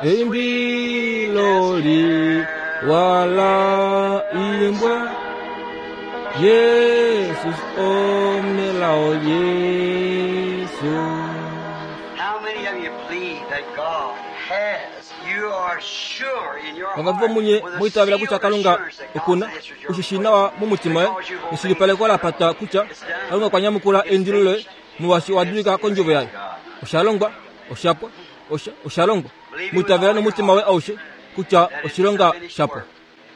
Eimbilo wala imbwa Jesus omelao Yesu. How many of you believe that God has? You are sure in your Vangabva heart munye with a muitavela kutya sealed Kalunga assurance that God's okuna answered your ushishinawa mumutima we neshilipaleko la pata kutya Kalunga kwanyamukula eindilo loye muwashi wadulika kondjovo yaye. Oshalongwa, oshapwa, osha oshalongwa. Muitavela nomutima we aushe kutya oshilonga shapwa.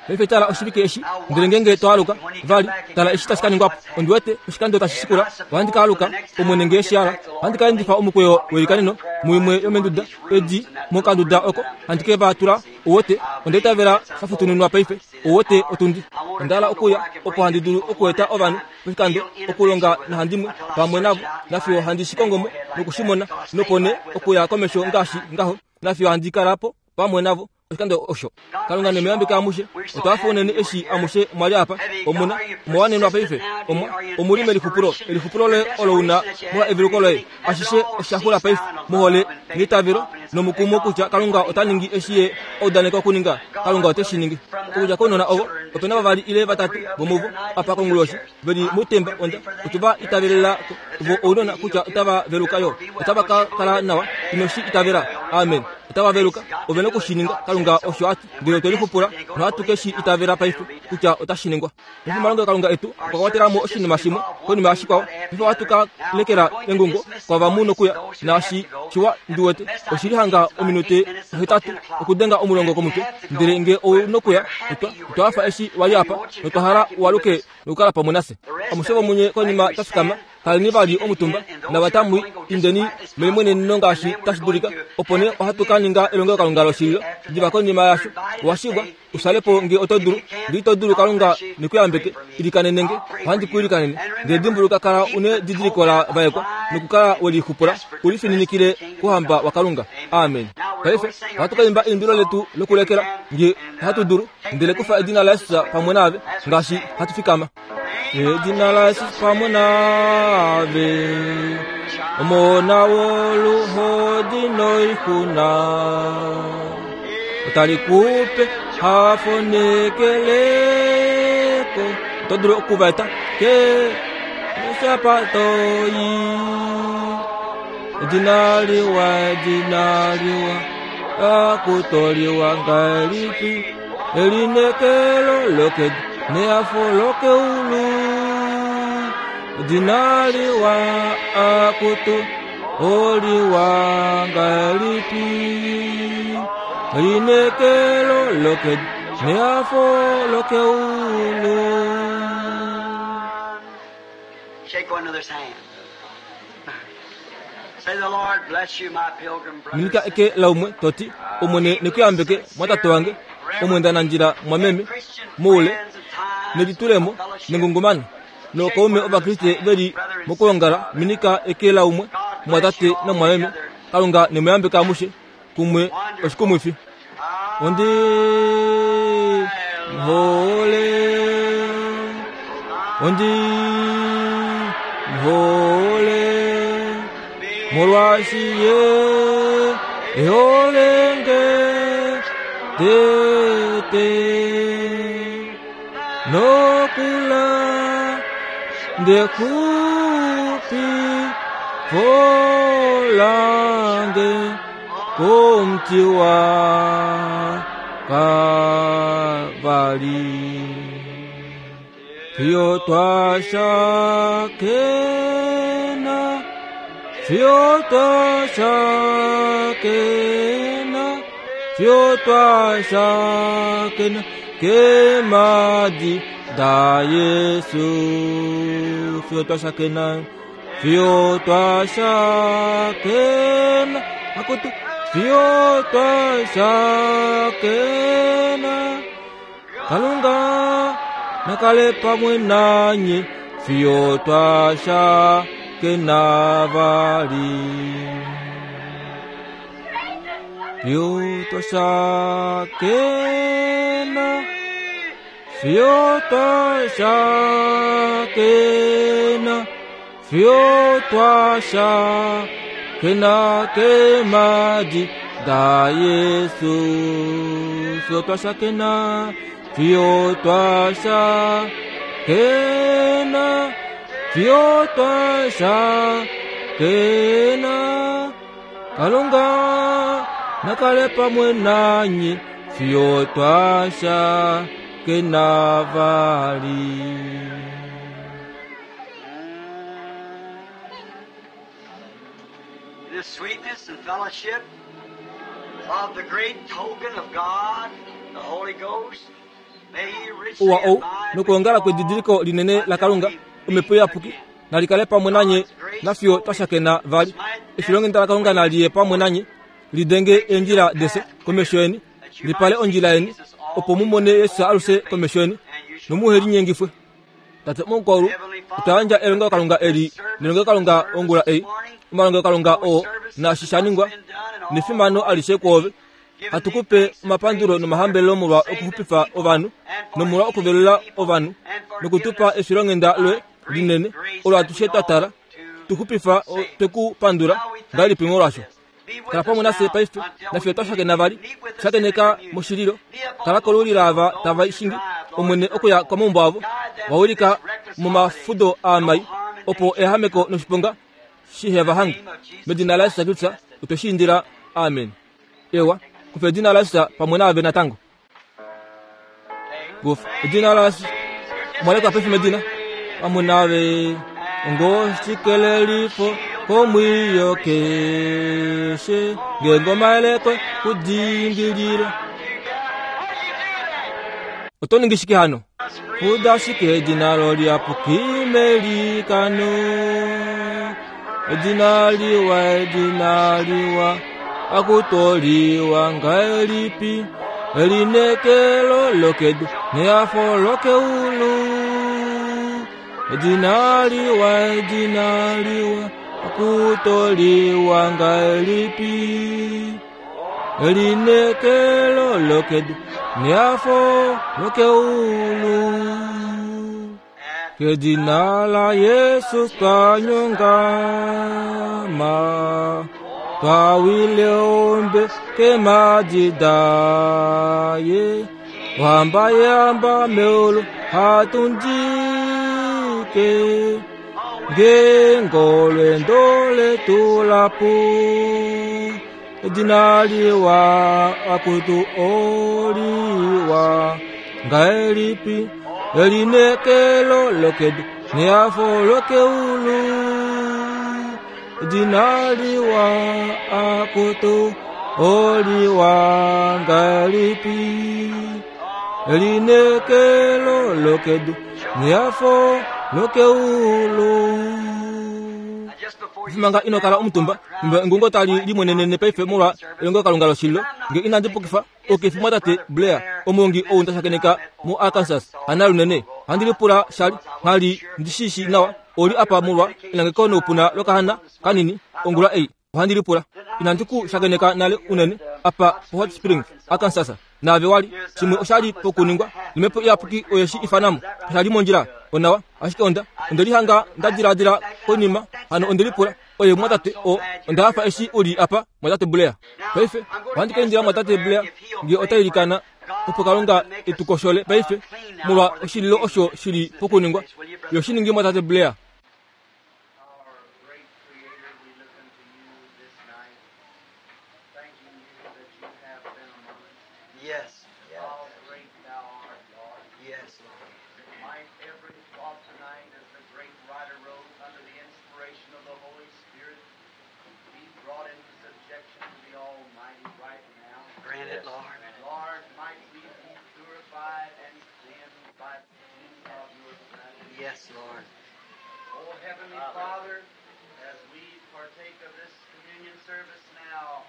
Paife tala oshivike eshi ndele ngenge twaaluka vali tala eshi tashi ka ningwapo ondiwete oshikando tashi shikula ohandi ka aluka omwene ngee shiala ohandi ka endifa omukweyo welikaneno muimwe yomenduda edi mokanduda oko handi ke va tula owote ondaitavela shafutuninwa paife owote otundi ondala okuya opo handi dulu okueta ovanhu poshikando okulonga nahandimwe pamwe navo nafiyo handi shikongomo nokushimona nopone okuya komesho ngaashi ngaho nafiyo handi kalapo pamwe navo oshikando osho. Kalunga nemuyambike amushe otwafa unene eshi amushe mwali apa omuna omowanenwa paife omwa omuli melixupulo elixupulo loye olo una molwa eveluko loye ashishe oshaxula paife mohole neitavelo nomukumo kutya Kalunga ota ningi eshi ye audaneka okuninga. Kalunga ote shi ningi. Okudja kounona ovo opena vavali ile vatatu vomuvo apa konguloshi veli mutemba onda otuva itavelela vo ounona kutya otava veluka yo otava ka kala nawa inoshi itavela. Amen. Otava veluka ovena okushininga. Kalunga osho ati ndele otwelixupula nohatu ke shi itavela paife kutya otashi ningwa. Paife omalongo Kalunga etu okwa kwatelamo oshinima shimwe konima yashikwao. Paife ohatu ka lekela engungo kwavamu nokuya naashi shiwa ndiwete oshili hanga ominute hetatu okudenga omulongo komutwe ndele nge ounokuya otwa otwafa eshi wali apa notwahala uwaluke nokukala pamwe nase. Amushe vomunye konima twafikama kaleni vali omutumba navatamwi indeni melimweneneno ngaashi tashi dulika opo nee ohatu ka ninga elongelokalunga loshililo diva konima yasho. Owashivwa usalepo nge oto dulu nge ito dulu Kalunga nekuyambeke ilikanene ohandi ku ilikanene ndele dimbuluka kala une didiliko la vaekwa nokukala welixupula ulifininikile kuhamba wa Kalunga. Amen. Paife ohatu ka imba eimbilo letu lokulekela nge ohatu dulu ndele kufa edina la Yesus pamwe nave ngaashi hatu fikama. Edina la Yesus pamwe nave omona woluhodi noixuna otali kupe hafo nekeleko oto dulu okuvaeta ke nosapatoyi. Edina liwa, edina liwa akutoliwa ngahelipi elinekelo lokedu neafo lokeulu. Edina liwa akutu oliwa ngahelipi elinekelo lokedu neafo lokeulu. Shake one another's hand. Say the Lord bless you, my pilgrim brothers. Minika eke laumwe toti omwene nekuyambeke mwatate wange omwenda nanjila mwameme muule nelitulemo nengungumano nokaume ovakriste veli Mokuongala minika ekela umwe mwatate namwameme Kalunga nemuyambeka amushe kumwe oshikumwifi. Ondi hole ondi hole molwashiye eholenge tete nokula ndekupi volange komti wa Kalvari. Fiyo twashakena, fiyo twashakena, fiyo twashakena kemadi da Yesu. Fiyo twashakena, fiyo twashakena, akutu fiyo twashakena Kalunga nakale pamwe nanye fiyo twashakena vali. Fiyo twashakena, fiyo twashakena, fiyo twashakena kemadi da Yesu. Fiyo twashakena, fiyo twashakena, fiyo twashakena Kalunga nakale pamwe nanye fiyo twashakena vali. The sweetness and fellowship of the great token of God, the Holy Ghost, may He richly Uwa ou abide nokuongala with you kwedidiliko linene la Kalunga until we meet omhepo iyapuki again. nalikale pamwe nanye nafiyo twashakena vali. Efilongenda la Kalunga naliye pamwe nanye lidenge endjila dese komesho yeni lipale ondjila yeni opo mumone Yesu aluse komesho yeni nomuhe linyengifwe. Tate mukwaulu otwayandja elongo Kalunga eli nelongo Kalunga ongula ei omalongo Kalunga oo naashi shaningwa nefimano alishe kwoove. Hatukupe omapandulo nomahambelelo molwa okuxupifa ovanhu nomolwa okuvelula ovanhu nokutupa efilonghenda loye linene olo atushe twa tala tuxupifa twekupandula ngahelipi molwasho. Kala pamwe nafye paife nafye twashakena vali shakeneka moshililo kala kolulila ava tava ishingi omwene okuya komaumbo avo wawilika momafudo aamai opo ehameko noshiponga shiheva hange. Medina la Yesu Kristu otweshiindila, amen. Ewa kufa edina la Yesu pamwe naave natango. Kufa edina la Yesu mwaleka paife medina pamwe naave ngoshikelelifo komwiyo keshe ngengoma elekwe kudingilila. Otoningi shike hano? Fuda shike edina loliapuki melikano. Edina liwa, edina liwa, akutoliwa ngahelipi elinekelo lokedu neafo lokeulu. Edina liwa, edina liwa, akutoliwa ngahelipi elinekelo lokedu neafo lokeulu. Kedina la Yesu twanyongama twawile ombe kemadidaye wamba yamba meulu hatundike ngengolwendo letu lapu. Edina liwa akutu oliwa ngahelipi elinekelo lokedu neafo lokeulu. Edina liwa akutu oliwa ngahelipi elinekelo lokedu neafo lokeulu. Manga inokala omutumba mbe ngungo tali limwenenene paife molwa elongo Kalunga loshililo nge inandi pukifa okefi mwatate Blair omongi ou ndashakeneka mu Arkansas hana lunene handi lipula shali nghali ndishishi nawa Oli apa molwa elangeko noupuna lokahana kanini ongula ei. Ohandi lipula. Inandi ku shakeneka nale unene apa po Hot Springs, Arkansas. Naave wali shimwe oshali pokuningwa nomhepo iyapuki oyeshi ifanamo. Oshali mondjila onawa, ashike onda onde lihanga nda diladila konima hano onde lipula oye mwatate o onda hafa eshi uli apa mwatate Blair. Paife ohandi ka indila mwatate Blair nge ota ilikana opo Kalunga etukoshole paife molwa oshililo osho shili pokuningwa. Yo shiningi mwatate Blair. Yes. How great thou art, Lord. Yes, Lord. Might every thought tonight, as the great writer wrote under the inspiration of the Holy Spirit, be brought into subjection to the Almighty right now. Grant it, Lord. Lord, might we be purified and cleansed by the means of your blood. Yes, Lord. Oh, Heavenly Father, as we partake of this communion service now,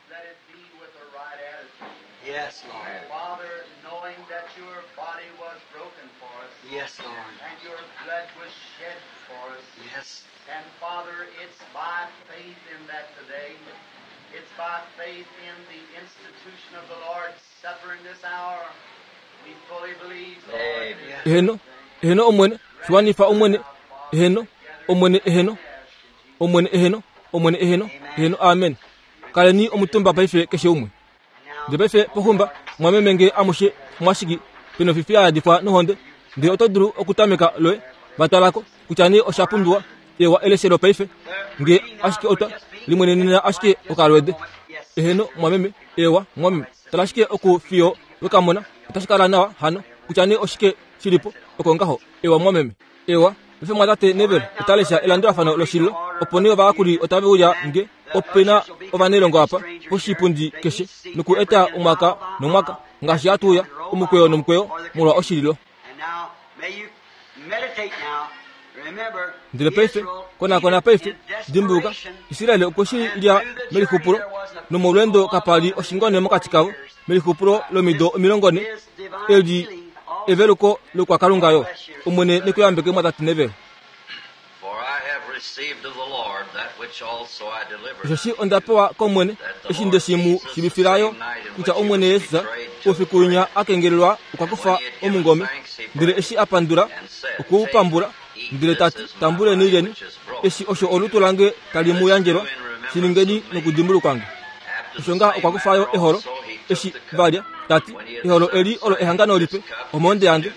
let it be with the right attitude. Yes, Lord. Father, knowing that your body was broken for us. Yes, Lord. And your blood was shed for us. Yes. And Father, it's by faith in that today. It's by faith in the institution of the Lord's Supper in this hour. We fully believe, Lord. Eheno, eheno omwene, shiwanifa omwene, eheno, omwene eheno, omwene eheno, omwene eheno, eheno, amen. Kaleni omutumba paife keshe umwe. Ndele paife pohumba mwameme nge amushe mwashiki peno fifi ya yadifwa nohonde, ndele oto dulu okutameka loye vatalako kutya nee osha pumbiwa ewa eleshelo paife nge ashike ota limwenenena ashike okalwede. Eheno mwameme, ewa mwameme, tala ashike oku fiyo wekamona otashi kala nawa hano kutya nee oshike shilipo oko ngaho. Ewa mwameme, ewa paife mwatate Neville otalesha elandulafano loshililo opo nee ovayakuli otave uya nge opena ovanelongo apa poshipundi keshe noku eta omwaka nomwaka ngaashi hatu uya omukweyo nomukweyo molwa oshililo. And now, may you meditate now. Remember, Ndele paife konakona paife dimbuluka Israeli okwe shi lya melixupulo nomolweendo kapali oshingone mokati kavo melixupulo lomido omilongo ne eli eveluko lokwakalunga yo. Omwene nekuyambeke mwatate Neville. For I have received of the Lord that which also I delivered. Osheshi onda pewa komwene eshi nde shi mu shivifilayo kutya omwene Jesus oufiku winya akengelelwa okwa kufa omungome, ndele eshi a pandula okwe u pambula, ndele tati tambuleni lyeni, eshi osho olutu lange tali mu yandjelwa, shi ningeni nokudimbulukwa nge. Osho ngaha okwa kufayo eholo eshi valya, tati eholo eli olo ehangano lipe omohonde yange,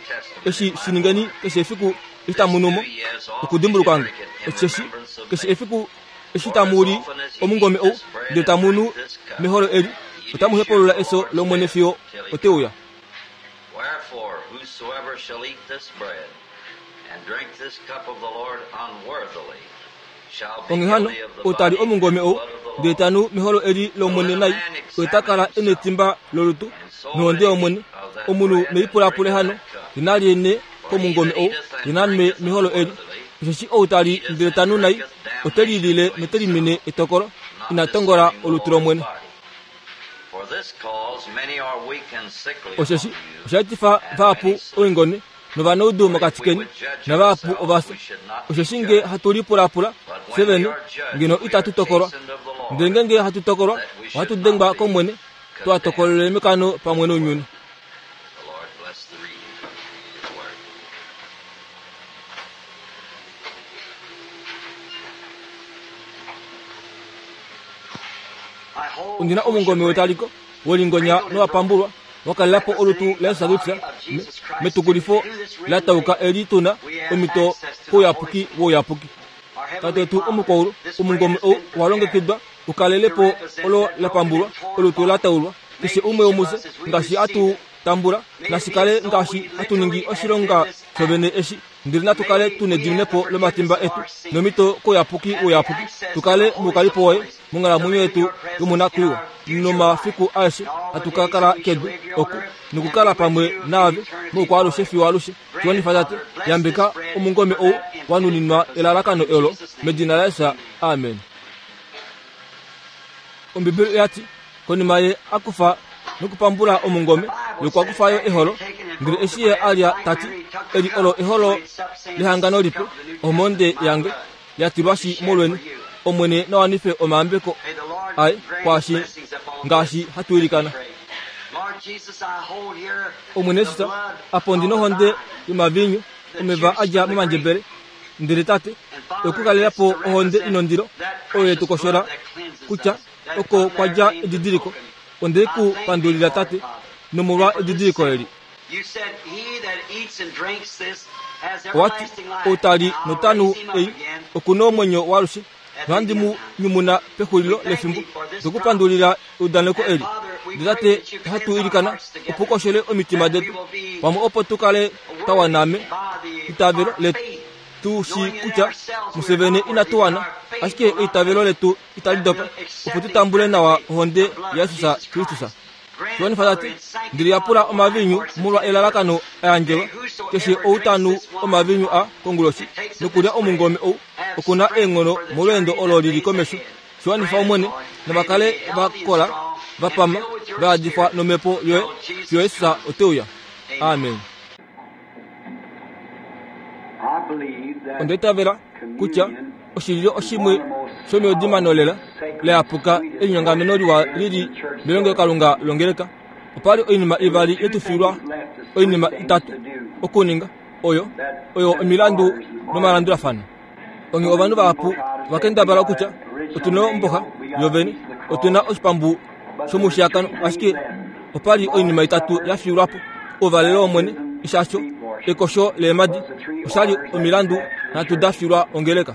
eshi shi ningeni keshe efiku eshi tamu nu mo okudimbulukwa nge. Osheshi keshe efiku eshi tamu li omungome ou ndele tamu nu meholo eli, otamu hepulula eso lomwene fiyo oteuya. Wherefore, whosoever shall eat this bread and drink this cup of the Lord unworthily shall be Onghee hano guilty of the ou tali body omungome and ou blood of the ndele Lord. tanu meholo eli lomwene nai, oye ta kala ena etimba lolutu nohonde yomwene. Omunhu neipulapule hano ye nalye ne komungome ou ye nanwe meholo eli. Osheshi ou tali ndele tanu nai ote lilile note limine etokolo, ina tongola olutu lomwene. For this cause many are weak and sickly Osheshi among you, osha etifa vahapu oingone novanaudu mokati keni navahapu ovafya. Osheshi nge hatu lipulapula fye vene ngeno itatu tokolwa, ndele ngenge hatu tokolwa ohatu dengwa komwene, twa tokolele mekano pamwe nounyuni. The Lord bless the reading of His word. I hold Ondina omungome wetaliko wolingonya nowapambulwa wakalelapo olutu la Jesus Kristus metukulifo la tauka eli tuna omito kouyapuki wouyapuki. Our Heavenly Tate yetu Father, omukwaulu this bread omungome has ou been owa longekidwa ukalelepo olo la pambulwa olutu la taulwa keshe umwe womufye ngaashi atu tambula nashikale ngaashi hatu ningi oshilonga shovene eshi, ndele natu kale tuna ediminepo lomatimba etu nomito kouyapuki wouyapuki, tukale moukalipo woye monghalamwenyo yetu yomonakwiiwa nomafiku aeshe hatu ka kala kedu oku nokukala pamwe naave moukwaalushe fiyo alushe. Tiwanifa tate, yambeka omungome ou wanuninwa elalakano olo medina laJesus, amen. Ombibeli oyati konima ye akufa nokupambula omungome, ye okwa kufayo eholo, ndele eshi ye alya tati Eli olo eholo lehangano lipe, ohonde yange yatilwashi molweni. Omwene nawanife omayambeko aye kwaashi ngaashi hatu ilikana. Omwene Jesus, apo ndi nohonde yomaviinyu, omeva adja momandjebele, ndele tate okukalelapo ohonde inondilo oyo yetukoshola kutya oko kwadja edidiliko. Onde ku pandulila tate nomolwa edidiliko eli. Owati outali notanu ei okuna omwenyo waalushe, nohandi mu nyumuna pexulilo lefimbo. Ndokupandulila eudaneko eli. Ndele tate ohatu ilikana opo ukoshele omitima detu pamwe opo tukale twa wana eitavelo letu. Tu shi kutya Museveni inatu wana, ashike eitavelo letu itali dopa opo tutambule nawa ohonde yaJesus Kristus. Tuwanifa tate, ndili yapula omaviinyu molwa elalakano ayandjelwa. Keshe ou tanu omaviinyu a konguloshi nokulya omungome ou okuna eenghono molweendo olo lili komesho. Shiwanifa Omwene, navakale vakola vapama vayadifwa nomhepo yoye fiyo Jesus oteuya. Amen. Onda itavela kutya oshililo oshimwe shomeudimano lela leyapuka elinyongameno liwa lili melongelokalunga longeleka. Opali oinima ivali yetufilwa, oinima itatu okuninga oyo oyo omilandu nomalandulafano. Onge ovanhu vahapu vakendabala kutya otuna omboha yovene, otuna oshipambu shomushiyakano, ashike opali oinima itatu yafilwapo: ouvalelo wOmwene, ishasho, ekosho leemadi. Oshali omilandu nhatu dafilwa ongeleka.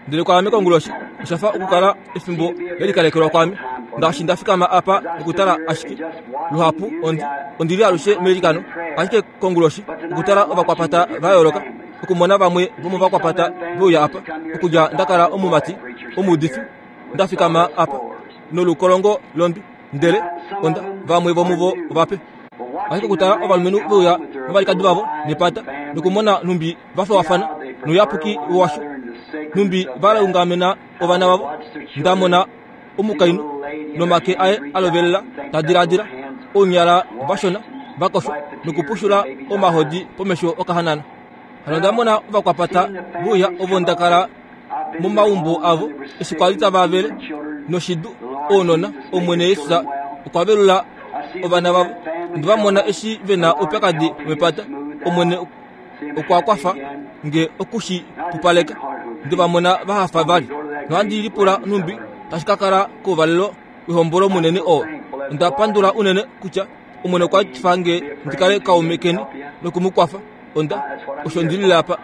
Ndele kwaame konguloshi oshafa okukala efimbo lelikalekelwa kwaame, ngaashi ndafikama apa nokutala ashike. Luhapu ondi ondili alushe meilikano, ashike konguloshi okutala ovakwapata va yooloka, okumona vamwe vomovakwapata veuya apa, okudja ndakala omumati omuudifi ndafikama apa nolukolongo londwi, ndele onda vamwe vomuvo ovape. Ashike okutala ovalumenhu veuya novalikadi vavo nepata, nokumona nhumbi vafewafana nouyapuki washo, nhumbi valungamena ovana vavo. Ndamona omukainhu nomake aye alovelela ta diladila, ounyala vashona vakoshwa nokupushula omahodi pomesho okahanana. Hano ndamona ovakwapata veuya ovo ndakala momaumbo avo eshi kwali tava vele noshidu ounona. Omwene Jesus okwa velula ovana vavo. Ndivamona eshi vena oupyakadi wepata. Omwene okwa kwafa nge okushi pupaleka. Ndivamona vahafa vali. Nohandi lipula nhumbi tashi ka kala kouvalelo wehombolo munene oo. Onda pandula unene kutya Omwene okwa fa nge ndikale kaume keni nokumukwafa. Onda osho ndilile apa.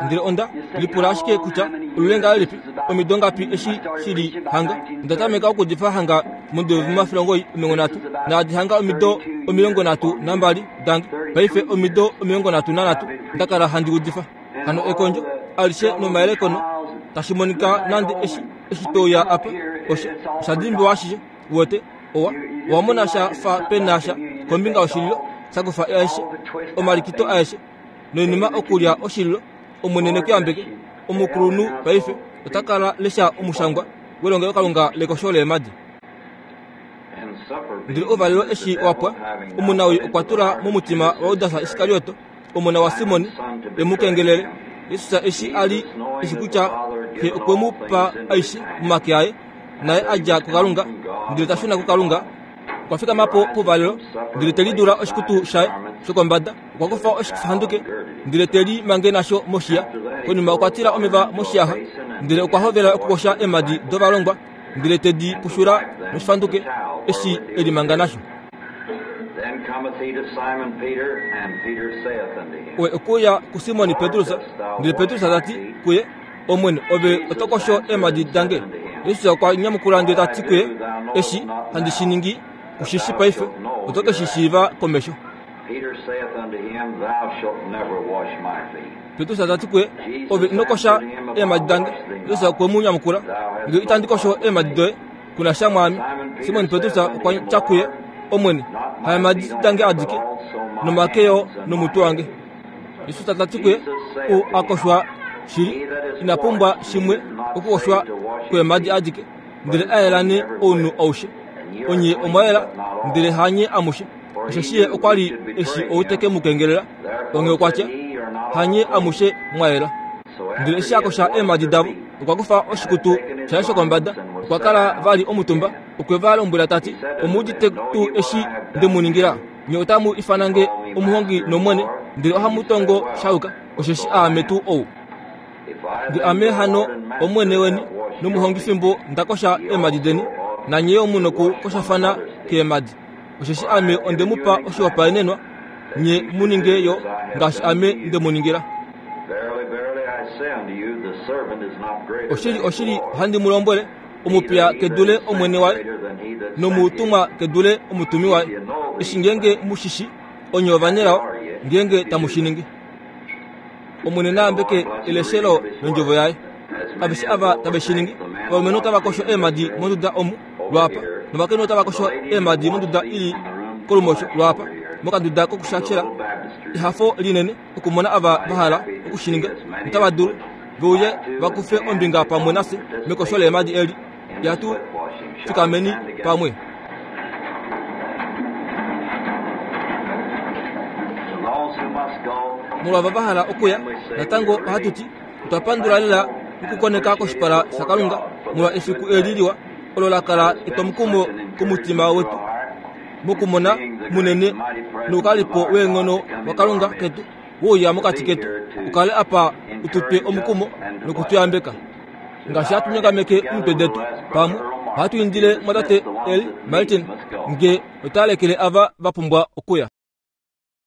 Ndele onda lipula ashike kutya olulenga lelipi omido ngapi eshi shili hanga. Onda tameka okudifa hanga momudo womafilongo omilongo nhatu, naadi hanga omido omilongo nhatu nambali dange. Paife omido omilongo nhatu nanhatu ndakala handi udifa. Hano ekondjo alishe nomayelekono tashi monika nande eshi eshi touya apa osha osha dimbiwa ashishe. Uwete owa owamona sha fa pena sha kombinga yoshililo shakufa aeshe omalikito aeshe noinima okulya oshililo. Omwene nekuyambeke. Omukulunhu paife ota kala lesha omushangwa welongelokalunga lekosho leemadi. Ndele ouvalelo eshi wapwa, omunawii okwa tula momutima waJudas Iskarioto, omona waSimoni, e mu kengelele. Jesus eshi a li eshi kutya Xe okwe mu pa aishe momake aye, naye a dja kuKalunga ndele ta shuna kuKalunga, okwa fikama po pouvalelo ndele te lidula oshikutu shaye shokombada. Okwa kufa oshifanduke ndele te limange nasho moshiya. Konima okwa tila omeva moshiyaxa ndele okwa hovela okukosha eemadi dovalongwa ndele te di pushula noshifanduke eshi e limanga nasho. Oye okuya kuSimoni Petrus, ndele Petrus ta ti kuye, Omwene, ove oto kosho eemadi dange? Jesus okwa nyamukula ndele ta ti kuye, Eshi handi shi ningi kushishi paife, oto ke shi shiiva komesho. Petrus ta ti kuye, Ove ino kosha eemadi dange. Jesus okwe mu nyamukula, Nge itandi kosho eemadi doye, kuna sha mwaame. Simon Petrus okwa tya kuye, Omwene, haemadi dange adike, nomake yo nomutwe wange. Jesus ta ti kuye, Ou a koshwa shili ina pumbwa shimwe okukoshwa kweemadi adike, ndele a yelane ounhu aushe. Onye omwa yela, ndele hanye amushe. Osheshi ye okwa li eshi ou te ke mu kengelela. Onghee okwa tya, Hanye amushe mwa yela. Ndele eshi a kosha eemhadi davo, okwa kufa oshikutu shaye shokombada, okwa kala vali omutumba, okwe va lombwela ta ti, Omu udite tuu eshi nde mu ningila? Nye otamu ifana nge omuhongi nOmwene, ndele ohamu tongo sha yuka, osheshi aame tuu ou. Nge ame hano Omwene weni nomuhongi fimbo nda kosha eemhadi deni, nanye yo mu nokukoshafana keemhadi. Osheshi ame onde mu pa oshihopaenenwa, nye mu ninge yo ngaashi ame nde mu ningila. Verily, verily, I say unto you, the servant is not greater Oshili, than his oshili, Lord, ohandi mu lombwele, omupiya ke dule omwene waye, greater than he that sent him. nomutumwa ke dule omutumi waye. Eshi ngeenge mu shi shi, onye ovanelao ngeenge tamu shi ningi. Omwene na yambeke eleshelo londjovo yaye. Aveshe ava tave shi ningi, ovalumenhu otava kosho eemhadi monduda omu lwaapa, novakainhu otava kosho eemhadi monduda ili kolumosho lwaapa, mokanduda kokushashela. Ehafo linene okumona ava va hala okushininga notava dulu ve uye va kufe ombinga pamwe nafye mekosho leemhadi eli. Ihatu fikameni pamwe. To those who must go, Molwava va hala okuya, natango ohatu ti otwa pandula lela okukoneka koshipala shaKalunga molwa efiku eli liwa olo la kala etwomukumo komutima wetu mokumona munene noukalipo weenghono waKalunga ketu wouya mokati ketu, ukale apa ututwe omukumo nokutuyambeka. Ngaashi hatu nyongameke omitwe detu pamwe, ohatu indile mwatate Earl Martin nge ota lekele ava va pumbwa okuya.